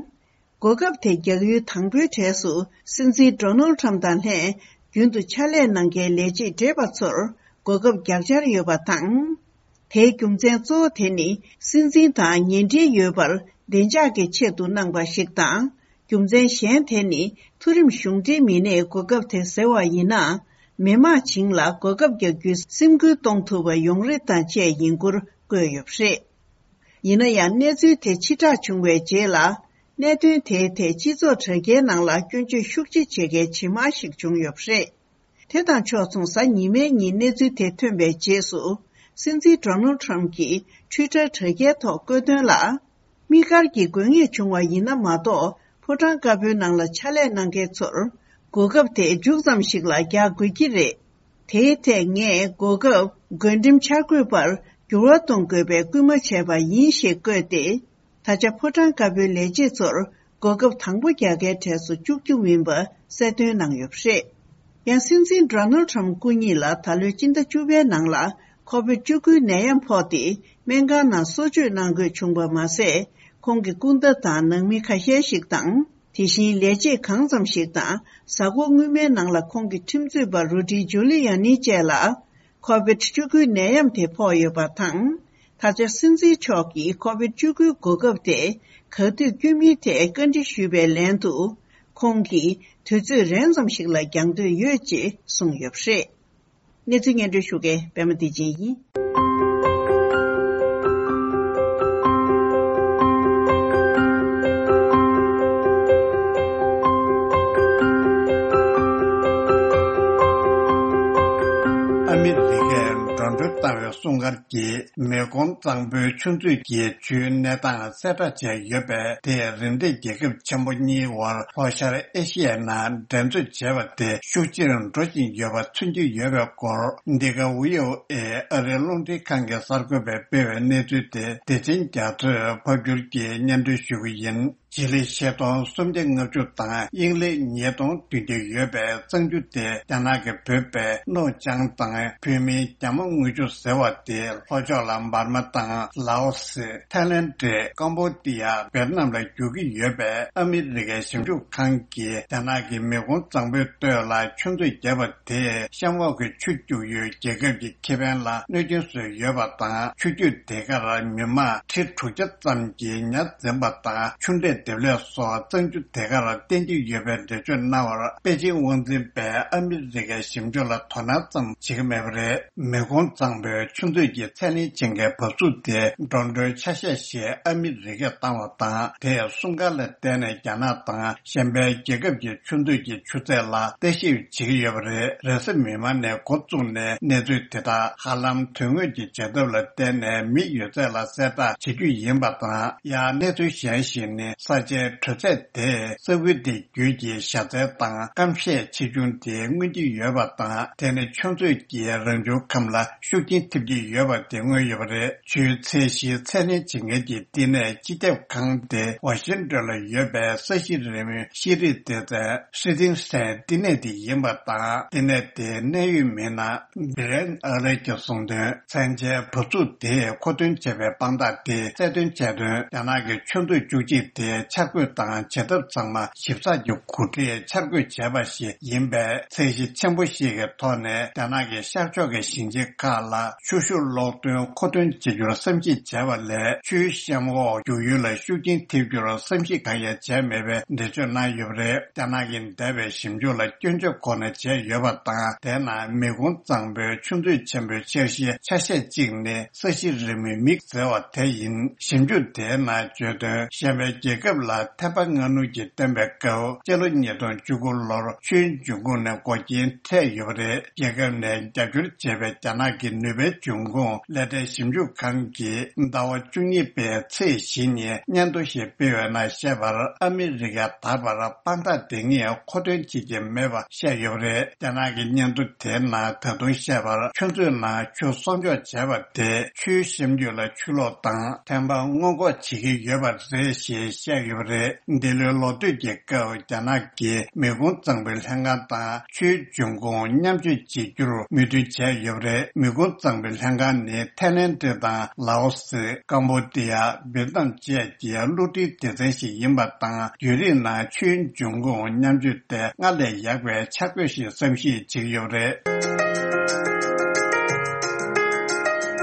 འགོག་ཁབ་དེ་རྒྱག་ཡུལ་དང་པོའི་གྲས་སུ། སྲིད་འཛིན་Donald Trump དང་ལྷན་རྒྱུན་དུ་ཕྱག་ལས་གནང་མཁན་ལས་བྱེད་བགྲེས་པ་ཚོར་འགོག་ཁབ་རྒྱག་འཆར་ཡོད་པ་དང་། དེའི་རྒྱུ་མཚན་གཙོ་བོ་དེ་ནི། སྲིད་འཛིན་དང་ཉེ་འབྲེལ་ཡོད་པར་བདེ་འཇགས་ཀྱི་ཆེད་དུ་གནང་པ་ཞིག་དང་། རྒྱུ་མཚན་གཞན་དེ་ནི། མཐོ་རིམ་གཞུང་འབྲེལ་མི་སྣས་འགོག་ཁབ་དེ་ཟ་བ་ཡིན་ན། མི་མང་བྱིངས་ལ་འགོག་ཁབ་རྒྱག་རྒྱུའི་སེམས་ཁུར་གཏོང་ཐུབ་པ་ཡོང་རེ་དང་བཅས་ཡིན་སྐོར་བཀོད་ཡོད་པ་རེད། ཡིན་ན་ཡང་། གནས་ཚུལ་དེ་ཕྱིར་བསྒྲགས་བྱུང་བའི་རྗེས་ལ། གནད་དོན་དེའི་ཐད་སྤྱི་ཚོགས་དྲ་རྒྱའི་ནང་ལ་སྐྱོན་བརྗོད་ཤུགས་ཆེ་བྱེད་མཁན་ཇེ་མང་ཞིག་བྱུང་ཡོད་པ་རེད། དེ་དང་ཕྱོགས་མཚུངས། གཟའ་ཉི་མའི་ཉིན་གནས་ཚུལ་དེ་ཐོན་པའི་རྗེས་སུ། སྲིད་འཛིན་Donald Trump གྱིས་Twitter དྲ་རྒྱའི་ཐོག་བཀོད་དོན་ལ། དམིགས་བཀར་གྱིས་དགོས་ངེས་བྱུང་བ་ཡིན་ན་མ་གཏོགས། ཕོ་བྲང་དཀར་པོའི་ནང་ལ་ཕྱག་ལས་གནང་མཁན་ཚོར། འགོག་ཁབ་དེ་མཇུག་ཙམ་ཞིག་ལ་རྒྱག་དགོས་ཀྱི་རེད། དེའི་ཐད་ངས་འགོག་ཁབ་བགོ་འགྲེམས་འཆར་འགོད་པར་འགྱུར་བ་གཏོང་དགོས་པའི་སྐུལ་མ་བྱས་པ་ཡིན་ཞེས་བཀོད་དེ། ད་ཆ་ཕོ་བྲང་དཀར་པོའི་ལས་བྱེད་ཚོར་འགོག་ཁབ་དང་པོ་རྒྱག་མཁན་གྲས་སུ་བཅུག་རྒྱུ་མིན་པ་གསལ་སྟོན་གནང་ཡོད་པ་རེད། ཡང་སྲིད་འཛིན་Donald Trump སྐུ་ཉིད་ལ་ད་ལོའི་སྤྱི་ཟླ་བཅུ་པའི་ནང་ལ་COVID བཅུ་དགུའི་ནད་ཡམས་ཕོག་སྟེ། སྨན་ཁང་ནང་གསོ་བཅོས་གནང་དགོས་བྱུང་བ་མ་ཟད། ཁོང་གི་སྐུ་ཟླ་དང་ནང་མི་ཁ་ཤས་ཤིག་དང་། དེ་བཞིན་ལས་བྱེད་གང་ཙམ་ཞིག་དང་། གཟའ་འཁོར་སྔོན་མའི་ནང་ལ་ཁོང་གི་ཁྲིམས་རྩོད་པ་Rudy Giuliani བཅས་ལ། COVID བཅུ་དགུའི་ནད་ཡམས་དེ་ཕོག་ཡོད་པ་དང་། ད་ཆ་སྲིད་འཛིན་མཆོག་གིས་COVID བཅུ་དགུའི་འགོག་ཁབ་དེ་ག་དུས་བསྐྱོན་མིན་ཐད་བཀའ་འདྲི་ཞུས་པའི་ལན་དུ། ཁོང་གིས་དུས་ཚོད་རན་ཙམ་ཞིག་ལ་རྒྱག་འདོད་ཡོད་ཅེས་གསུངས་ཡོད་པ་རེད། གནས་ཚུལ་སྙན་སྒྲོན་ཞུ་མཁན་པད་མ་བདེ་ཆེན་ཡིན། ཨ་མི་རི་ཀས་འགྲོ་གྲོན་བཏང་བའི་སྲུང་སྐར་གྱིས་མེ་འཁོར་གཙང་པོའི་ཆུ་མཛོད་ཀྱི་ཆུའི་གནས་སྟངས་གསལ་བསྒྲགས་བྱས་ཡོད་པས། དེས་རིམ་འདས་རྒྱལ་ཁབ་ཆེན་པོ་གཉིས་དབར་ལྷོ་ཤར་ཨེ་ཤི་ཡའི་ནང་འགྲན་རྩོད་བྱས་པ་དེ་ཤུགས་ཆེར་འགྲོ་བཞིན་ཡོད་པ་མཚོན་གྱི་ཡོད་པའི་སྐོར། འདི་ག་བྷི་ཨོ་ཨེ་ཨ་རིའི་རླུང་འཕྲིན་ཁང་གི་གསར་འགོད་པས་སྤེལ་བའི་གནས་ཚུལ་དེ་བདེ་ཆེན་རྒྱ་མཚོས་ཕབ་སྒྱུར་གྱིས་སྙན་སྒྲོན་ཞུ་གི་ཡིན། ཇི་ལི་ཆིག་སྟོང་སུམ་བརྒྱ་ལྔ་བཅུ་དང་དབྱིན་ལི་ཉིས་སྟོང་བདུན་བརྒྱ་ཡོད་པའི་གཙང་ཆུ་དེ་རྒྱ་ནག་གིས་བོད་པའི་ནོར་ཅང་དང་བོད་མིའི་རྒྱ་མ་དངུལ་ཆུ་ཟེར་བ་དེ་ལྷོ་ཕྱོགས་ལ་འབར་མ་དང་ལའོ་སི། ཐའི་ལེན་ཌི། ཀམ་བོ་ཌི་ཡ། ཝེ་ཏི་ནམ་ལ་རྒྱུག་གི་ཡོད་པས། ཨ་མི་རི་ཀའི་ཞིབ་འཇུག་ཁང་གིས་རྒྱ་ནག་གི་མེ་འཁོར་གཙང་པོའི་སྟོད་ལ་ཆུ་མཛོད་བརྒྱབ་པ་དེས་གཤམ་འོག་གི་ཆུ་སྐྱོར་ཡུལ་རྒྱལ་ཁབ་ཀྱི་ཁེ་ཕན་ལ་གནོད་སྐྱོན་བཟོས་ཡོད་པ་དང་། ཆུ་རྒྱུད་དེ་གར་མི་མང་ཁྲི་དྲུག་བརྒྱ་ཙམ་གྱིས་ཉ་འཛིན་པ་དང་ཆུ་འབྲས་འདེབས་ལས་སོགས་གཙང་ཆུ་དེ་གར་བསྟེན་གྱི་ཡོད་པའི་འགྲེལ་བརྗོད་གནང་བར། པེ་ཅིང་དབང་འཛིན་པས་ཨ་མི་རི་ཀའི་ཞིབ་འཇུག་ལ་དོ་སྣང་ཙམ་བྱེད་ཀྱི་མེད་པ་རེད། མེ་འཁོར་གཙང་པོའི་ཆུ་མཛོད་ཀྱི་ཚད་ལེན་བྱེད་མཁན་བབས་ཚུགས་དེ་འགྲོ་གྲོན་ཆ་ཤས་ཤིག་ཨ་མི་རི་ཀས་བཏང་བ་དང་། དེས་སྲུང་སྐར་ལ་བརྟེན་ནས་རྒྱ་ནག་དང་གཞན་པའི་རྒྱལ་ཁབ་ཀྱི་ཆུ་མཛོད་ཀྱི་ཆུ་ཚད་ལ་བརྟག་ཞིབ་བྱེད་ཀྱི་ཡོད་པ་རེད། རེས་གཟའ་མིག་དམར་ནས་འགོ་བཙུགས་ནས་གནས་ཚུལ་དེ་དག་ཧ་ལམ་དོན་དངོས་ཀྱི་བྱེད་ཐབས་ལ་བརྟེན་ནས་མི་ཡོད་ཚད་ལ་གསལ་བསྒྲགས་བྱེད་རྒྱུ་ཡིན་པ་དང་། ཡང་གནས་ཚུལ་གཞན་ཞིག་ནི། ས་ཆའི་དྲོད་ཚད་དེས་ས་ཁུལ་དེ་བརྒྱུད་ཀྱི་བཞའ་ཚན་དང་སྐམ་ཤས་ཆེ་ཆུང་དེ་མངོན་གྱི་ཡོད་པ་དང་། དེ་ནི་ཆུ་མཛོད་ཀྱི་རང་བྱུང་ཁམས་ལ་ཤུགས་རྐྱེན་ཐེབས་ཀྱི་ཡོད་པ་དེ་མངོན་ཡོད་པ་རེད། ཆུའི་ཚད་གཞིའི་ཚད་ལེན་བྱེད་མཁན་གྱི་བསྟི་གནས་སྤྱི་ཁྱབ་ཁང་དེ་ཝ་ཤིང་ཏོན་ལ་ཡོད་པའི་ས་གཞི་རིམ་ཤེས་རིག་སྡེ་ཚན་ཧྲི་ཏིང་སན་བསྟི་གནས་དེ་ཡིན་པ་དང་། བསྟི་གནས་དེའི་གནད་ཡོད་མི་སྣ་བྷི་རེན་ཨ་ལེ་གྱིས་གསུངས་དོན། མཚན་ཆའི་བབས་ཚུགས་དེས་མཁོ་འདོན་བྱས་པའི་དཔང་རྟགས་དེ་གསལ་སྟོན་བྱས་དོན། རྒྱ་ནག་གི་ཆུ་མཛོད་བཅུ་གཅིག་དེ་ འཆར་འགོད་དང་བྱེད་ཐབས་ཚང་མ་ཞིབ་ཚགས་ཀྱི་གོ་སྒྲིག་འཆར་འགོད་བྱས་པ་ཞིག་ཡིན་པས། ཚད་གཞི་ཆེན་པོ་ཞིག་གི་ཐོག་ནས་རྒྱ་ནག་གི་ཤར་ཕྱོགས་ཀྱི་ཞིང་ཆེན་ཁག་ལ་ཆུ་ཤུགས་གློག་འདོན་མཁོ་འདོན་བྱེད་རྒྱུར་བསམ་གཞིག་བྱས་པ་ལས། ཆུའི་གཤམ་འོག་རྒྱུག་ཡུལ་ལ་ཤུགས་རྐྱེན་ཐེབས་རྒྱུར་བསམ་གཞིག་གང་ཡང་བྱས་མེད་པའི་འགྲེལ་བརྗོད་གནང་ཡོད་པ་རེད། རྒྱ་ནག་གིས་འདས་པའི་ཞིབ་འཇུག་ལ་སྐྱོན་བརྗོད་ཁོ་ན་བྱས་ཡོད་པ་དང་། དེའི་ནང་མི་གུང་གཙང་པོའི་ཆུ་མཛོད་ཆེན་པོའི་འཆར་གཞིའི་ཆ་ཤས་གཅིག་ནི་ས་གཞི་རི་མོའི་མིག་ཟེར་བ་དེ་ཡིན། ཞིབ་འཇུག་དེའི་ནང་བརྗོད་དོན། གཞན་པའི་རྒྱལ་ཁབ་ལ་ཐེམ་པ་སྔ་སྣུར་གྱིས་བཏོན་པའི་སྐབས། སྤྱི་ལོ་ཉིས་སྟོང་བཅུ་དགུ་ལོར་ཆུའི་འབྱུང་ཁུངས་ནས་འགོག་རྐྱེན་འཕྲད་ཡོད་པ་རེད། རྒྱལ་ཁབ་ནས་རྒྱབ་སྐྱོར་བྱས་པའི་རྒྱ་ནག་གི་ནུས་པའི་འབྱུང་ཁུངས་ལས་གྲྭའི་ཞིབ་འཇུག་ཁང་གིས་ཟླ་བ་བཅུ་གཉིས་པའི་ཚེས་བཞི་ཉིན་སྙན་ཐོ་ཞིག་སྤེལ་བའི་ནང་བཤད་པར། ཨ་མི་རི་ཀས་ད་བར་དཔང་རྟགས་འདི་ངས་མཁོ་འདོན་བྱེད་ཀྱི་མེད་པ་བཤད་ཡོད་པ་རེད། རྒྱ་ནག་གི་སྙན་ཐོ་དེའི་ནང་ད་དུང་བཤད་པར། ཆུ་མཛོད་ནང་ཆུ་གསོག་འཇོག་བྱས་པ་དེས་ཆུའི་གཤམ་རྒྱུད་ལ་ཆུ་ལོག་དང་ཐན་པ་སྔོན་འགོག་བྱེད་ཀྱི་ཡོད་པ་རེད་ཞེས་བཤད་ཡོད་པ་རེད། འདི་ལོའི་ལོ་སྟོད་ཀྱི་སྐབས་རྒྱ་ནག་གིས་མི་གུང་གཙང་པོའི་ལྷན་ཁང་དང་ཆུའི་འབྱུང་ཁུངས་མཉམ་སྤྱོད་བྱེད་རྒྱུར་མོས་མཐུན་བྱས་ཡོད་པ་རེད། མི་གུང་གཙང་པོའི་ལྷན་ཁང་ནི་ཐའི་ལེན་ཌི་དང་ལའོ་སི། ཀམ་བོ་ཌི་ཡ། ཝེ་ཏི་ནམ་བཅས་ཀྱི་བསླུ་བྲིད་སྡེ་ཚན་ཞིག་ཡིན་པ་དང་། བརྒྱུད་རིམ་ནང་ཆུའི་འབྱུང་ཁུངས་མཉམ་སྤྱོད་དེ་སྔར་ལས་ཡག་པའི་འཆར་འགོད་ཞིག་བསམ་གཞིག་བྱེད་ཀྱི་ཡོད་པ་རེད།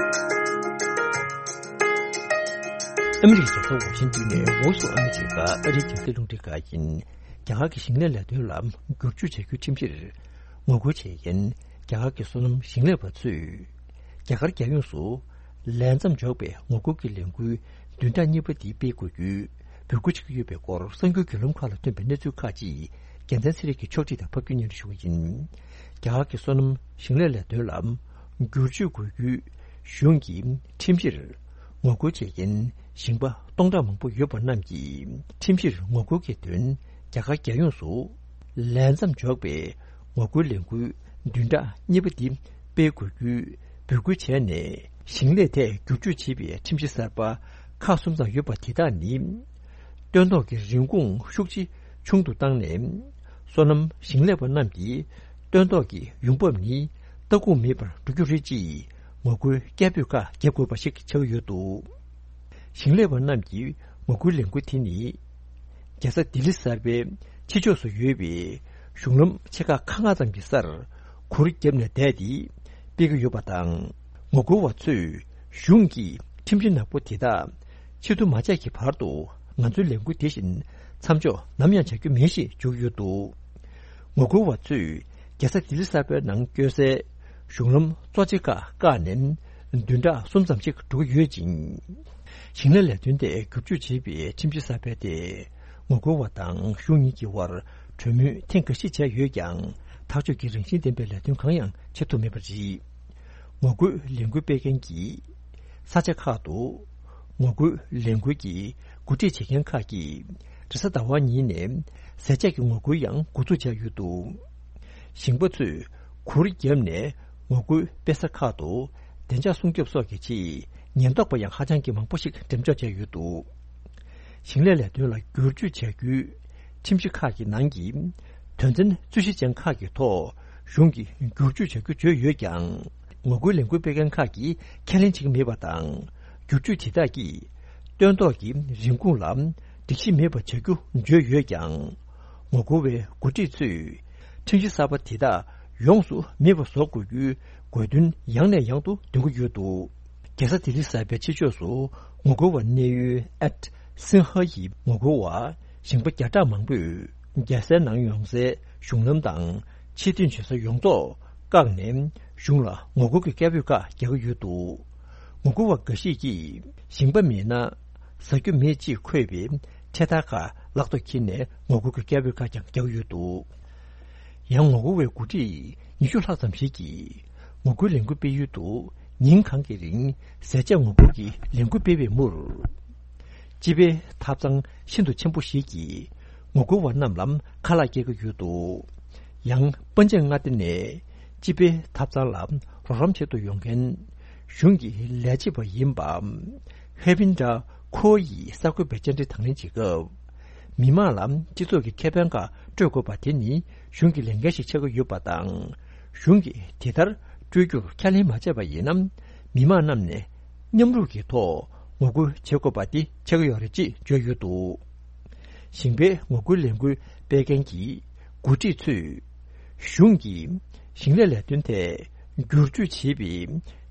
ཨ་མི་རི་ཀའི་རྒྱལ་ས་ཝ་ཤིང་ཏོན་ནས་Voice of America ཨ་རིའི་རྒྱང་སྲིང་རླུང་འཕྲིན་ཁང་ཡིན། རྒྱ་གར་གྱི་ཞིང་ལས་ལས་དོན་ལ་བསྒྱུར་བཅོས་བྱ་རྒྱུའི་ཁྲིམས་གཞིར་ངོ་རྒོལ་བྱེད་མཁན་རྒྱ་གར་གྱི་སོ་ནམ་ཞིང་ལས་པ་ཚོས། རྒྱ་གར་རྒྱལ་ཡོངས་སུ་ལས་མཚམས་འཇོག་པའི་ངོ་རྒོལ་གྱི་ལས་འགུལ་བདུན་ཕྲག་གཉིས་པ་འདི་སྤེལ་དགོས་རྒྱུའི་འབོད་སྐུལ་བྱེད་ཀྱི་ཡོད་པའི་སྐོར་གསར་འགྱུར་བརྒྱུད་ལམ་ཁག་ལ་ཐོན་པའི་གནས་ཚུལ་ཁག་ཅིག་རྒྱལ་མཚན་ཚེ་རིང་གིས་ཕྱོགས་སྒྲིག་དང་ཕབ་སྒྱུར་སྙན་སྒྲོན་ཞུ་བ་ཡིན། རྒྱ་གར་གྱི་སོ་ནམ་ཞིང་ལས་ལས་དོན་ལ་བསྒྱུར་བཅོས་དགོས་རྒྱུའི་གཞུང་གི་ཁྲིམས་གཞིར་ངོ་རྒོལ་བྱེད་མཁན་ཞིང་པ་སྟོང་ཕྲག་མང་པོ་ཡོད་པ་རྣམས་ཀྱིས་ཁྲིམས་གཞིར་ངོ་རྒོལ་གྱི་དོན་རྒྱ་གར་རྒྱལ་ཡོངས་སུ་ལས་མཚམས་འཇོག་པའི་ངོ་རྒོལ་ལས་འགུལ་བདུན་ཕྲག་གཉིས་པ་འདི་སྤེལ་དགོས་རྒྱུའི་འབོད་སྐུལ་བྱས་ནས། ཞིང་ལས་ཐད་བསྒྱུར་བཅོས་བྱེད་པའི་ཁྲིམས་གཞི་གསར་པ་ཁག་གསུམ་ཙམ་ཡོད་པ་དེ་དག་ནི། སྟོན་ཐོག་གི་རིན་གོང་ཤུགས་ཆེ་ཆུང་དུ་བཏང་ནས། སོ་ནམ་ཞིང་ལས་པ་རྣམས་ཀྱི་སྟོན་ཐོག་གི་ཡོང་འབབ་ནི་ལྟ་སྐུལ་མེད་པར་འགྲོ་རྒྱུ་རེད་ཅེས་ངོ་རྒོལ་སྐད་འབོད་ཁག་བརྒྱབ་དགོས་པ་ཞིག་ཆགས་ཡོད་འདུག་ཞིང་ལས་པ་རྣམས་ཀྱི་ངོ་རྒོལ་ལས་འགུལ་དེ་ནི། རྒྱལ་ས་ལྡི་ལི་གསར་པའི་ཕྱི་ཕྱོགས་སུ་ཡོད་པའི་གཞུང་ལམ་ཆེ་ཁག་ཁག་ལྔ་ཙམ་གྱི་སར་གུར་བརྒྱབ་ནས་བསྡད་དེ་སྤེལ་གྱི་ཡོད་པ་དང་། ངོ་རྒོལ་བ་ཚོས་གཞུང་གིས་ཁྲིམས་གཞི་ནག་པོ་དེ་དག་ཕྱིར་བསྡུ་མ་བྱས་ཀྱི་བར་དུ་ང་ཚོའི་ལས་འགུལ་དེ་བཞིན་མཚམས་འཇོག་ནམ་ཡང་བྱ་རྒྱུ་མེད་ཞེས་བརྗོད་ཀྱི་ཡོད་འདུག་ངོ་རྒོལ་བ་ཚོས་རྒྱལ་ས་ལྡི་ལི་གསར་པའི་ནང་བསྐྱོད་སའི་གཞུང་ལམ་གཙོ་ཆེ་ཁག་བཀག་ནས་བདུན་ཕྲག་གསུམ་ཙམ་ཞིག་འགྲོ་གི་ཡོད་ཅིང་། ཞིང་ལས་ལས་དོན་ཐད་བསྒྱུར་བཅོས་བྱེད་པའི་ཁྲིམས་གཞི་གསར་པ་དེས་ངོ་རྒོལ་བ་དང་གཞུང་གཉིས་ཀྱི་དབར་གྲོས་མོལ་ཐེངས་འགའ་ཞིག་བྱས་ཡོད་ཀྱང་། ཐག་གཅོད་ཀྱི་རང་བཞིན་ལྡན་པའི་ལས་དོན་གང་ཡང་བྱེད་ཐུབ་མེད་པ་རེད། ངོ་རྒོལ་ལས་འགུལ་སྤེལ་མཁན་གྱི་ས་ཆ་ཁག་ཏུ་ངོ་རྒོལ་ལས་འགུལ་གྱི་འགོ་ཁྲིད་བྱེད་མཁན་ཁག་གིས་རེས་གཟའ་ཟླ་བ་ཉིན་ནས་ཟས་བཅད་ཀྱི་ངོ་རྒོལ་ཡང་འགོ་འཛུགས་བྱས་ཡོད་འདུག་ཞིང་པ་ཚོས་གུར་བརྒྱབ་ནས་ངོ་རྒོལ་སྤེལ་ས་ཁག་ཏུ་བདེ་འཇགས་སྲུང་སྐྱོབ་སོགས་ཀྱི་ཆེད་ཉེན་རྟོག་པ་ཡང་ཧ་ཅང་གི་མང་པོ་ཞིག་འགྲེམས་འཇོག་བྱས་ཡོད་འདུག་ཞིང་ལས་ལས་དོན་ལ་བསྒྱུར་བཅོས་བྱ་རྒྱུའི་ཁྲིམས་གཞི་ཁག་གི་ནང་གི་དོན་ཚན་རྩོད་གཞི་ཅན་ཁག་གི་ཐོག་གཞུང་གིས་བསྒྱུར་བཅོས་བྱ་རྒྱུ་བརྗོད་ཡོད་ཀྱང་། ངོ་རྒོལ་ལས་འགུལ་སྤེལ་མཁན་ཁག་གིས་ཁས་ལེན་བྱེད་ཀྱི་མེད་པ་དང་། བསྒྱུར་བཅོས་དེ་དག་གིས་སྟོན་ཐོག་གི་རིན་གོང་ལ་སྒྲིག་གཞི་མེད་པ་བྱ་རྒྱུ་བརྗོད་ཡོད་ཀྱང་། ངོ་རྒོལ་བའི་འགོ་ཁྲིད་ཚོས་ཁྲིམས་གཞི་གསར་པ་དེ་དག་ཡོངས་སུ་མེད་པ་བཟོ་དགོས་རྒྱུའི་དགོས་འདུན་ཡང་ནས་ཡང་དུ་འདོན་གྱི་ཡོད་འདུག་རྒྱལ་ས་ལྡི་ལི་གསར་པའི་ཕྱི་ཕྱོགས་སུ་ངོ་རྒོལ་བ་གནས་ཡུལ་ཨེད་སིན་ཧ་ཡི་ངོ་རྒོལ་བ་ཞིང་པ་བརྒྱ་ཕྲག་མང་པོས་རྒྱལ་སའི་ནང་ཡོང་སའི་གཞུང་ལམ་དང་ཆེས་མཐུན་བྱེད་ས་ཡོངས་རྫོགས་བཀག་ནས་གཞུང་ལ་ངོ་རྒོལ་གྱི་སྐད་འབོད་ཁག་རྒྱག་གི་ཡོད་འདུག་ངོ་རྒོལ་བ་འགའ་ཞིག་གིས་ཞིང་པ་མེད་ན་ཟ་རྒྱུ་མེད་ཅེས་འཁོད་པའི་འཕྲེད་དར་ཁག་ལག་ཏུ་འཁྱེར་ནས་ངོ་རྒོལ་གྱི་སྐད་འབོད་ཁག་ཀྱང་རྒྱག་ཡོད་འདུག་ཡང་ངོ་རྒོལ་བའི་འགོ་ཁྲིད་ཉི་ཤུ་ལྷག་ཙམ་ཞིག་གིས་ངོ་རྒོལ་ལས་འགུལ་སྤེལ་ཡུལ་དུ་ཉིན་གང་གི་རིང་ཟས་བཅད་ངོ་རྒོལ་གྱི་ལས་འགུལ་སྤེལ་བའི་མུར། སྤྱི་པའི་ཐབ་ཚང་ཤིན་ཏུ་ཆེན་པོ་ཞིག་གིས་ངོ་རྒོལ་བ་རྣམས་ལ་ཁ་ལག་སྐྱེལ་གྱི་ཡོད་འདུག་ཡང་པཎ་ཆེན་མངའ་སྡེ་ནས་སྤྱི་པའི་ཐབ་ཚང་ལ་རོགས་རམ་བྱེད་དུ་ཡོང་མཁན་གཞུང་གི་ལས་བྱེད་པ་ཡིན་པ་ཧེ་བིན་དྲ་ཁོ་ཡིས་གསར་འགོད་པའི་བཅར་འདྲི་དང་ལེན་བྱེད་སྐབས། མི་མང་ལ་སྤྱི་ཚོགས་ཀྱི་ཁེ་ཕན་ཁག་སྤྲོད་དགོས་པ་དེ་ནི་གཞུང་གི་ལས་འགན་ཞིག་ཆགས་ཀྱི་ཡོད་པ་དང་། གཞུང་གིས་དེ་ལྟར་སྤྲོད་རྒྱུར་ཁས་ལེན་མ་བྱས་པ་ཡིན་ན། མི་མང་རྣམས་ནས་མཉམ་རུབ་ཀྱི་ཐོག་ངོ་རྒོལ་བྱེད་དགོས་པ་དེ་ཆགས་ཀྱི་ཡོད་རེད་ཅེས་བརྗོད་ཡོད་འདུག་ཞིང་པའི་ངོ་རྒོལ་ལས་འགུལ་སྤེལ་མཁན་གྱི་འགོ་ཁྲིད་ཚོས། གཞུང་གིས་ཞིང་ལས་ལས་དོན་ཐད་བསྒྱུར་བཅོས་བྱས་པའི་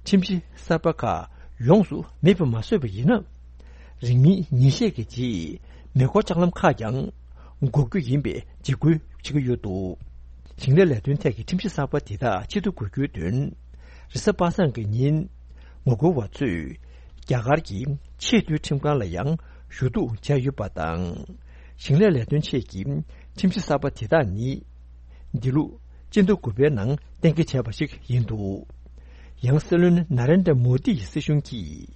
ཁྲིམས་གཞི་གསར་པ་ཁག་ཡོངས་སུ་མེད་པ་མ་བཟོས་པ་ཡིན་ན། རིང་མིན་ཉིན་ཤས་ཀྱི་རྗེས་མེ་འཁོར་ལྕགས་ལམ་ཁག་ཀྱང་འགོག་རྒྱུ་ཡིན་པའི་འཇིགས་སྐུལ་བྱེད་ཀྱི་ཡོད་འདུག་ཞིང་ལས་ལས་དོན་ཐད་ཀྱི་ཁྲིམས་གཞི་གསར་པ་འདི་དག་ཕྱིར་བསྡུ་དགོས་རྒྱུའི་དོན། རེས་གཟའ་པ་སངས་ཀྱི་ཉིན། ངོ་རྒོལ་བ་ཚོས་རྒྱ་གར་གྱི་ཆེས་མཐོའི་ཁྲིམས་ཁང་ལ་ཡང་ཞུ་གཏུག་བྱས་ཡོད་པ་དང་། ཞིང་ལས་ལས་དོན་ཆེད་ཀྱི་ཁྲིམས་གཞི་གསར་པ་དེ་དག་ནི། འདི་ལོ་སྤྱི་ཟླ་དགུ་པའི་ནང་གཏན་འཁེལ་བྱས་པ་ཞིག་ཡིན་འདུག་ཡང་སྲིད་བློན་ན་རེན་དྲ་མོ་དི་ཡི་སྲིད་གཞུང་གིས།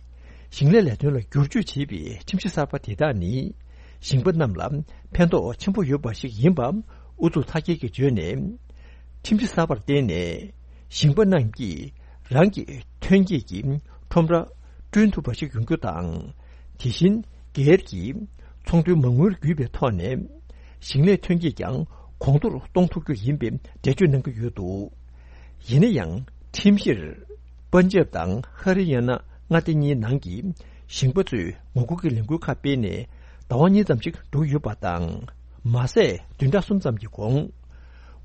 ཞིང་ལས་ལས་དོན་ལ་བསྒྱུར་བཅོས་བྱས་པའི་ཁྲིམས་གཞི་གསར་པ་དེ་དག་ནི། ཞིང་པ་རྣམས་ལ་ཕན་ཐོགས་ཆེན་པོ་ཡོད་པ་ཞིག་ཡིན་པ་ཨུ་ཚུགས་མཐའ་སྐྱེལ་གྱིས་བརྗོད་ནས། ཁྲིམས་གཞི་གསར་པར་བརྟེན་ནས་ཞིང་པ་རྣམས་ཀྱིས་རང་གི་ཐོན་སྐྱེད་ཀྱི་ཁྲོམ་ར་བསྐྲུན་ཐུབ་པ་ཞིག་ཡོང་རྒྱུ་དང་། དེ་བཞིན་སྒེར་གྱི་ཚོང་དོན་མ་དངུལ་བརྒྱུད་པའི་ཐོག་ནས་ཞིང་ལས་ཐོན་སྐྱེད་ཀྱང་གོང་མཐོར་གཏོང་ཐུབ་རྒྱུ་ཡིན་པའི་འགྲེལ་བརྗོད་གནང་གི་ཡོད་འདུག་ཡིན་ན་ཡང་ཁྲིམས་གཞིར་པན་ཇབ་དང་ཧ་རི་ཡ་ན་མངའ་སྡེ་གཉིས་ནང་གི་ཞིང་པ་ཚོས་ངོ་རྒོལ་གྱི་ལས་འགུལ་ཁག་སྤེལ་ནས་ཟླ་བ་གཉིས་ཙམ་ཞིག་འགྲོ་ཡོད་པ་དང་། མ་ཟད་བདུན་ཕྲག་གསུམ་ཙམ་གྱི་གོང་།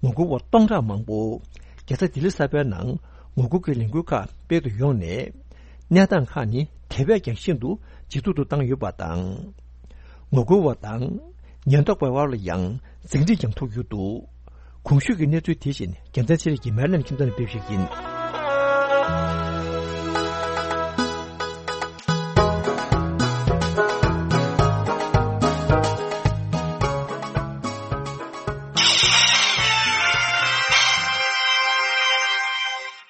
ངོ་རྒོལ་བ་སྟོང་ཕྲག་མང་པོ་རྒྱལ་ས་ལྡི་ལི་གསར་པའི་ནང་ངོ་རྒོལ་གྱི་ལས་འགུལ་ཁག་སྤེལ་དུ་ཡོང་ནས། གནས་སྟངས་ཁག་ནི་དེ་བས་ཀྱང་ཤིན་ཏུ་ཇེ་སྡུག་ཏུ་བཏང་ཡོད་པ་དང་། ངོ་རྒོལ་བ་དང་ཉེན་རྟོག་པའི་དབར་ལ་ཡང་འཛིང་འཁྲིག་ཀྱང་ཐུག་ཡོད་འདུག་གོང་ཞུས་ཀྱི་གནས་ཚུལ་དེ་བཞིན་རྒྱལ་མཚན་ཚེ་རིང་གིས་མེ་ལན་ཁྱིམ་ཚང་ནས་སྤེལ་ཞིག་ཡིན།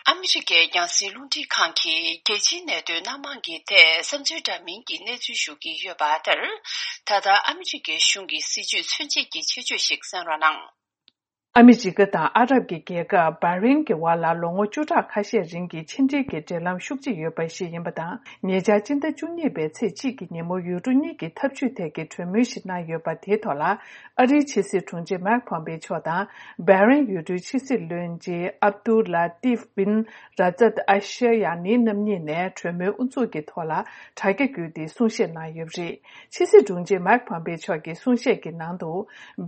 ཨ་མི་རི་ཀའི་རྒྱང་སྲིང་རླུང་འཕྲིན་ཁང་གིས་རྒྱལ་སྤྱིའི་གནད་དོན་སྣ་མང་གི་ཐད་བསམ་ཚུལ་འདྲ་མིན་གྱི་གནས་ཚུལ་ཞུ་གི་ཡོད་པ་ལྟར། ད་ལྟ་ཨ་མི་རི་ཀའི་གཞུང་གི་སྲིད་བྱུས་མཚོན་བྱེད་ཀྱི་ཆེད་བརྗོད་ཞིག་གསན་རོགས་གནང་། ཨ་མི་རི་ཀ་དང་ཨ་རབ་ཀྱི་རྒྱལ་ཁབ་བྷ་རེན་གྱི་བར་ལ་ལོ་ངོ་བཅུ་ཕྲག་ཁ་ཤས་རིང་གི་ཕྱི་འབྲེལ་གྱི་འབྲེལ་ལམ་ཤུགས་ཆེ་ཡོད་པ་ཞིག་ཡིན་པ་དང་། ཉེ་ཆར་སྤྱི་ཟླ་བཅུ་གཉིས་པའི་ཚེས་གཅིག་གི་ཉིན་མོ་ཡུལ་གྲུ་གཉིས་ཀྱི་འཐབ་ཇུས་ཐད་ཀྱི་གྲོས་མོལ་ཞིག་གནང་ཡོད་པ་དེའི་ཐོག་ལ། ཨ་རིའི་ཕྱི་སྲིད་དྲུང་ཆེ་མེག་ཕོམ་པེ་མཆོག་དང་། བྷ་རེན་ཡུལ་གྲུའི་ཕྱི་སྲིད་བློན་ཆེན་ཨབ་ཏུ་ལ་ཏིབ་བིན་ར་ཛད་ཨ་ཤ་ཡ་ནི་རྣམ་གཉིས་ནས་གྲོས་མོལ་དབུ་འཛུགས་ཀྱི་ཐོག་ལ་དྲ་རྒྱ་བརྒྱུད་དེ་གསུང་བཤད་གནང་ཡོད་པ་རེད། ཕྱི་སྲིད་དྲུང་ཆེ་མེག་ཕོམ་པེ་མཆོག་གི་གསུང་བཤད་ཀྱི་ནང་དུ།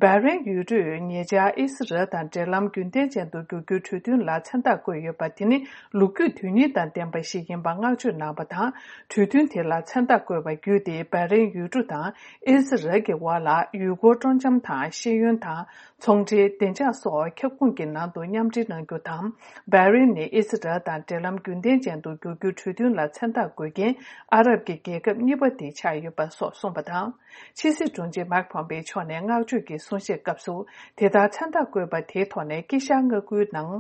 བྷ་རེན་ཡུལ་གྲུས་ཉེ་ཆར་ཨི་སི་རལ་དང་འབྲེལ་ལམ་རྒྱུན་ལྡན་ཅན་དུ་འགྱུར་རྒྱུའི་གྲོས་མཐུན་ལ་མཚན་རྟགས་བཀོད་ཡོད་པ་དེ་ནི་ལོ་རྒྱུས་དོན་སྙིང་དང་ལྡན་པ་ཞིག་ཡིན་པ་བསྔགས་བརྗོད་གནང་བ་དང་། གྲོས་མཐུན་དེ་ལ་མཚན་རྟགས་བཀོད་པ་བརྒྱུད་དེ་བྷ་རེན་ཡུལ་གྲུ་དང་ཨི་སི་རལ་གྱི་བར་ལ་ཡུལ་སྐོར་སྤྲོ་འཆམ་དང་ཤེས་ཡོན་དང་། ཚོང་འབྲེལ། བདེ་འཇགས་སོགས་ཁྱབ་ཁོངས་ཀྱི་ནང་དུ་མཉམ་འབྲེལ་གནང་རྒྱུ་དང་། བྷ་རེན་ནི་ཨི་སི་རལ་དང་འབྲེལ་ལམ་རྒྱུན་ལྡན་ཅན་དུ་འགྱུར་རྒྱུའི་གྲོས་མཐུན་ལ་མཚན་རྟགས་འགོད་མཁན་ཨ་རབ་ཀྱི་རྒྱལ་ཁབ་གཉིས་པ་དེ་ཆགས་ཡོད་པ་སོགས་གསུངས་པ་དང་། ཕྱི་སྲིད་དྲུང་ཆེ་མེག་ཕོམ་པེ་མཆོག་ནས་བསྔགས་བརྗོད་ཀྱི་གསུང་བཤད་སྐབས་སུ། དེ་ལྟར་མཚན་རྟགས་བཀོད་པ་དེའི་ཐོག་ནས་དཀྱིལ་ཤར་མངའ་ཁུལ་ནང་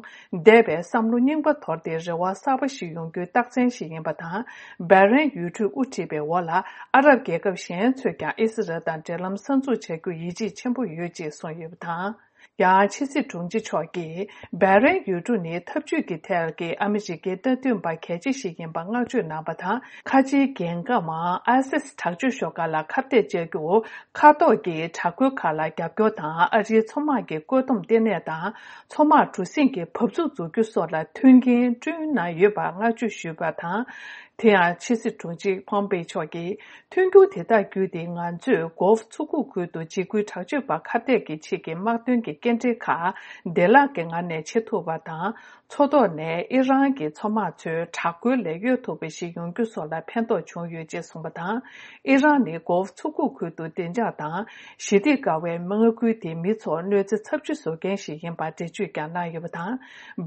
འདས་པའི་བསམ་བློ་རྙིང་པ་དོར་ཏེ་རེ་བ་གསར་པ་ཞིག་ཡོང་རྒྱུའི་རྟགས་མཚན་ཞིག་ཡིན་པ་དང་། བྷ་རེན་ཡུལ་གྲུས་དབུ་ཁྲིད་པའི་འོག་ལ་ཨ་རབ་རྒྱལ་ཁབ་གཞན་ཚོས་ཀྱང་ཨི་སི་རལ་དང་འབྲེལ་ལམ་གསར་འཛུགས་བྱ་རྒྱུར་ཡིད་ཆེས་ཆེན་པོ་ཡོད་ཅེས་གསུངས་ཡོད་པ་དང་། ཡང་ཕྱི་སྲིད་དྲུང་ཆེ་མཆོག་གིས་བྷ་རེན་ཡུལ་གྲུ་ནི་འཐབ་ཇུས་ཀྱི་ཐད་ཀྱི་ཨ་མི་རི་ཀའི་མནའ་མཐུན་པ་གལ་ཆེ་ཞིག་ཡིན་པ་བསྔགས་བརྗོད་གནང་བ་དང་། ཁ་ཆེའི་རྒྱལ་ཁམས་ཨ་སིས་དྲག་སྤྱོད་ཤོག་ཁག་ལ་ཁ་གཏད་བཅག་རྒྱུར་མཁའ་ཐོག་གི་དྲག་རྒོལ་ཁག་ལ་རྒྱབ་སྐྱོར་དང་། ཨ་རིའི་མཚོ་དམག་གི་བཀོད་འདོམས་ལྟེ་གནས་དང་། མཚོ་དམག་གྲུ་གཟིངས་ཀྱི་བབས་ཚུགས་འཛུགས་རྒྱུ་སོགས་ལ་མཐུན་རྐྱེན་བསྐྲུན་གནང་ཡོད་པར་བསྔགས་བརྗོད་ཞུས་པ་དང་། དེ་ཡང་ཕྱི་སྲིད་དྲུང་ཆེ་ཕོམ་པེ་མཆོག་གིས། མཐུན་འགྱུར་དེ་དག་བརྒྱུད་དེ་ང་ཚོས་གོ་ཝ་མཚོ་ཁུག་ཁུལ་དུ་འཇིགས་སྐུལ་དྲག་སྤྱོད་པ་ཁ་གཏད་ཀྱི་ཆེད་ཀྱི་དམག་དོན་གྱི་སྐྱེལ་འདྲེན་ཁག་བདེ་བླག་གི་ངང་ནས་བྱེད་ཐུབ་པ་དང་། མཚོ་ཐོག་ནས་ཨི་རན་གྱི་མཚོ་དམག་ཚོའི་དྲག་རྒོལ་ལས་གཡོལ་ཐུབ་པ་ཞིག་ཡོང་རྒྱུ་སོགས་ལ་ཕན་ཐོགས་བྱུང་ཡོད་ཅེས་གསུངས་པ་དང་། ཨི་རན་ནི་གོ་ཝ་མཚོ་ཁུག་ཁུལ་དུ་བདེ་འཇགས་དང་ཞི་བདེ་དཀའ་བའི་མངའ་ཁུལ་དེའི་མི་ཚོར་གནོད་འཚེ་ཚབས་ཆེ་བཟོ་མཁན་ཞིག་ཡིན་པར་འགྲེལ་བརྗོད་ཀྱང་གནང་ཡོད་པ་དང་།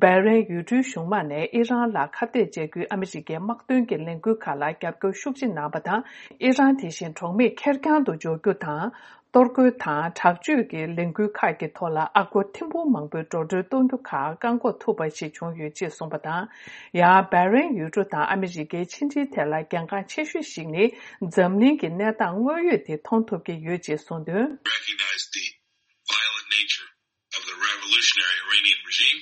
བྷ་རེན་ཡུལ་གྲུའི་གཞུང་མང་ནས་ཨི་རན་ལ་ཁ་གཏད་བཅག་རྒྱུའི་ཨ་མི་རི་ཀའི་དམག་དོན་གྱི་ལས་འགུལ་ཁག་ལ་རྒྱབ་སྐྱོར་ཤུགས་ཆེ་གནང་བ་དང་། ཨི་རན་དེ་བཞིན་གྲོགས་མེད་ཁེར་རྐྱང་དུ་འཇོག་རྒྱུ་དང་། གཏོར་རྒོལ་དང་དྲག་སྤྱོད་ཀྱི་ལས་འགུལ་ཁག་གི་ཐོག་ལ་ཨ་སྒོར་ཐེར་འབུམ་མང་པོའི་འགྲོ་གྲོན་གཏོང་རྒྱུ་ཁག་བཀག་འགོག་ཐུབ་པ་ཞིག་བྱུང་ཡོད་ཅེས་གསུངས་པ་དང་། ཡང་བྷ་རེན་ཡུལ་གྲུ་དང་ཨ་མི་རི་ཀའི་ཕྱི་འབྲེལ་ཐད་ལ་གལ་འགངས་ཆེ་ཤོས་ཤིག་ནི། འཛམ་གླིང་གི་གནས་སྟངས་དངོས་ཡོད་དེ་མཐོང་ཐུབ་ཀྱི་ཡོད་ཅེས་གསུངས་དོན། Recognize the violent nature of the revolutionary Iranian regime.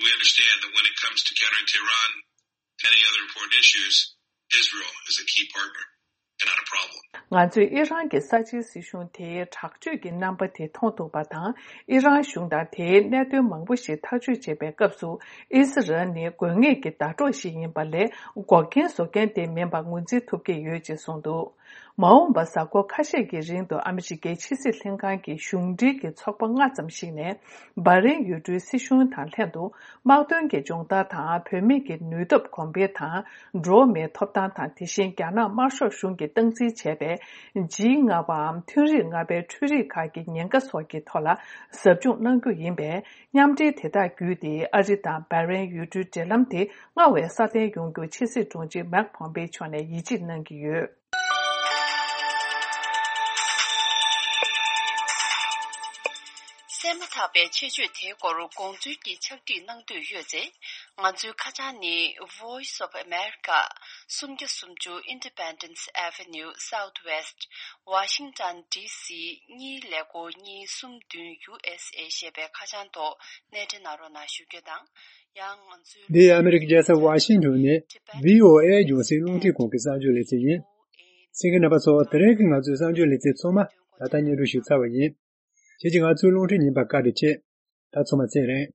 We understand that when it comes to countering Tehran and any other important issues, Israel is a key partner and not a problem. ང་ཚོས་ཨི་རན་གྱི་ས་ཆའི་སྲིད་གཞུང་དེའི་དྲག་སྤྱོད་ཀྱི་རྣམ་པ་དེ་མཐོང་ཐུབ་པ་དང་། ཨི་རན་གཞུང་དང་དེའི་གནད་དོན་མང་པོ་ཞིག་ཐག་གཅོད་བྱེད་པའི་སྐབས་སུ། ཨི་སི་རལ་ནི་དགོས་ངེས་ཀྱི་ཟླ་གྲོགས་ཤིག་ཡིན་པ་ལས་འགོག་རྐྱེན་བཟོ་མཁན་དེ་མིན་པ་ངོས་འཛིན་ཐུབ་ཀྱི་ཡོད་ཅེས་གསུངས་འདུག་མ་འོངས་པ་གཟའ་འཁོར་ཁ་ཤས་ཀྱི་རིང་དུ་ཨ་མི་རི་ཀའི་ཕྱི་སྲིད་ལྷན་ཁང་གི་གཞུང་འབྲེལ་གྱི་ཚོགས་པ་ལྔ་ཙམ་ཞིག་ནས་སྦ་རེན་ཡུལ་གྲུའི་སྲིད་གཞུང་དང་ལྷན་དུ་དམག་དོན་གྱི་སྦྱོང་བརྡར་དང་བུད་མེད་ཀྱི་ནུས་སྟོབས་གོང་འཕེལ་དང་འགྲོ་བ་མིའི་ཐོབ་ཐང་དང་དེ་བཞིན་རྒྱ་ནག་དམར་ཤོག་གཞུང་གིས་སྟངས་འཛིན་བྱས་པའི་ཇི་ལྔ་པའམ་ཐུན་རིག་ལྔ་པའི་འཕྲུལ་རིག་ཁག་གི་ཉེན་ཁ་སོགས་ཀྱི་ཐོག་ལ་ཟབ་སྦྱོང་གནང་རྒྱུ་ཡིན་པས། མཉམ་འབྲེལ་དེ་དག་བརྒྱུད་དེ་ཨ་རི་དང་སྦ་རེན་ཡུལ་གྲུའི་འབྲེལ་ལམ་དེ་སྔར་བས་སྲ་བརྟན་ཡོང་རྒྱུར་ཕྱི་སྲིད་དྲུང་ཆེ་མེག་ཕོམ་པེ་མཆོག་ནས་ཡིད་ཆེས་གནང་གི་ཡོད། གསན་མ་ཐག་པའི་ཆེད་བརྗོད་དེའི་སྐོར་དགོངས་ཚུལ་གྱི་ཕྱག་བྲིས་གནང་འདོད་ཡོད་ཚེ། ང་ཚོའི་ཁ་བྱང་ནི། Voice of America། སུམ་བརྒྱ་སུམ་ཅུ་Independence Avenue Southwest། Washington D C གཉིས་ཀླད་ཀོར་གཉིས་གསུམ་བདུན། U S A ཞེས་པའི་ཁ་བྱང་ཐོག་གནས་འབྲེལ་གནང་རོགས་གནང་ཞུ་རྒྱུ་དང་། ཡང་ང་ཚོའི། འདི་ཨ་མི་རི་ཀའི་རྒྱལ་ས་ཝ་ཤིང་ཊོན་ནས་V O A རྒྱང་སྲིང་རླུང་འཕྲིན་ཁང་གི་གསར་འགྱུར་ལེ་ཚན་ཡིན། གསན་མཁན་རྣམ་པ་ཚོ། དེ་རིང་གི་ང་ཚོའི་གསར་འགྱུར་ལེ་ཚན་ཚང་མ་ད་ལྟ་སྙན་སྒྲོན་ཞུས་ཚར་བ་ཡིན། ཁྱེད་ཀྱིས་ང་ཚོའི་རླུང་འཕྲིན་ཉན་པར་བཀའ་དྲིན་ཆེ། ད་ཚང་མ་ཚེ་རིང་།